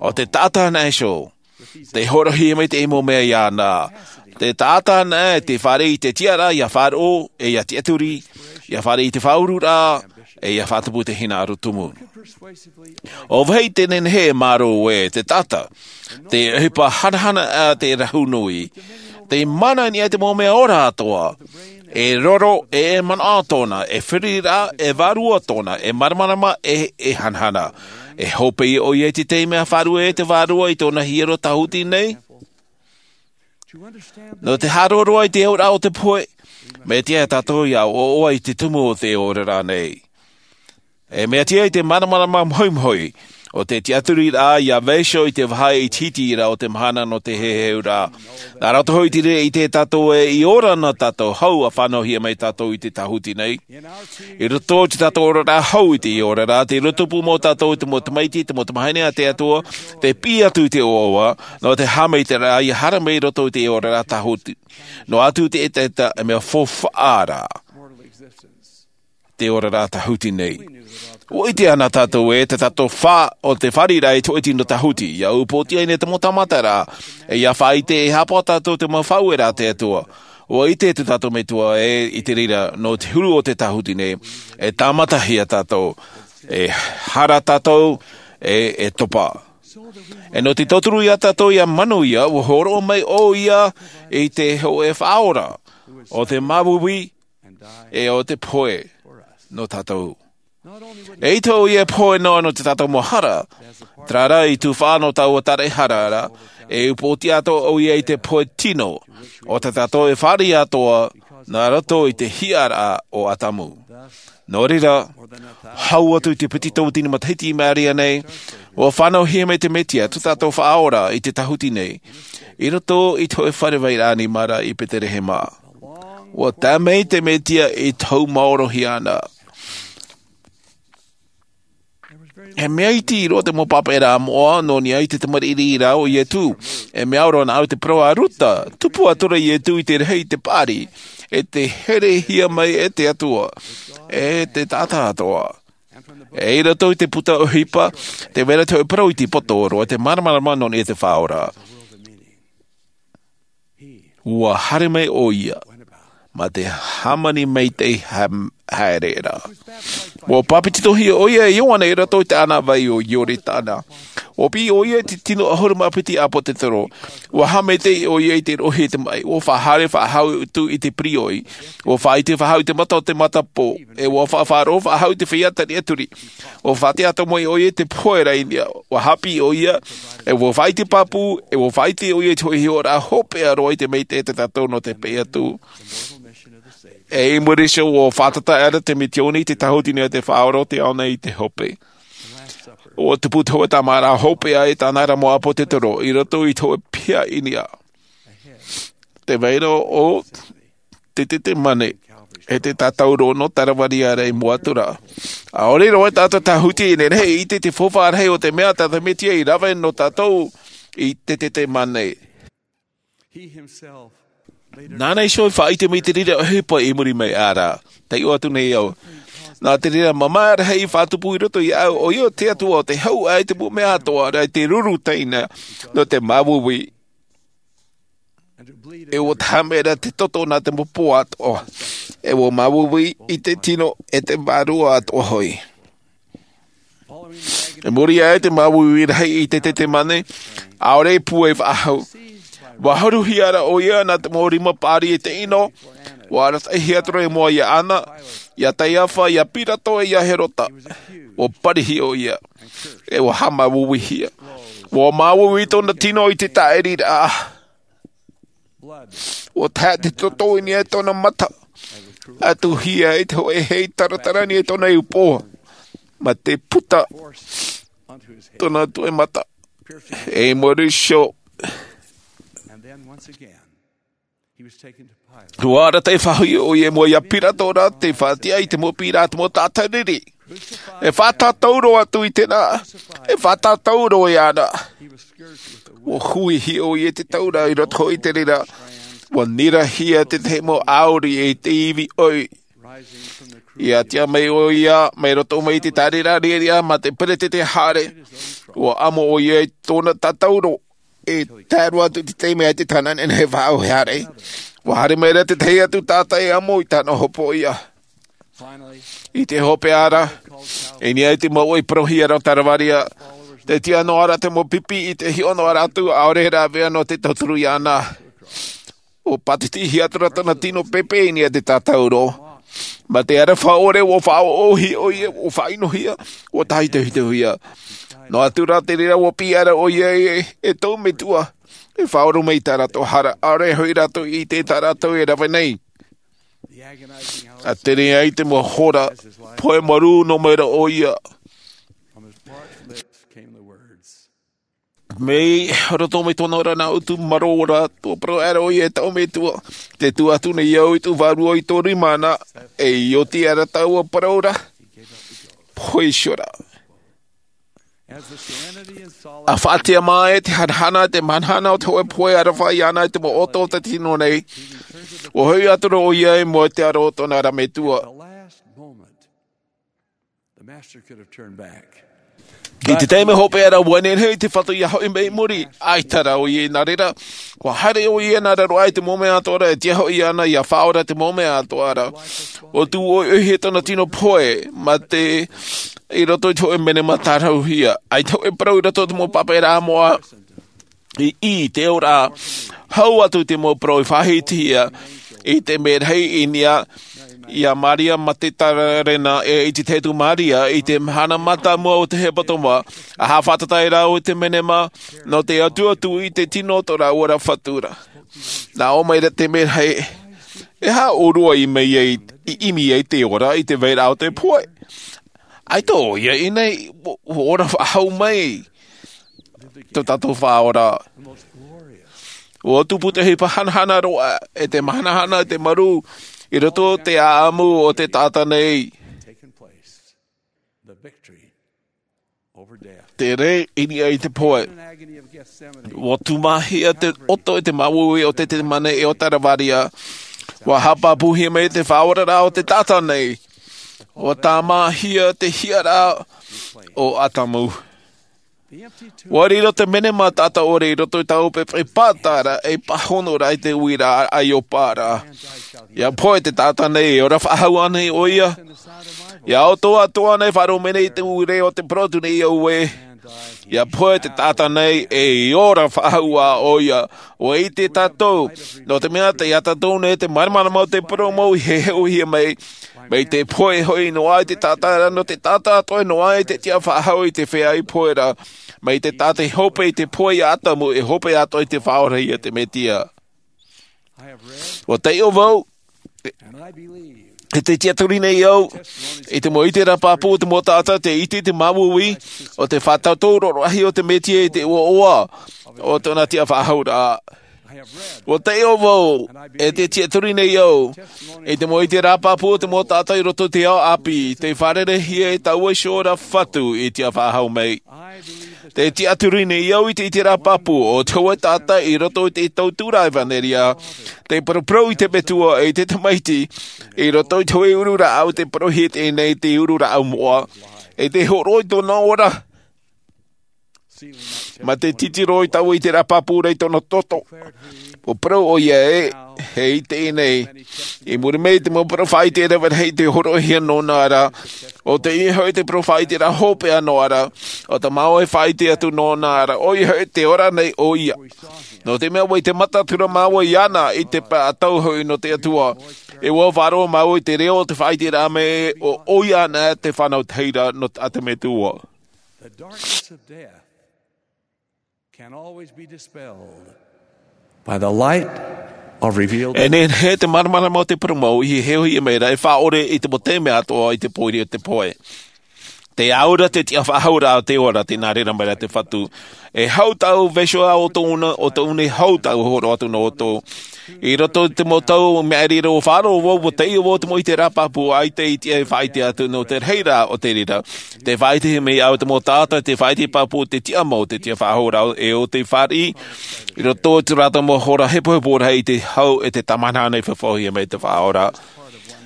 ʻO te taʻata anaʻe iho, tei hōroʻahia mai te mau mea iāna. Te taʻata anaʻe tei fāriʻi i te tiʻaraʻa ʻia faʻaroʻo, e ʻia tiʻaturi, ʻia fāriʻi i te faʻaururaʻa, e ʻia faʻatupu i te hinaʻaro tumu. ʻO vai te nehenehe e mārō ē, te taʻata, te ʻohipa hanahana a te rahu nui, tei mana i niʻa i te mau mea ora atoʻa, e roro, e manaʻo tōna, e fāriʻiraʻa, e vārua tōna, e māramarama, e, e hanahana. E hope ʻoia i te tahi mea faʻaruʻe e te vārua i tōna hiero tāhuti nei. Nō te haʻaroaroa i te auraʻa o te pohe, mea tiʻa tātou ʻia ʻoaʻoa i te tumu o te ora nei. E mea tiʻa i te māramarama mohimohi, ʻo te tiʻaturiraʻa ʻia vai iho i te vāhi ʻitehiteraʻa o te mahana nō te heheuraʻa. Nā roto hoʻi i te reira ʻite tātou ē, i ora na tātou hou ʻa fānauhia mai tātou i te tāhuti nei. I roto i tā tātou oraraʻa hou i te oraraʻa, tei rotopū mau tātou i te mau tamaiti, te mau tamāhine a te Atua, tei piʻi atu i te ʻoaʻoa, nō te haʻamaitaʻiraʻa ʻia haere mai i roto i te oraraʻa tāhuti. Noa atu te ʻetaʻeta, e mea faufaʻa ra te oraraʻa tāhuti nei. ʻUa ʻite ana tātou ē, tā tātou fā-, ʻo te fāriʻiraʻa i te hōʻē tino tāhuti, ʻia upoʻotiʻa nei te mau tāmataraʻa, e ʻia faʻaʻite e haʻapaʻo tātou te mau faʻaueraʻa a te Atua. ʻUa ʻite tā tātou Metua ē, i te reira, nō te huru o te tāhuti nei, e tāmatahia tātou, e hara tātou, e, e topa. E nō te tauturu ia tātou ʻia manuia, ʻua hōroʻa mai ʻoia i te hōʻē Faʻaora, ʻo te māuiui, e ʻo te pohe nō tātou. E ʻaita ʻoia e pohe noa nō tā tātou mau hara, terā rā i tufaʻa nō taua tāraʻehara ra, e upoʻotiʻa atoʻa ʻoia i te pohe tino, ʻo tā tātou e fāriʻi atoʻa, nā roto i te hiʻaraʻa o Atamu. Nō reira, hau atu i te piti tauatini matahiti i maʻiri aʻe nei, ʻua fānauhia mai te Mesia, tā tātou Faʻaora i te tāhuti nei, i roto i te hōʻē fare vairaʻa ʻanimara i Peterehema. ʻUa tae mai te Mesia i tau maorohia ana. He mea iti roa te mau pāpaʻi rā moʻa nō niʻa i te tamariʻi rā o Ietu. E mea ora nā au te parau a Ruta, tupu atu ra Ietu i te rahi i te paʻari, e te herehia mai e te Atua, e te taʻata atoʻa. E i roto i te puta ʻohipa, te vera te hoʻi parau i te poto roa, te māramarama nō niʻa i te Faʻaora. Ua haere mai ʻoia, mā te hāmani maitaʻi ha-, haere ra. Ua pāpetitohia ʻoia e Ioane i roto i te ʻānāvai o Ioritana. Ua piʻi ʻoia i te tino ʻahuru mā piti ʻāpōtetoro. Ua haʻamaitaʻi ʻoia i te roʻohia i te maʻi. Ua faʻahaere faʻahou atu i te pīrōʻi. Ua faʻaʻite faʻahou i te mata o te matapō. E ua faʻaroʻo faʻahou i te feiā tariʻaturi. Ua faʻaʻite atoʻa mai ʻoia i te pohe ra i niʻa. Ua haʻapiʻi ʻoia, e ua faʻaʻite pāpū, e ua faʻaʻite ʻoia i te hoʻi hiʻoraʻa hopeʻa roa i te maitaʻi tā tātou nō te peʻe atu. E i muri iho, ua fātata aʻera te misiōni i te tāhuti nei a te Faʻaora o te ao nei i te hope. Ua tupu te hōʻē tāmāʻaraʻa hopeʻa e tāna ra mau ʻāpōtetoro i roto i te hōʻē piha i niʻa. Te vai ra o te Ietetemane, e te tātauro nō Kalevāria ra i mua atu ra. ʻAore roa tātou e tāhuti i te rahi i te, te faufaʻa rahi o te mea tā te Mesia i rave nō tātou i te Ietetemane. Nāna iho i faʻaʻite mai te reira ʻohipa i muri mai ra. Taiʻo atu nei au. Nā te reira mamaʻa rahi i faʻatupu i roto iāʻu, ʻoia te Atua o te hau ai te mau mea atoʻa ra i te ruru taina nō te māuiui. E ua taha mai ra te toto nā te mau pō atoʻa. E ua māuiui i te tino e te vārua atoʻa hoʻi. I muri aʻe i te māuiui rahi i te Ietetemane, ʻaore i pūai faʻahou. Ua haruhia ra ʻoia nā te mau rima paʻari e te ʻino, ua arataʻihia atu ra i mua iā Ana, iā Kaiafa, iā Pilato, e iā Herota. Ua parihia ʻoia. E ua haʻamāuiuihia. Ua māuiui tōna tino i te tāʻiriraʻa. Ua tae te toto i niʻa i tōna mata. Ua tuʻuhia i te hōʻē hei taratara i niʻa i tōna iʻupoa. Mā te puta tōna tuʻemata. E i muri iho. Ua arataʻi faʻahou ʻoia i mua iā Pilato ra, tei faʻatiʻa i te mau piʻiraʻa a te mau taʻata riri. E faʻatātauro atu i te reira. E faʻatātauro iāna. Ua huihia ʻoia i te taura i roto hoʻi i te reira. Ua nirahia te tahi mau ʻāuri i te ivi ʻoi. I ʻātea mai ʻoia, mai roto mai i te tāʻiriraʻa riʻariʻa mā te peretete haere. Ua amo ʻoia i tōna tātauro. E tae roa atu i te taime a te tāne nei faʻaʻohe haere. Ua haere mai ra te tahi atu taʻata e amo i tāna hopoiʻa. I te hopeʻa ra, i niʻa i te mau ʻoi parauhia ra o Kalevāria, tē tiʻa noa ra te mau pipi i te hiʻo noa ra atu, ʻaore rā ʻāvaʻe nō te tauturu iāna. Ua pātitihia atu ra tōna tino pēpē i niʻa i te tātauro. Mā te aroha ʻore, ua faʻaʻohipa ʻoia, ua faʻaʻinohia, ua tāhitohitohia. Noa atu rā te reira ua piʻi ra ʻoia e, e tō metua. E faʻaroʻo mai i tā rātou hara, ʻaore hoʻi rātou i ʻite tā rātou e rave nei. ʻA tere ai te mau hora, pohe marū noa mai ra ʻoia. Mai roto mai tōna ora nā ʻutu marō ra, ua parau aʻera ʻoia e tō metua. Tē tuʻu atu nei au i tō vārua i tō rima na, e ʻia oti aʻera taua parau ra. Pohe iho ra. ʻA faʻatiʻa mai te hanahana, te hanahana o te hōʻē pohe aroha iāna i te mau ʻoto o te tino nei. Ua hoʻi atu ra ʻoia i mua i te aro o tōna ra metua. I te taime hopeʻa ra, ua nehenehe te Fatu ʻia hoʻi mai i muri, ʻaita rā ʻoia i nā reira, ua haere ʻoia nā raro aʻe i te mau mea atoʻa ra, e tiʻa hoʻi iāna ʻia faʻaora te mau mea atoʻa ra. Ua tuʻu ʻoiʻoi tōna tino pohe, mā te, i roto i te hōʻē menema tāraruhia, ʻaita hōʻē parau i roto i te mau pāpaʻi rā moʻa, i, i te ora, hau atu te mau parau i faʻahitihia, i te mea rahi i niʻa, iā Maria Magadalena, e i te tahi atu Maria, i te mahana mātāmua o te hepetoma, ʻa haʻafātata ai rāua i te menema, nō te atu atu i te tino o tō rāua ra Fatu ra. Nā ʻō mai ra te mea rahi, e aha ʻōrua i ʻimi ai, i ʻimi ai te ora i te vairaʻa o te pohe. ʻAita ʻoia i ʻō nei, ua, ua ora faʻahou mai. Tō tātou Faʻaora. Ua tupu te ʻohipa hanahana roa, e te mahanahana, e te marū, i roto i te ʻāʻamu o te taʻata nei. Te rē i niʻa i te pohe. Ua tūmāhia te ʻoto i te māuiui o Tetetemane e o Taravaria. Ua haʻapāpūhia mai te faʻaoraraʻa o te taʻata nei. Ua tāmāhia te hiʻaraʻa o Atamu. Ua riro te menema taʻata ʻore i roto i taua pepe pātara e pāhono ra i te uiraʻa a Iopa ra. ʻIa pohe te taʻata nei, e ora faʻahou ānei ʻoia? ʻIa ʻoto atoʻa nei faʻaroʻo mai nei i te ure o te porotu nei au ē. ʻIa pohe te taʻata nei, e ora faʻahou ā ʻoia. ʻUa ʻite tātou, nō te mea tei ʻia tātou nei te māramarama o te purōmu i heheuhia mai. Mai te pohe hoʻi noa i te taʻata ra, nō te taʻata atoʻa noa i te tiʻa faʻahou i te feiā i pohe ra. Mai te taʻata i hope i te pohe iā Atamu, e hope atoʻa i te Faʻaora ia te Mesia. ʻUa taiʻo vau, e te tiʻaturi nei au, i te mau ʻiteraʻa pāpū o te mau taʻata, te ʻite i te māuiui, o te faʻatauturu rahi o te Mesia i te ʻoaʻoa o tōna tiʻa faʻahouraʻa. ʻUa taiʻo vau, e te tiʻaturi nei au, i te mau ʻiteraʻa pāpū o te mau taʻata i roto i te ao ʻāpī, tei fārereihia e taua iho ra Fatu i tiʻa faʻahou mai. Te tiʻaturi nei au i te ʻiteraʻa pāpū o te hōʻē taʻata i roto i te tauturu ʻevanelia, tei paraparau i te Metua e te Tamaiti, i roto i te hōʻē uru rāʻau tei parauhia i teie nei te uru rāʻau moʻa, e tei hōroʻa i tōna ora. Mā te titiro i taua ʻiteraʻa pāpū ra i tōna toto. ʻUa parau ʻoia ē, e i teie nei. I muri mai te mau parau faʻaʻite rave rahi tei hōroʻahia nōna ra. ʻO teie hoʻi te parau faʻaʻite ra hopeʻa noa ra. ʻO te mau e faʻaʻite atu nōna ra. ʻOia hoʻi te ora nei ʻoia. Nō te mea ʻua ʻite mataʻu atu ra māua iāna i te pae ʻatau hoʻi nō te Atua. E ʻua faʻaroʻo māua i te reo o te faʻaʻiteraʻa mai ē, ʻo ʻoia ānei te fānau tahira nō te, a te Metua. The darkness of death can always be dispelled by the light of revealed. E nehenehe te māramarama o te purōmu i heheuhia mai ra, e faʻaʻore i te mau taime atoʻa i te pōiri o te pohe. Te au ra te tiʻa faʻahou ra o te ora, tē nā reira mai ra te Fatu. E hau tāʻu vaiiho ā o tōna, ʻo tōna e hau tāʻu hōroʻa atu nō ʻoutou. I roto i te mau tau maʻiri ra ʻua faʻaroʻo vau, ʻua taiʻo vau te mau ʻiteraʻa pāpū, ʻaita i tiʻa e faʻaʻite atu nō te rahi rā o te reira. Tē faʻaʻitehia mai au te mau taʻata, tē faʻaʻite pāpū te tiʻamau, te tiʻa faʻahou ra, e ʻo tē fāriʻi, i roto i tō rātou mau hora hepohepo rahi i te hau e te tāmāhine nei e faʻaʻitehia mai te Faʻaora.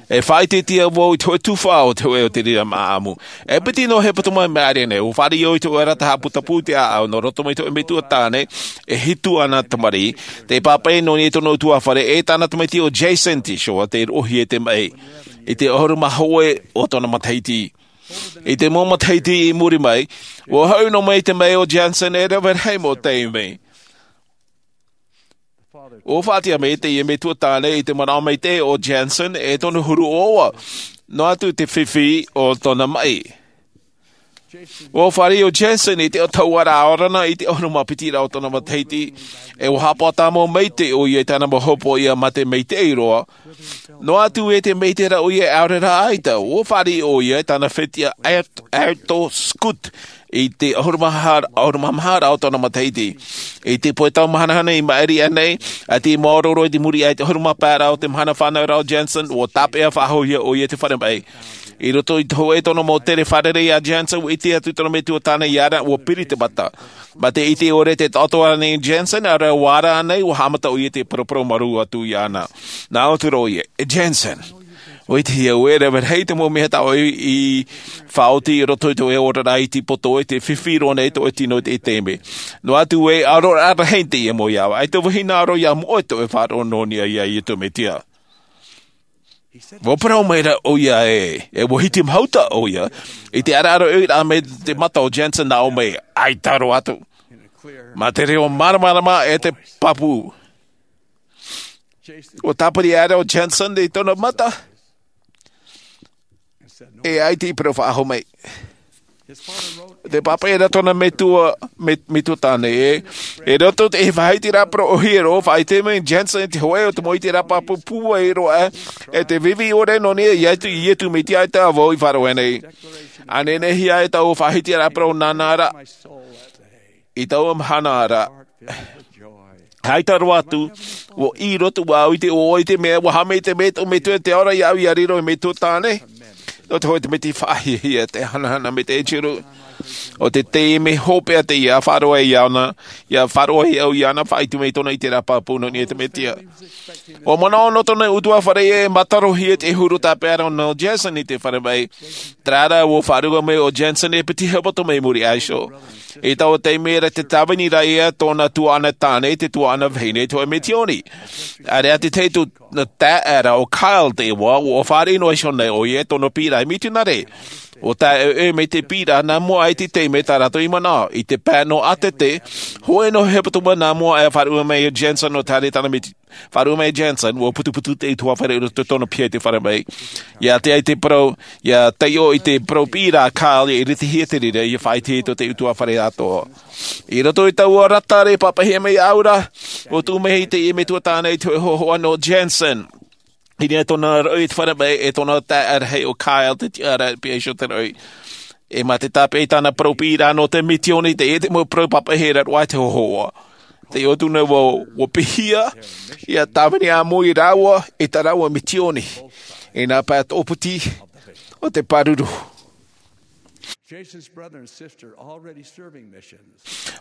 E faʻaʻiteʻite vau i te hōʻē tuhaʻa o te hōʻē o te reira māʻamu. E piti noa hepetoma maʻiri nei, ʻua fāriʻi au i te hōʻē rata haʻaputapū i te ʻāʻau, nō roto mai te hōʻē metua tāne, e hitu āna tamariʻi. Tei pāpaʻi nō niʻa i tōna ʻutuāfare, e tāna tamaiti ʻo Jason Tishoa, tei roʻohia i te maʻi. I te ʻahuru mā hōʻē o tōna matahiti. I te mau matahiti i muri mai, ʻua hau noa mai te maʻi o Jason e rave rahi mau taime. ʻUa faʻatiʻa mai teie metua tāne i te manaʻo maitaʻi o Jason e tōna huru ʻoaʻoa, noa atu te fifi o tōna maʻi. ʻUa fāriʻi ʻo Jason i te tau ra ʻaore rā i te ʻahuru mā piti rā o tōna matahiti, e ʻua haʻapaʻo tāmau maitaʻi ʻoia i tāna mau hopoiʻa mā te maitaʻi roa. Noa atu e te maitaʻi ra ʻoia e ʻaore rā ʻaita, ʻua fāriʻi ʻoia i tāna fetiʻa Art-, Arto Scott i te ʻahuru mā maha, ʻahuru mā maha rā o tōna matahiti. I te pae tau mahanahana i maʻiri aʻenei, ʻaita i maoro roa i te muri aʻe i te ʻahuru mā pae rā o te mahana fānau ra o Jason, ʻua tāpeʻa faʻahou hia ʻoia i te fare maʻi. I roto i te hōʻē tōna mau tere fārerei a Jason, ʻua ʻite atu tōna metua tāne iāna, ʻua piri te mata. Mā te ʻite ʻore te taʻoto ānei Jason, ʻaore rā ʻua ara ānei, ʻua haʻamata ʻoia i te paraparau marū atu iāna. Nā ʻō atu ra ʻoia, e Jason, ʻua ʻitehia au e rave rahi te mau mea tā ʻoe i faʻaoti i roto i tō ʻoe oraraʻa i te poto, e tē fifi roa nei tō ʻoe tino i te taime. Noa atu ē, ʻaore rā rahi teie mau iāʻu, ʻaita vau e hinaʻaro ʻia moʻe tō ʻoe faʻaroʻo nō niʻa iā Iesu Mesia. ʻUa parau mai ra ʻoia ē, e ʻua hitimahuta ʻoia, i te ʻaraʻara ʻoia mai te mata o Jason nā ʻō mai, ʻaita roa atu. Mā te reo māramarama e te pāpū. ʻUa tāpiri aʻera ʻo Jason i tōna mata. E ʻaita i parau faʻahou mai. Tē pāpaʻi ra tōna metua, me-, metua tāne ē. I roto i te faʻahitiraʻa parau ʻōhie roa, faʻaʻite mai Jason i te hōʻē o te mau ʻiteraʻa pāpū pūai roa, e tē fifi ʻore nō niʻa iā Iesu, Iesu Mesia ʻaita vau i faʻaroʻo nei. ʻA nehenehe e taua faʻahitiraʻa parau nāna ra. I taua mahana ra. ʻAita roa atu, ʻua ʻī roa atu vau i te ʻoaʻoa i te mea, ʻua haʻamaitaʻi mai tō Metua i te ao ra iāʻu ʻia riro ei metua tāne. ʻO te hōʻē te meti faʻahiahia, te hanahana mai te ʻēturu. ʻO te taime hopeʻa teie ʻia faʻaroʻo iāna, ʻia faʻaroʻo au iāna, faʻaʻite mai tōna ʻiteraʻa pāpū nō niʻa i te Mesia. ʻUa manaʻo nō tōna ʻutuāfare e mātarohia te huru tāpeʻa nō Jensen i te fare mai. Terā rā, ʻua faʻaruʻe mai ʻo Jensen e piti hepetoma i muri iho. I taua taime ra, tē tāvini ra ïa tōna tuaʻana tāne, te tuaʻana vahine, te hōʻē misiōni. ʻAreʻa te tahi atu taeaʻe ra ʻo Kyle te iʻoa, ʻua fāriʻi noa iho nei ʻoia i tōna piʻiraʻa mitionare. ʻUa tae ʻoia mai te piʻiraʻa nā mua aʻe i te taime tā rātou i manaʻo. I te pae nō ʻātete, hōʻē noa hepetoma nā mua aʻe, faʻaruʻe mai ʻo Jensen ʻo te haere i tāna misi-, faʻaruʻe mai Jensen, ʻua putuputu te ʻutuāfare i roto i tōna piha i te fare mai. ʻIa tae i te parau, ʻia taiʻo i te parau piʻiraʻa a Kyle, ʻia iritihia te reira, ʻia faʻaʻitehia tō te ʻutuāfare atoʻa. I roto i taua rata ra i pāpaʻihia mai iāʻu ra, ʻua tuʻu mai teie metua tāne i te hōhoʻa nō Jensen. I niʻa i tōna roʻi i te fare mai, e tōna taeaʻe rahi ʻo Kyle te tiʻaraʻa e pihaʻi iho te roʻi. E mā te tāpeʻa i tāna parau piʻiraʻa nō te misiōni, teie te mau parau pāpaʻihia ra roa i te hōhoʻa. Taiʻo atu nei vau, ʻua pīhia, ʻia tāvini ʻāmui rāua i tā rāua misiōni i nā pae tōpiti o te pāruru. Jason's brother and sister already serving missions.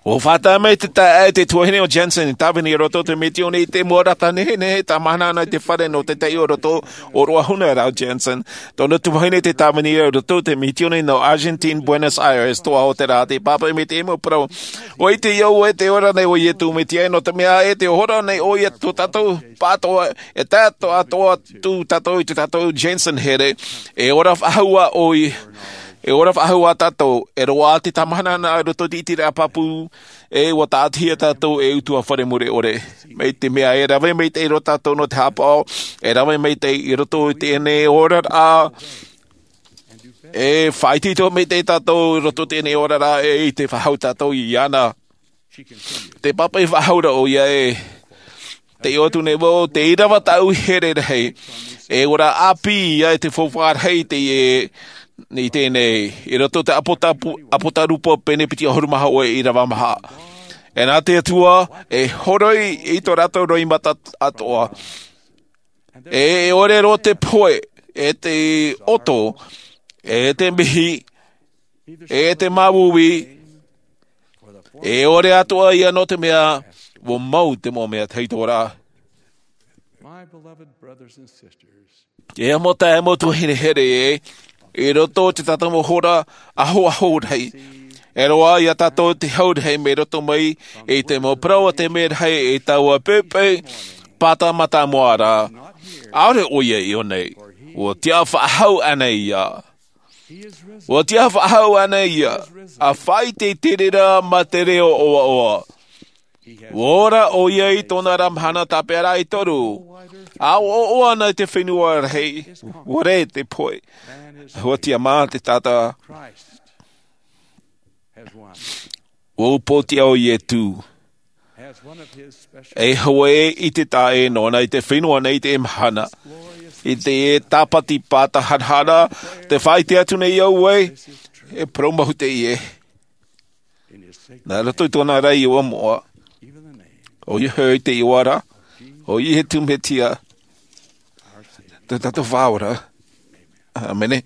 ʻUa fātata mai te taeaʻe, te tuahine ʻo Jensen, i tāvini i roto i te misiōni i te mau rata nehenehe, tāmāhanahana i te fare nō te taiʻo i roto, ʻōroʻa huna rā ʻo Jensen. Tōna tuahine tē tāvini i roto i te misiōni nō Argentine, Buenos Aires, toa o te rā, tē pāpaʻi mai te mau parau. ʻUa ʻite ʻoe te ora nei ʻo Iesu Mesia, nō te mea e tē ora nei ʻoia tō tātou pāʻatoʻa, e tae atoʻa atu tātou i tō tātou Jensen here, e ora faʻahou ʻoia, e ora faʻahou tātou, e roaʻa te tāmāhanahana i roto i te ʻiteraʻa pāpū, e ʻua tāʻatihia tātou e ʻutuāfare mure ʻore. Mai te mea e rave maitaʻi roa tātou nō te haʻapaʻo, e rave maitaʻi i roto i teie nei oraraʻa, e faʻaitoito maitaʻi tātou i roto i teie nei oraraʻa, e ʻite faʻahou tātou iāna. Tē pāpaʻi faʻahou ra ʻoia ē. Taiʻo atu nei vau, tē ʻīrava tāʻu here rahi. E ora ʻāpī ïa e te faufaʻa rahi teie, i teie nei. I roto i te ʻApotapu-, ʻApotarupo pene piti ʻahuru mā hōʻē ʻīrava maha. E nā te Atua, e horoi i tō rātou roimata atoʻa. E, e ʻore roa te pohe, e te ʻoto, e te mihi, e te māuiui, e ʻore atoʻa ïa nō te mea, ʻua mau te mau mea tahito ra. My beloved brothers and sisters, E mau taeaʻe, mau tuahine here ē, i roto i tō tātou mau hora ahoaho rahi. E roaʻa ia tātou te hau rahi mai roto mai i te mau parau a te mea rahi i taua poʻipoʻi pāta mātāmua ra. ʻAore ʻoia i ʻō nei, ʻua tiʻa faʻahou ānei ʻoia. ʻUa tiʻa faʻahou ānei ʻoia, ʻa faʻaʻite i te reira mā te reo ʻoaʻoa. ʻUa ora ʻoia i tōna ra mahana tāpeʻaraʻa e toru. ʻA ʻoaʻoa ana i te fenua rahi, ʻua rē te pohe. ʻUa tiʻamā te taʻata. ʻUa upoʻotiʻa ʻo Iesu. E hoa ē i te taʻata nōna i te fenua nei i te mahana. I te tāpati pāta harahara, tē faʻaʻite atu nei au ē, e parau maitaʻi ē. Nā roto i tōna ra iʻoa moʻa. ʻOia hoʻi te iʻoa ra, ʻo Iesu Mesia, tō tātou Faʻaora. ʻĀmene.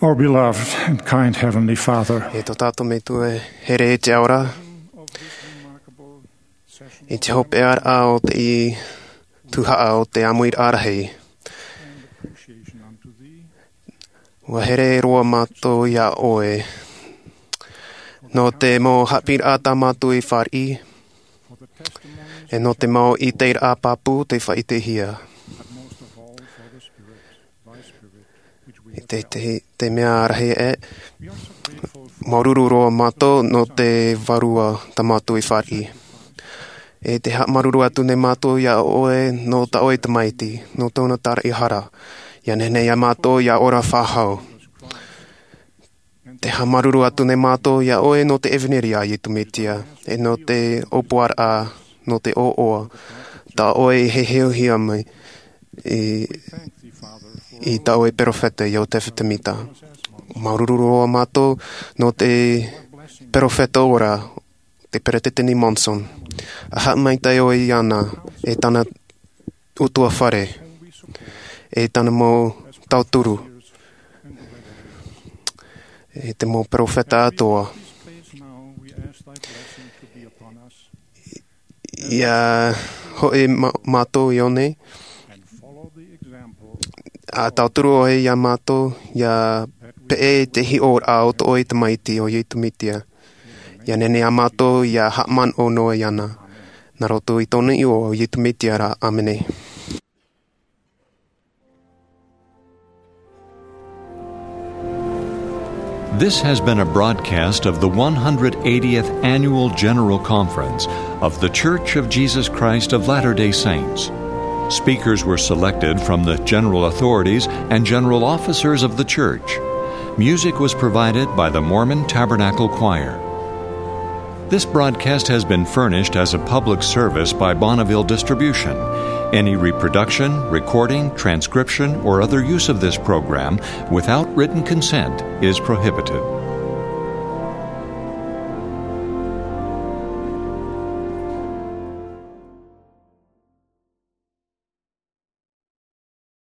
Our beloved and kind Heavenly Father, E tō tātou Metua here i te ao ra, i te hopeʻa o te tuhaʻa o te ʻāmuiraʻa rahi, ʻua here roa mātou iā ʻoe nō te mau haʻapiʻiraʻa tā mātou i fāriʻi, e nō te mau ʻiteraʻa pāpū tei faʻaʻitehia. I te, te, te mea rahi ē, māuruuru roa mātou nō te vārua tā mātou i fāriʻi. E te haʻamāuruuru atu nei mātou iā ʻoe nō tā ʻoe tamaiti, nō tōna taraʻehara, ʻia nehenehe iā mātou ʻia ora faʻahou. Te haʻamāuruuru atu nei mātou iā ʻoe nō te ʻevaneria a Iesu Mesia, e nō te ʻōpuaraʻa, nō te ʻoaʻoa, tā ʻoe i heheohia mai i, i tā ʻoe perofeta Iosefa Sāmita. Māuruuru roa mātou nō te perofeta ora, te Peresideni Monson. ʻA haʻamaitaʻi ʻoe iāna, e tāna ʻutuāfare, e tāna mau tauturu, e te mau perofeta atoʻa. ʻIa hoʻi mā-, mātou i ʻō nei, ʻa tauturu ʻoe iā mātou, ʻia peʻe i te hiʻoraʻa o tō ʻoe tamaiti ʻo Iesu Mesia. ʻIa nehenehe ā mātou ʻia haʻamanaʻo noa iāna. Nā roto i tōna iʻoa ʻo Iesu Mesia ra, ʻāmene. This has been a broadcast of the one hundred eightieth Annual General Conference of The Church of Jesus Christ of Latter-day Saints. Speakers were selected from the general authorities and general officers of the church. Music was provided by the Mormon Tabernacle Choir. This broadcast has been furnished as a public service by Bonneville Distribution. Any reproduction, recording, transcription, or other use of this program without written consent is prohibited.